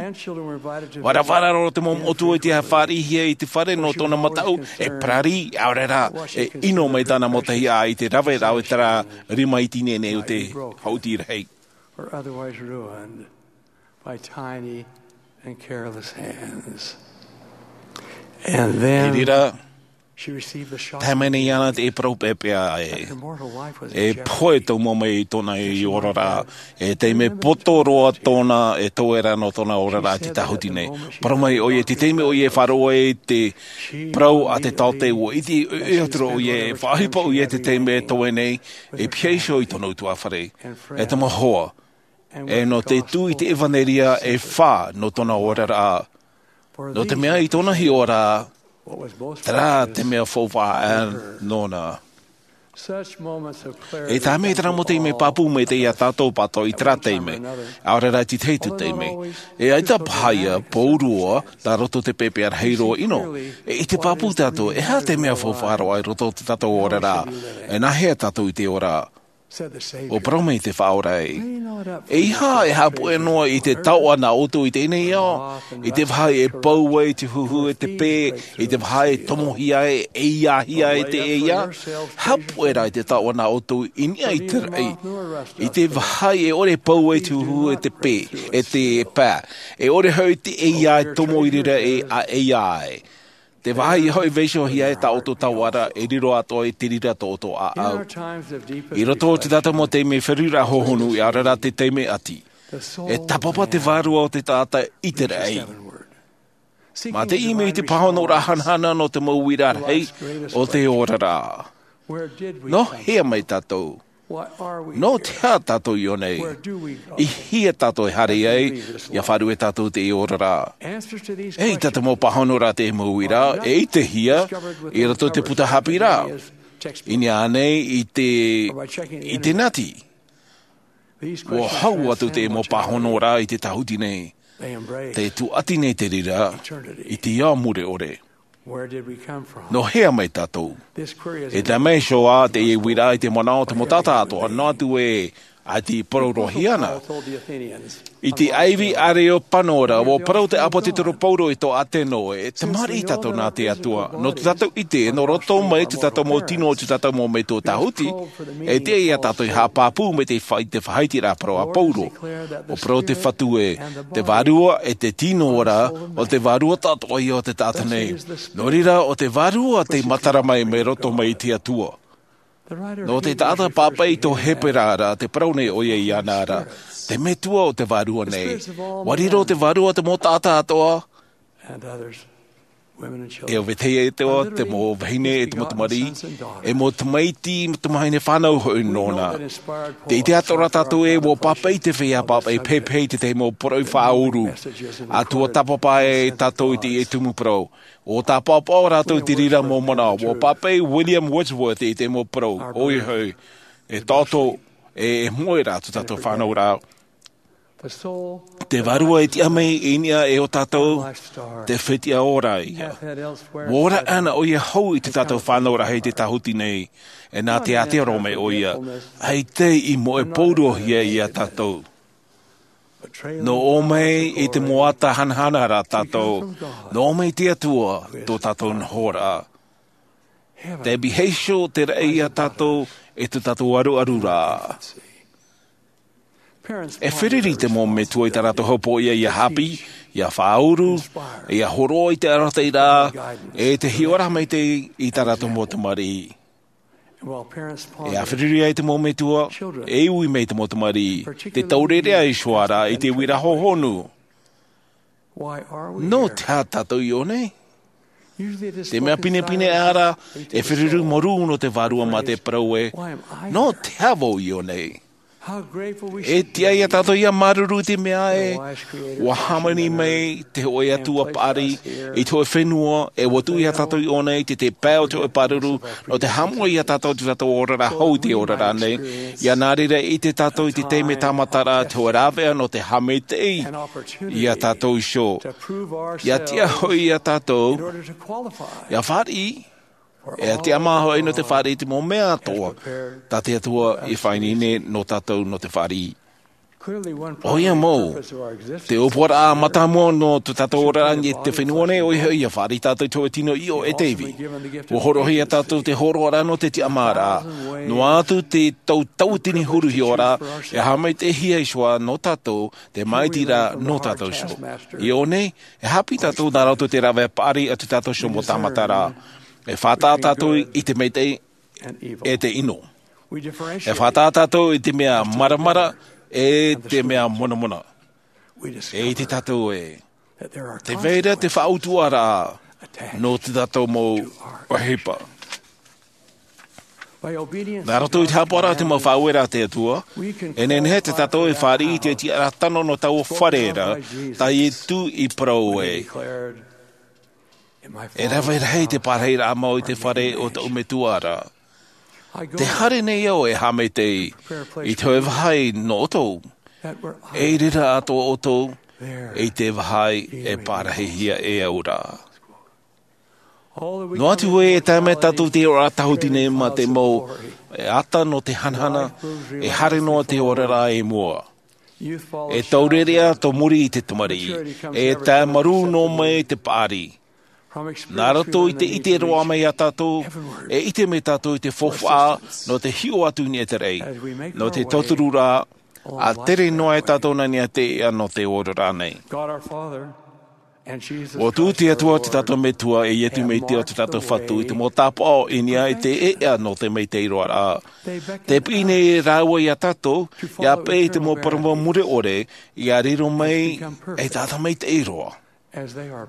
ʻUa rave roa te mau moʻotua i te fāriʻihia i te fare nō tōna mataʻu, e parari, ʻaore rā, e ʻino mai tāna mau tahi ʻā i te raveraʻa o terā rima iti nei o te hauti rahi. Were otherwise ruined by tiny and careless hands. And then I reira, she received the shock tae mai nei iāna te parau pēpēa e, that her mortal life was e in jeopardy. Pohe tau mau mai i tōna i oraraʻa, e taime poto roa tōna, e tauera nō tōna oraraʻa i te tāhuti nei. Parau mai ʻoia, te taime ʻoia e faʻaroʻo ai te parau a te taote, ʻua ʻite, e, e atu ra ʻoia, e faʻaʻohipa ʻoia te taime e toe nei, e pihaʻi iho i tōna ʻutuāfare. E tama hoa, e nō te tū i te ʻevaneria e fā nō tōna oraraʻa. Nō te mea i tōna hiʻoraʻa, terā te mea faufaʻa nōna. Such moments of clarity E taime terā mau taime pāpū maitaʻi ia tātou pātoʻi i terā taime, ʻaore rā te tahi atu taime. E ʻaita paha ia, pauroa, tā roto te pēpēa rahi roa ʻino. E ʻite pāpū tātou, e aha te mea faufaʻa roa i roto i tō tātou oraraʻa. E nāhea tātou i te ora. ʻUa parau mai te Faʻaora ē, ʻeiaha e haʻapuʻe noa i te taoʻa nā ʻoutou i teie nei ao, i te vāhi e pau ai te huhu e te pē, i te vāhi e tomohia ai, e ʻeiāhia ai te ʻeiā. Haʻapuʻe rā i te taoʻa nā ʻoutou i niʻa i te raʻi, i te vāhi e ʻore e pau ai te huhu e te pē, e te pā, e ʻore hoʻi te ʻeiā e tomo i reira e ʻeiā ai. Te vāhi e hoʻi vaiihohia e tā ʻoutou taoʻa ra, e riro atoʻa i te reira tō ʻoutou ʻāʻau. I roto i te tahi mau taime feruriraʻa hohonu, ʻia ora rā te taime ʻati, e tāpapa te vārua o te taʻata i te raʻi. Mā te ʻimi i te pāhonoraʻa hanahana nō te mau uiraʻa rahi o te oraraʻa. Nō hea mai tātou? Nō te aha tātou i ʻō nei? I hea tātou e haere ai ʻia faʻaruʻe tātou i te oraraʻa? E ʻite te mau pāhonoraʻa te mau uiraʻa, e ʻitehia i roto i te puta haʻapiʻiraʻa, i niʻa nei i te, i te nati. ʻUa hau atu te mau pāhonoraʻa i te tāhuti nei. Te tūʻati nei te reira i te ao mure ʻore. Nō hea mai tātou? E tae mai iho ā teie uiraʻa i te manaʻo o te mau taʻata atoʻa, noa atu ē, ʻaita i parau roa hia na. I te ʻāivi ʻāreopano ra, ʻua parau te ʻāpōsetolo Paulo i tō ʻĀteno ē, e tamariʻi tātou nā te Atua. Nō te tātou ʻite, nō roto mai te tātou mau tino, te tātou mau metua tāhuti, e tiʻa ia tātou e haʻapāpū mai te fa-, te faʻaiteraʻa parau a Paulo. ʻUa parau te Fatu ē, te vārua e te tino ra, ʻo te vārua atoʻa ia o te taʻata nei. Nō reira, ʻo te vārua tei matara mai, mai roto mai i te Atua. Nō te taʻata pāpaʻi i tō Hepera ra, tē parau nei ʻoia iāna ra, te metua o te vārua nei. ʻUa riro te vārua te mau taʻata atoʻa, e ʻo vetahi atoʻa, te mau vahine e te mau tamariʻi, e mau tamaiti, mau tamahine fānau hoʻi nōna. Tē ʻite atoʻa ra tātou ē, ʻua pāpaʻi te feiā pāpaʻi pehepehe i te tahi mau poroʻi faʻauru. ʻA ʻō tāpapa ai tātou i te tumu parau. ʻUa tāpaʻopaʻo rātou i te reira mau manaʻo. ʻUa pāpaʻi William Wordsworth i te mau parau. ʻOia hoʻi, e taʻoto, e, e moe rā tō tātou fānauraʻa. Te vārua e tiʻa mai i niʻa iho tātou, te fetiʻa ora ia. ʻUa ora ʻana ʻoia hou i tō tātou fānau rahi i te tāhuti nei, e nā te ātea roa mai ʻoia, ʻaita i moe paurohia ia tātou. Nō ʻō mai i te moata hanahana rā tātou, nō ʻō mai te Atua tō tātou nohoraʻa. Tē vaiiho te raʻi ia tātou i tō tātou aruaruraʻa. E feruri te mau metua i tā rātou hōpoiʻa ʻia haʻapiʻi, ʻia faʻauru, ʻia hōroʻa i te arataʻiraʻa, e te hiʻoraʻa maitaʻi i tā rātou mau tamariʻi. E feruri ai te mau metua, e ui mai te mau tamariʻi, tē taureʻareʻa iho ā rā i te uiraʻa hohonu. Nō te aha tātou i ʻō nei? Te mea pinepine ā rā, e feruri mōrū nō te vārua mā te parau ē, nō te aha vau i ʻō nei? E tiʻa ia tātou ʻia māuruuru i te mea ē, ʻua hāmani mai te hōʻē Atua paʻari i te hōʻē fenua, e ʻua tuʻu ia tātou i ʻō nei, te, te pae o te hōʻē pāruru, nō te haʻamoʻe ia tātou i tō tātou oraraʻa hou i te oraraʻa nei. ʻIa nā reira e ʻite tātou i te taime tāmataraʻa, te hōʻē rāveʻa nō te haʻamaitaʻi ia tātou iho. ʻIa tiʻa hoʻi ia tātou, ʻia fāriʻi, e tiʻamā hoʻi nō te fāriʻi i te mau mea atoʻa tā te Atua i faʻaineine nō tātou nō te fāriʻi. ʻOia mau, te ʻōpuaraʻa mātāmua nō tō tātou oraraʻa i te fenua nei, ʻoia hoʻi, ʻia fāriʻi tātou i te hōʻē tino ʻīʻo e te ivi. ʻUa hōroʻahia ia tātou te hōroʻaraʻa nō te tiʻamāraʻa. Noa atu te tau tauatini huru hiʻoraʻa, e haʻamaitaʻihia iho ā nō tātou te māʻitiraʻa nō tātou iho. I ʻō nei, e haʻapiʻi tātou nā roto i te rāveʻa paʻari a tō tātou iho mau tāmataraʻa. E faʻataʻa tātou i te maitaʻi e te ʻino. E faʻataʻa tātou i te mea maramara e te mea monamona. E ʻite tātou ē, tē vai ra te faʻautuʻaraʻa nō tō tātou mau ʻohipa. Nā roto i te haʻapaʻoraʻa a te mau faʻaueraʻa a te Atua, e nehenehe tō tātou e fāriʻi i te tiʻaraʻa tano nō taua fare ra, tā Ietu i parau ē. E rave rahi te pārahiraʻa mau i te fare o tōʻu Metua ra. Tē haere nei au e haʻamaitaʻi i te hōʻē vāhi nō ʻoutou. E i reira atoʻa ʻoutou, i te vāhi e pārahihia e au ra. Noa atu ē e tae mai tātou te oraraʻa tāhuti nei mā te mau ata nō te hanahana, e haere noa te oraraʻa i mua. E taurearea tō muri i te tamariʻi, e tae marū noa mai te paʻari. Nā roto i te ʻite roa mai iā tātou, e ʻite mai tātou i te faufaʻa nō te hiʻo atu i niʻa i te raʻi, nō te tauturu ra, ʻa tere noa e tātou nā niʻa i te ʻēʻa nō te oraraʻa nei. Ua tuʻu te Atua o te tātou Metua e Iesu Mesia o te tātou Fatu i te mau tāpaʻo i niʻa i te ʻēʻa nō te maitaʻi roa ra. Tē piʻi nei rāua iā tātou, ʻia peʻe i te mau parau mure ʻore, ʻia riro mai ei taʻata maitaʻi roa.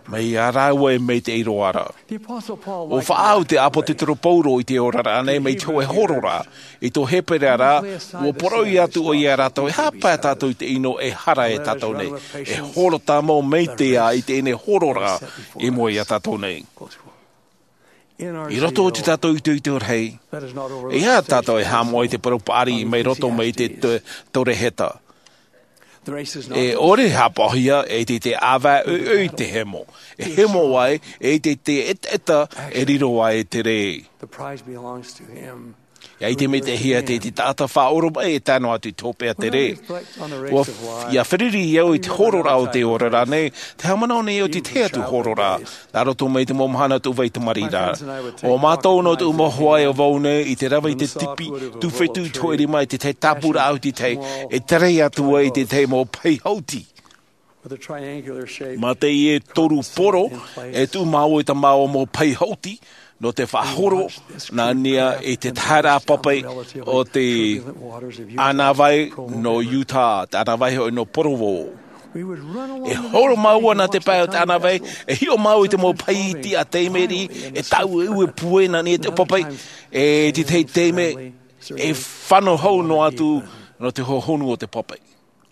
Mai iā rāua e maitaʻi roa ra. ʻUa faʻaau te ʻāpōsetolo Paulo i te oraraʻa nei mai te hōʻē hororaʻa, i tō Hepera ra, ʻua poroʻi atu ʻoia iā rātou, e aha paʻi tātou i te ʻino e hara e tātou nei, e horo tāmau maitaʻi i teie hororaʻa i mua iā tātou nei. I roto i tō tātou itoito rahi, ʻeiaha tātou e haʻamoʻe i te parau paʻari mai roto mai te, te, tōreheta. E ʻore e haʻapaʻohia, e ʻite te ʻāvae ʻoiʻoi te hemo. E hemo ai, e ʻite te ʻetaʻeta e riro ai te rē. ʻIa ʻite maitaʻihia te, te taʻata faʻaoromaʻi e tae noa atu i te hopeʻa tere. ʻUa, ʻia feruri au i te hororaʻa o te oraraʻa nei, tē haʻamanaʻo nei au i te tahi atu hororaʻa. Nā roto mai i te mau mahana tuʻu vai tamariʻi ra. ʻO mātou nō tuʻu mau hoa e vau nei i te rave i te tipi, tūfetu i te hōʻē rima i te tahi tāpura ʻahu i te tahi, e tere atu ai i te tahi mau pahi hauti. Mā teie toru poro, e tuʻu māua i tā māua mau pahi hauti, nō te faʻahoro, nā niʻa i te taharaʻa pape o te ʻānāvai nō Utah, te ʻānāvai hoʻi nō Provo. E horo māua nā te pae o te ʻānāvai, e hiʻo māua i te mau pahi iti a taime riʻi, e tāueue pūai nā niʻa i te pape, e te tahi taime, e fano hau noa atu nō te hohonu o te pape.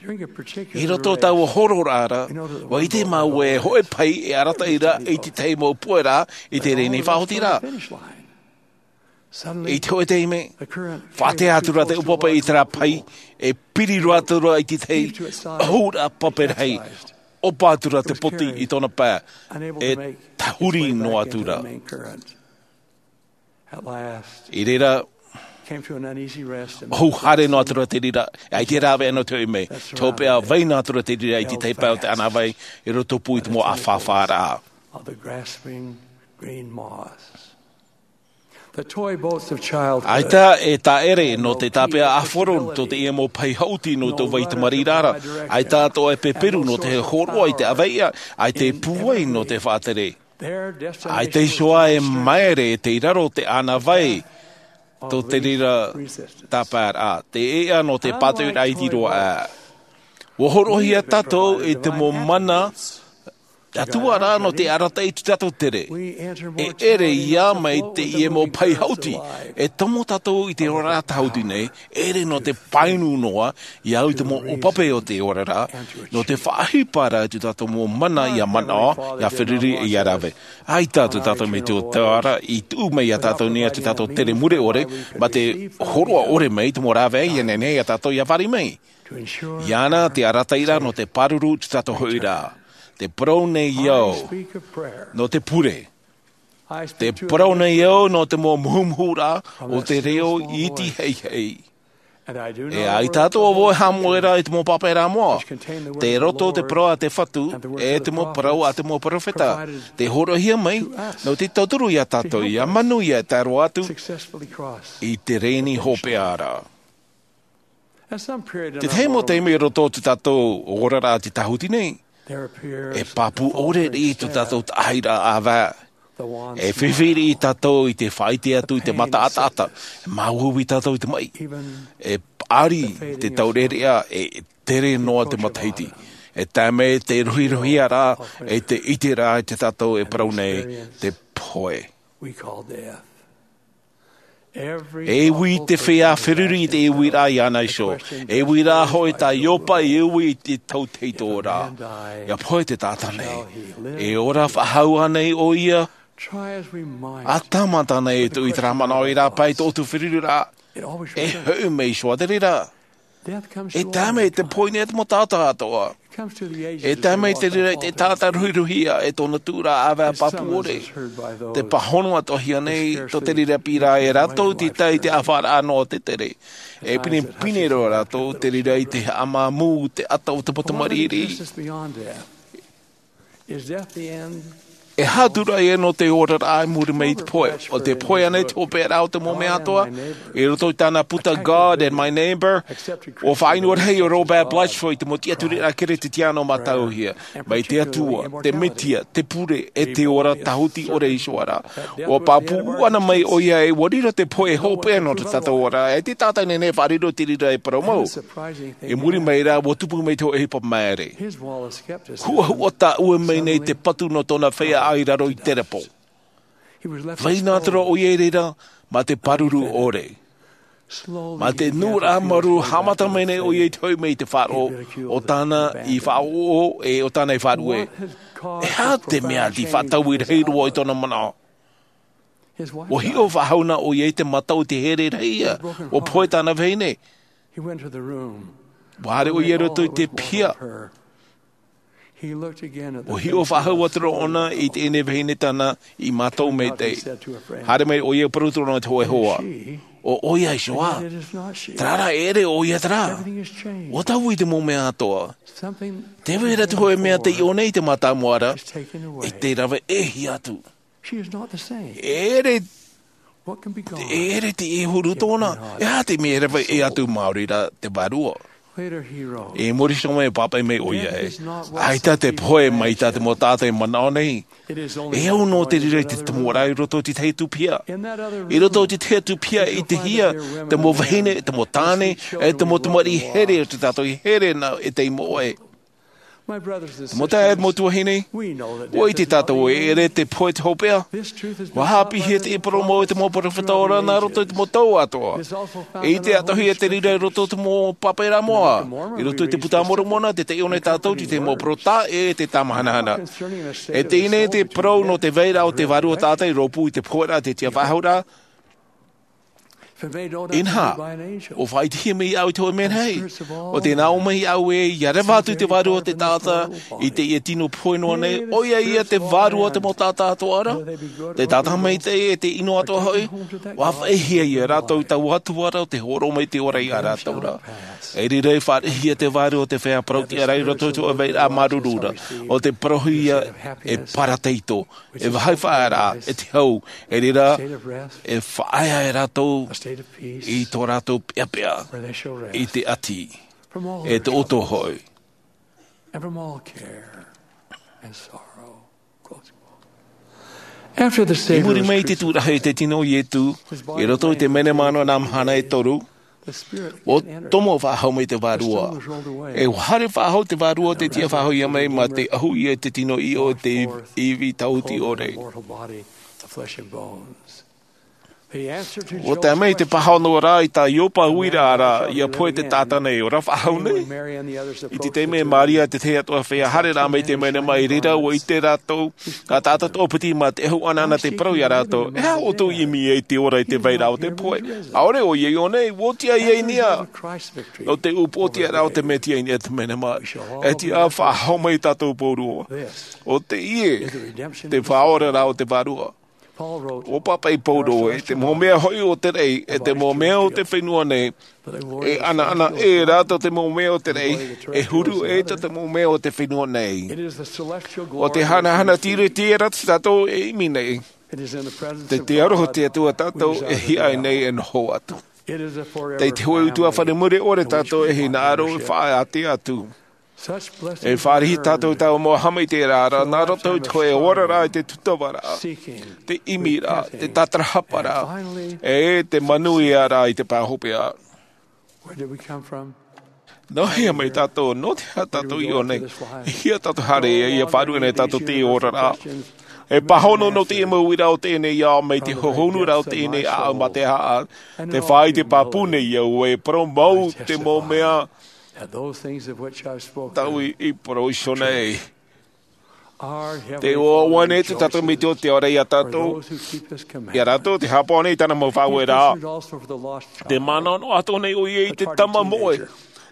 I roto i taua hororaʻa ra, ʻua ʻite māua e hōʻē pahi e arataʻi ra i te tahi mau pueraʻa i te reni faʻahoti ra. I te hōʻē taime, faʻatea atu ra te ʻūpape i terā pahi, e piri roa atu ra i te tahi ʻōhuraʻa pape rahi, ʻopa atu ra te poti i tōna pae, e tahuri noa atu ra. I reira, ʻohu haere noa atu ra te reira, ʻaita e rāveʻa noa te hoʻi mai, te hopeʻa vai noa atu ra te reira i te tahi pae o te ʻānāvai, i roto pū i te mau ʻāfāfāraʻa. ʻAita e tāʻere nō te tāpeʻa ʻāfaro tō teie mau pahi hauti nō tō vai tamariʻi ra, ʻaita atoʻa e peperu nō te hōroʻa i te ʻāvaeʻa, ʻaita e pūai nō te faʻatere. ʻAita iho ā e māere i te raro o te ʻānāvai, tō te reira tāpaeraʻa, te ʻēʻa nō te pātoʻiraʻa iti roa aʻe. ʻUa hōroʻahia tātou i te mau mana, Atua rā nō te arataʻi i tō tātou tere. E ʻere ïa mai teie mau pahi hauti, e tomo tātou i te oraraʻa tāhuti nei, ʻere nō te painu noa, ʻia au i te mau ʻōpape o te oraraʻa, nō te faʻaʻohipa ra i tō tātou mau mana ʻia manaʻo, ʻia feruri, ʻia rave. ʻAita tō tātou Metua i tuʻu mai iā tātou nei ā tō tātou tere mure ʻore, mā te hōroʻa ʻore mai, te mau rāveʻa ïa nehenehe iā tātou ʻia vari mai. ʻIa ana te arataʻiraʻa nō te pāruru i tō tātou hoʻiraʻa. Te parau nei au, nō te pure. Te parau nei au nō te mau muhumuhuraʻa o te reo iti heihei. E ʻaita atoʻa vau e haʻamoʻe ra i te mau pāpaʻiraʻa moʻa, te roto o te parau a te Fatu, e te mau parau a te mau peropheta. Tē hōroʻahia mai, nō te tauturu iā tātou, ʻia manuia e tae roa atu i te reni hopeʻa ra. Te tahi mau taime i roto i tō tātou oraraʻa i te tāhuti nei, e pāpū ʻore riʻi tō tātou taʻahiraʻa ʻāvae. E fifi riʻi tātou i te faʻaʻite atu i te mata ʻataʻata, e māuiui tātou i te maʻi. E paʻari te taurearea, e tere noa te matahiti. E tae mai te rohirohia ra, e te ʻite ra i tō tātou e parau nei, te pohe. E ui te feiā feruri i te uiraʻa iāna iho. E uiraʻa hoʻi tā Ioba i ui i te tauteitō ra. ʻIa pohe te taʻata nei. E ora faʻahou ānei ʻoia? ʻA tāmata nei e tuʻu i terā manaʻo i rāpae i tō ʻoutou feruriraʻa. E hoʻi mai iho ā te reira. E tae mai te pohe nei te mau taʻata atoʻa. E tae mai te reira i te taʻata ruhiruhia e tōna tūraʻa ʻāvae pāpū ʻore. Te pāhono atoʻahia nei tō te reira piʻiraʻa e rātou i te tae i te ʻāfaʻaraʻa noa o te tere. E pinepine roa rātou te reira i te haʻamāmū te ata o te mau tamariʻi. E hātū rahi nō te oraraʻa i muri mai i te pohe. ʻO te pohe ānei te hopeʻaraʻa o te mau mea atoʻa i roto i tāna puta God and My Neighbor? ʻUa faʻaʻino rahi ʻo Robert Blatchford i te mau tiʻaturiraʻa Keresetiano mātauhia mai te Atua, te Mesia, te Pure, e te ora tāhuti ʻore iho ā ra. ʻUa pāpū ʻana mai ʻoia e ʻua riro te pohe e hopeʻa nō tā tātou ora, e te taʻata nei e faʻariro te reira e parau mau. I muri mai rā, ʻua tupu mai te hōʻē ʻohipa māere. Huʻahuʻa tāʻue mai nei te patu nō tōna feiā i raro i te repo. Vai nā te roa ʻoia i reira mā te pāruru ʻore. Mā te nuʻuraʻa marū, haʻamata mai nei ʻoia i te hoʻi mai i te faʻaroʻo o tāna i faʻaʻoʻo e o tāna i faʻarue. E aha te mea tei faʻataui rahi roa i tōna manaʻo? ʻUa hiʻo faʻahou na ʻoia i te mata o te here rahi ia ʻua pohe tāna vahine. ʻUa haere ʻoia i roto i te piha. ʻUa hiʻo faʻahou atu ra ʻōna i teie nei vahine tāna i mātau maitaʻi. Haere mai ʻoia e parau atu ra ʻōna i te hōʻē hoa, ʻo ʻoia iho ā. Terā rā, e ʻere ʻoia terā. ʻUa taui te mau mea atoʻa. Tē vai ra te hōʻē mea tei ʻō nei i te mātāmua ra, e tē rave ʻē hia atu. E ʻere, e ʻere te huru tōna. E aha te mea e rave ʻē atu māori ra te vārua? I muri iho mai, pāpaʻi mai ʻoia ē, ʻaita te pohe mai tā te mau taʻata i manaʻo nei. E au nō te reira i te tomoraʻa i roto i te tahi atu piha. I roto i te tahi atu piha i te hia te mau vahine, te mau tāne, e te mau tamariʻi here o tā tātou i here na e tei moʻe. Te mau taeaʻe, te mau tuahine, ʻua ʻite tātou e ʻere te pohe te hopeʻa. ʻUa haʻapiʻihia teie parau mau e te mau peropheta ora nā roto i te mau tau atoʻa. E ʻite atoʻahia te reira i roto i te mau pāpaʻiraʻa moʻa. I roto i te Buka a Moromona, tē taiʻo nei tātou i te mau parau taʻa ʻē e te tāmahanahana. E teie nei te parau nō te vairaʻa o te vārua taʻata i rōpū i te poheraʻa, te tiʻafaʻahouraʻa. Inaha, ʻua faʻaʻitehia mai iāʻu i te hōʻē mea nei. ʻO tē nā ʻō mai iāʻu ē, ʻia reva atu i te vārua o te taʻata i teie tino pohe noa nei, ʻoia ia te vārua o te mau taʻata atoʻa ra, te taʻata maitaʻi e te ʻino atoʻa hoʻi. ʻUa faʻaʻitehia ia rātou i taua Atua ra, ʻo tē hōroʻa mai te ora ia rātou ra. E riro e faʻaʻitehia te vārua o te feiā parau-tiʻa ra i roto i te vairaʻa māuruuru ra, ʻo tē parauhia e parataito, e vāhi faʻaearaʻa, e te hau, e reira, e faʻaea e rātou i tō rātou peʻapeʻa, i te ʻati, e te ʻoto hoʻi. I muri mai i te tūraʻa i te tino o Ietu, i roto i te menema nō nā mahana e toru, ʻua tomo faʻahou mai te vārua. E ʻua haere faʻahou te vārua, tē tiʻafaʻahouhia mai mā te ʻahu ia i te tino ʻiʻo o te ivi tāhuti ʻore. ʻUa tae mai te pāhono ra i tā Ioba uiraʻa ra, ʻia pohe te taʻata nei, ʻo rā faʻahou nei. I te taime Maria te tahi atu feiā haere ra mai te menema, i reira ʻua ʻite rātou, nā taʻata toʻopiti mā te ʻahu ʻanaʻana tei parau ia rātou, e aha ʻoutou i ʻimi ai i te ora i te vairaʻa o te pohe? ʻAore ʻoia i ʻō nei, ʻua tiʻa ia i niʻa. Nō te upoʻotiʻaraʻa o te Mesia i niʻa i te menema, e tiʻa faʻahou mai tātou pauroa. ʻO teie te faʻaoraraʻa o te vārua. ʻUa pāpaʻi Paulo ē, te mau mea hoʻi o te raʻi, e te mau mea o te fenua nei, e ʻanaʻana ʻē rātou te mau mea o te raʻi, e huru ʻē tā te mau mea o te fenua nei. ʻO te hanahana tiriti ra tātou e ʻimi nei. Te, te aroha o te Atua tātou e hiaʻai nei e noho atu. Tei te hōʻē utuafare mure ʻore tātou e hinaʻaro e faʻaʻite atu. E fāriʻi tātou i taua mau haʻamaitaʻiraʻa ra, nā roto i te hōʻē oraraʻa i te tūtavaraʻa, te ʻimiraʻa, te tātarahaparaʻa, e te manuiaraʻa i te pae hopeʻa. Nō hea mai tātou, nō te aha tātou i ʻō nei? E hia tātou haere ai, ʻia faʻaruʻe nei tātou i teie oraraʻa? E pāhono nō teie mau uiraʻa o teie nei ao, mai te hohonuraʻa o teie nei ʻāʻau mā te haʻa, te faʻaʻite pāpū nei au e parau mau te mau mea tāʻu i, i parau iho nei. Te ʻoaʻoa nei tā tātou Metua te Atua iā tātou, iā rātou tē haʻapaʻo nei i tāna mau faʻaueraʻa. Tē manaʻo atoʻa nei ʻoia i te tama moʻe.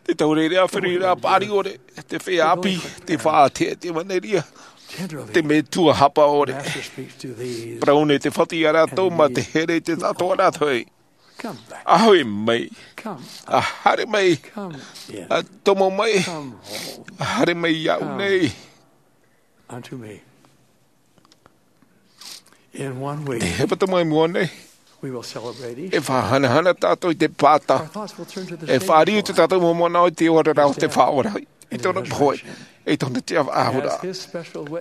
Te taureʻareʻa, feruriraʻa paʻari ʻore, te feiā ʻāpī, te faʻaʻite, te maneria, te metua hapa ʻore. Parau nei te Fatu ia rātou, mā te here i te taʻatoʻaraʻa atoʻa. ʻA hoʻi mai, ʻa haere mai, ʻa tomo mai, ʻa haere mai iāʻu nei. Te hepetoma i mua nei, e faʻahanahana tātou i te pāta. E fāriu tō tātou mau manaʻo i te oraraʻa o te Faʻaora, i tōna pohe, i tōna tiʻaturiraʻa.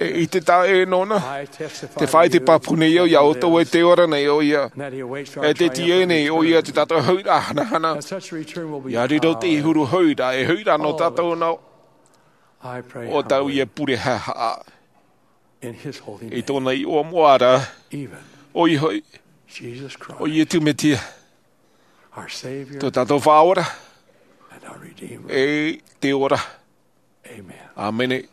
E ʻite tāʻu nōna, te faʻaʻite pāpū nei au iā ʻoutou ē tē ora nei ʻoia, e te tiaʻi nei ʻoia tō tātou huiraʻatira hanahana. ʻIa riro te huru huiraʻa, e huiraʻa nō tātou nā ʻō tātou ia pure haʻahaʻa. I tōna iʻoa moʻa ra, ʻoia hoʻi, ʻo Iesu Mesia, tō tātou Faʻaora, e te ora. ʻĀmene.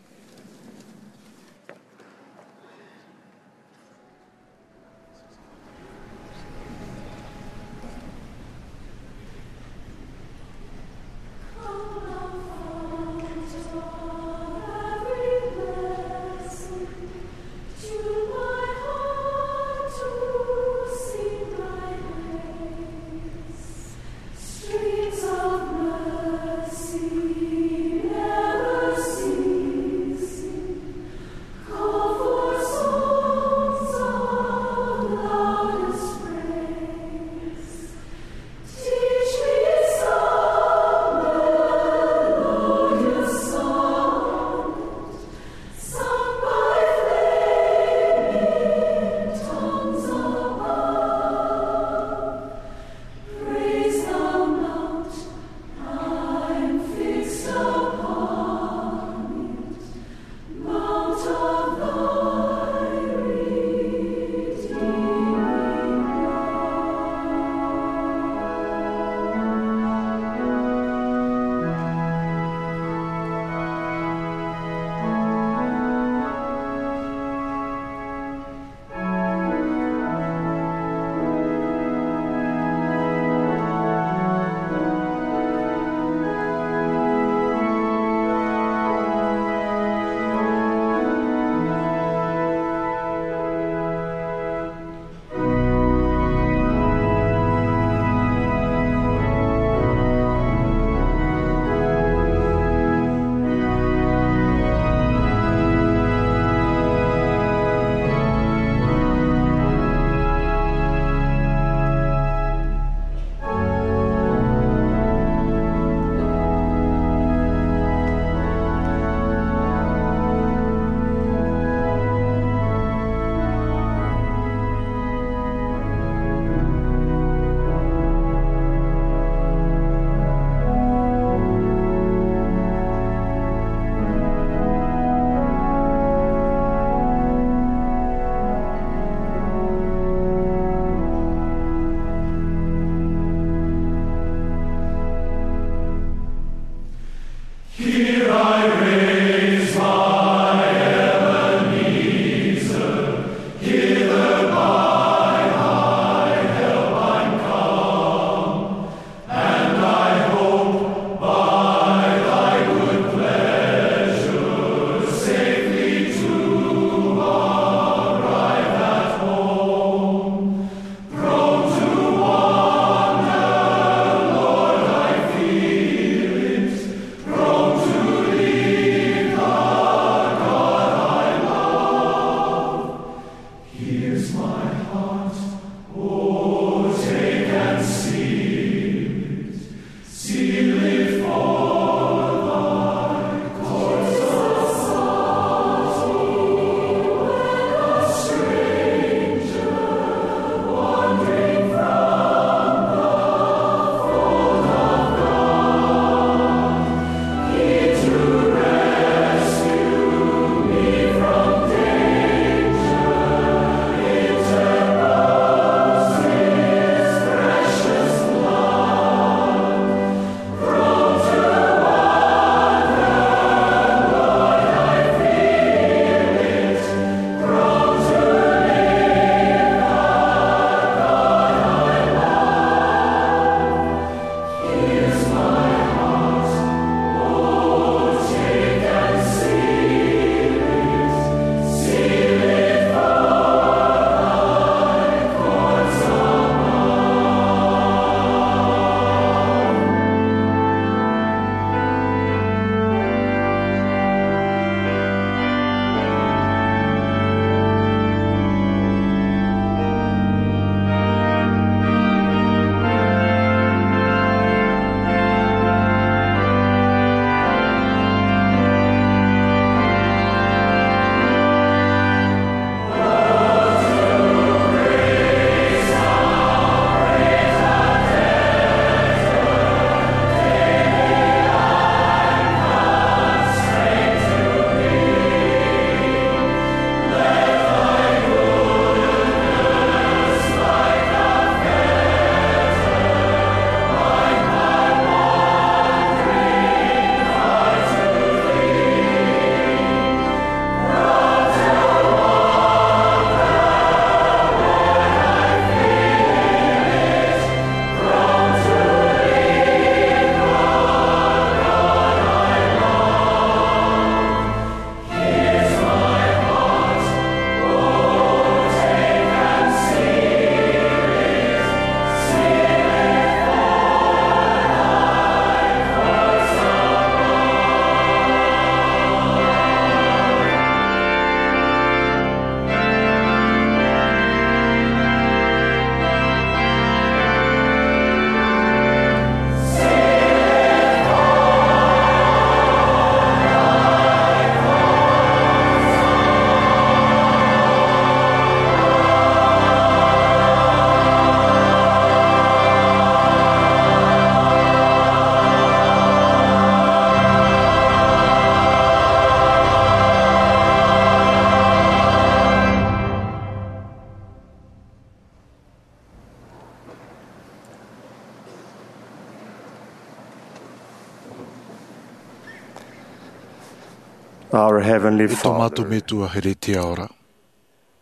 Our Heavenly E tō Father, mātou Metua here i te ao ra.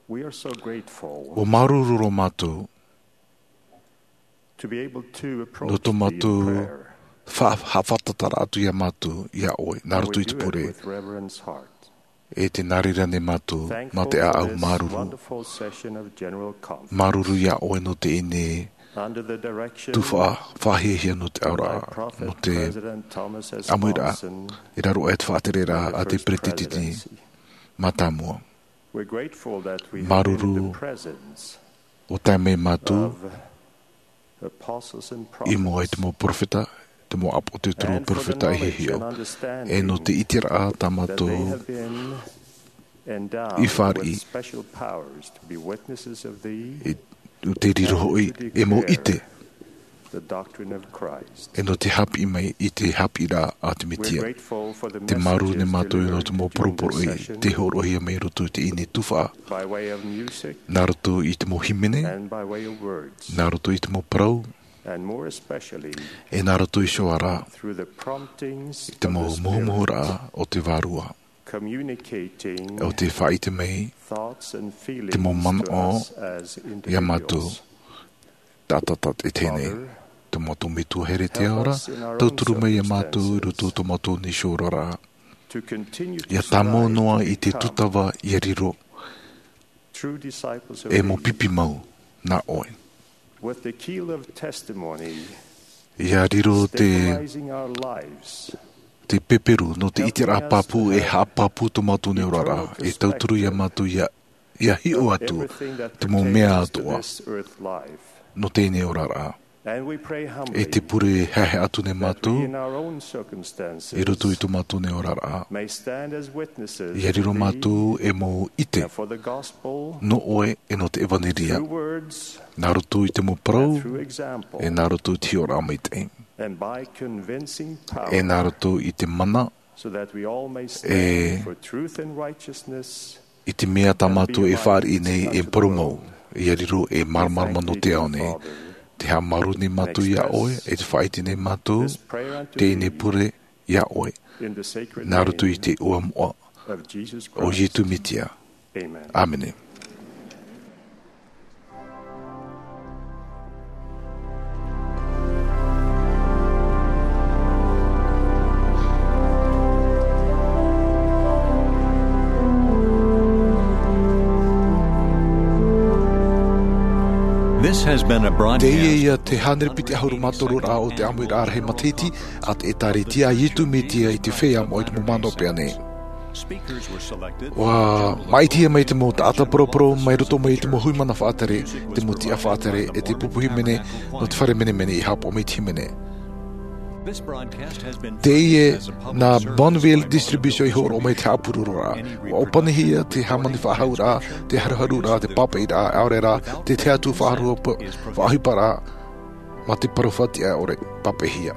We are so grateful ʻUa māuruuru roa mātou to be able to approach nō tō thee in mātou prayer. Fa-, haʻafātata atu iā mātou, iā ʻoe, nā And we roto i te do it pure. With reverence heart. E tē nā reira nei mātou, mā te Thankful for ʻāʻau this māuruuru. Wonderful session of General Conference. Māuruuru iā ʻoe nō teie nei Under the direction tuhaʻa faʻahiahia nō te ao ra, of our prophet, nō te President Thomas S. ʻāmuiraʻa, Monson, i raro aʻe i te faʻatereraʻa a te First Peretiteni Presidency. Mātāmua. We're grateful that we have been in the Māuruuru presence ʻua tae mai mātou of apostles and i mua i te mau peropheta, te mau ʻāpōsetolo, and for the peropheta i knowledge hiʻo. And understanding E nō te ʻiteraʻa tā that they mātou have been endowed i fāriʻi with special powers to be witnesses of thee i, ʻo te riro hoʻi e mau ʻite. The doctrine of Christ. E nō te haʻapiʻi mai i te haʻapiʻiraʻa a te Metia. We're grateful for the Te māuruuru nei messages mātou e nō te mau delivered during this poroporoʻi session te hōroʻahia mai i roto i teie nei tuhaʻa. By way of music Nā roto i te mau hīmene, and by way of words. Nā roto i te mau parau, And more especially e nā roto iho ā ra through the promptings i te mau of the Spirit. Muhumuhuraʻa o te Vārua. Communicating ʻO te faʻaʻite mai thoughts and feelings te mau manaʻo to us as iā mātou. Individuals. Taʻata tātaʻitahi nei. Father, Tō mātou Metua here i te ao ra, help us in our own tauturu mai iā mātou i roto i tō mātou nei oraraʻa. To continue to ʻIa tāmau strive noa to i te become tūtava ʻia riro true disciples of e mau thee. Pipi mau nā ʻoe. With the keel of testimony ʻIa riro te, stabilizing our lives. Te peperu nō te ʻiteraʻa pāpū e haʻapāpū tō mātou nei oraraʻa, e tauturu iā mātou ʻia, ʻia hiʻo atu te mau mea atoʻa nō teie nei oraraʻa. And we pray humbly E te pure haʻehaʻa atu nei mātou that we in our own circumstances i roto i tō mātou nei oraraʻa. May stand as witnesses ʻIa riro of thee mātou e mau ʻite and for the gospel nō ʻoe e nō te ʻevaneria. Through words Nā roto i te mau parau, and through example e nā roto i te hiʻoraʻa maitaʻi. And by convincing power E nā roto i te mana, so that we all may stand e for truth and righteousness. I te mea tā mātou e fāriʻi nei e poromou, ʻia riro e māramarama nō te ao nei. Te haʻamāuruuru nei mātou iā ʻoe, e te faʻaʻite nei mātou, teie nei pure iā ʻoe. Nā roto i te iʻoa moʻa o Iesu Metia. ʻĀmene. This has been a broadcast. Teie ia te hānere piti ʻahuru mā toru ra o te ʻāmuiraʻa rahi matahiti a te ʻĒtārētia a Iesu Metia i te Feiā Moʻa i te Mau Mānava Pea nei. ʻUa māʻitihia mai te mau taʻata poroporo mai roto mai i te mau hui mana faʻatere, te mau tiʻa faʻatere, e te pupu hīmene nō te fare menemene i haʻapaʻo mai i te hīmene. Teie nā Bonneville Distribution i hōroʻa mai te haʻapurororaʻa. ʻUa ʻōpanihia te hāmani faʻahou ra, te haruharu ra, te pāpaʻi ra, ʻaore ra te tahi atu faʻaroʻo, faʻaʻohipa ra, mā te parau faʻatiʻa ʻore, pāpaʻihia.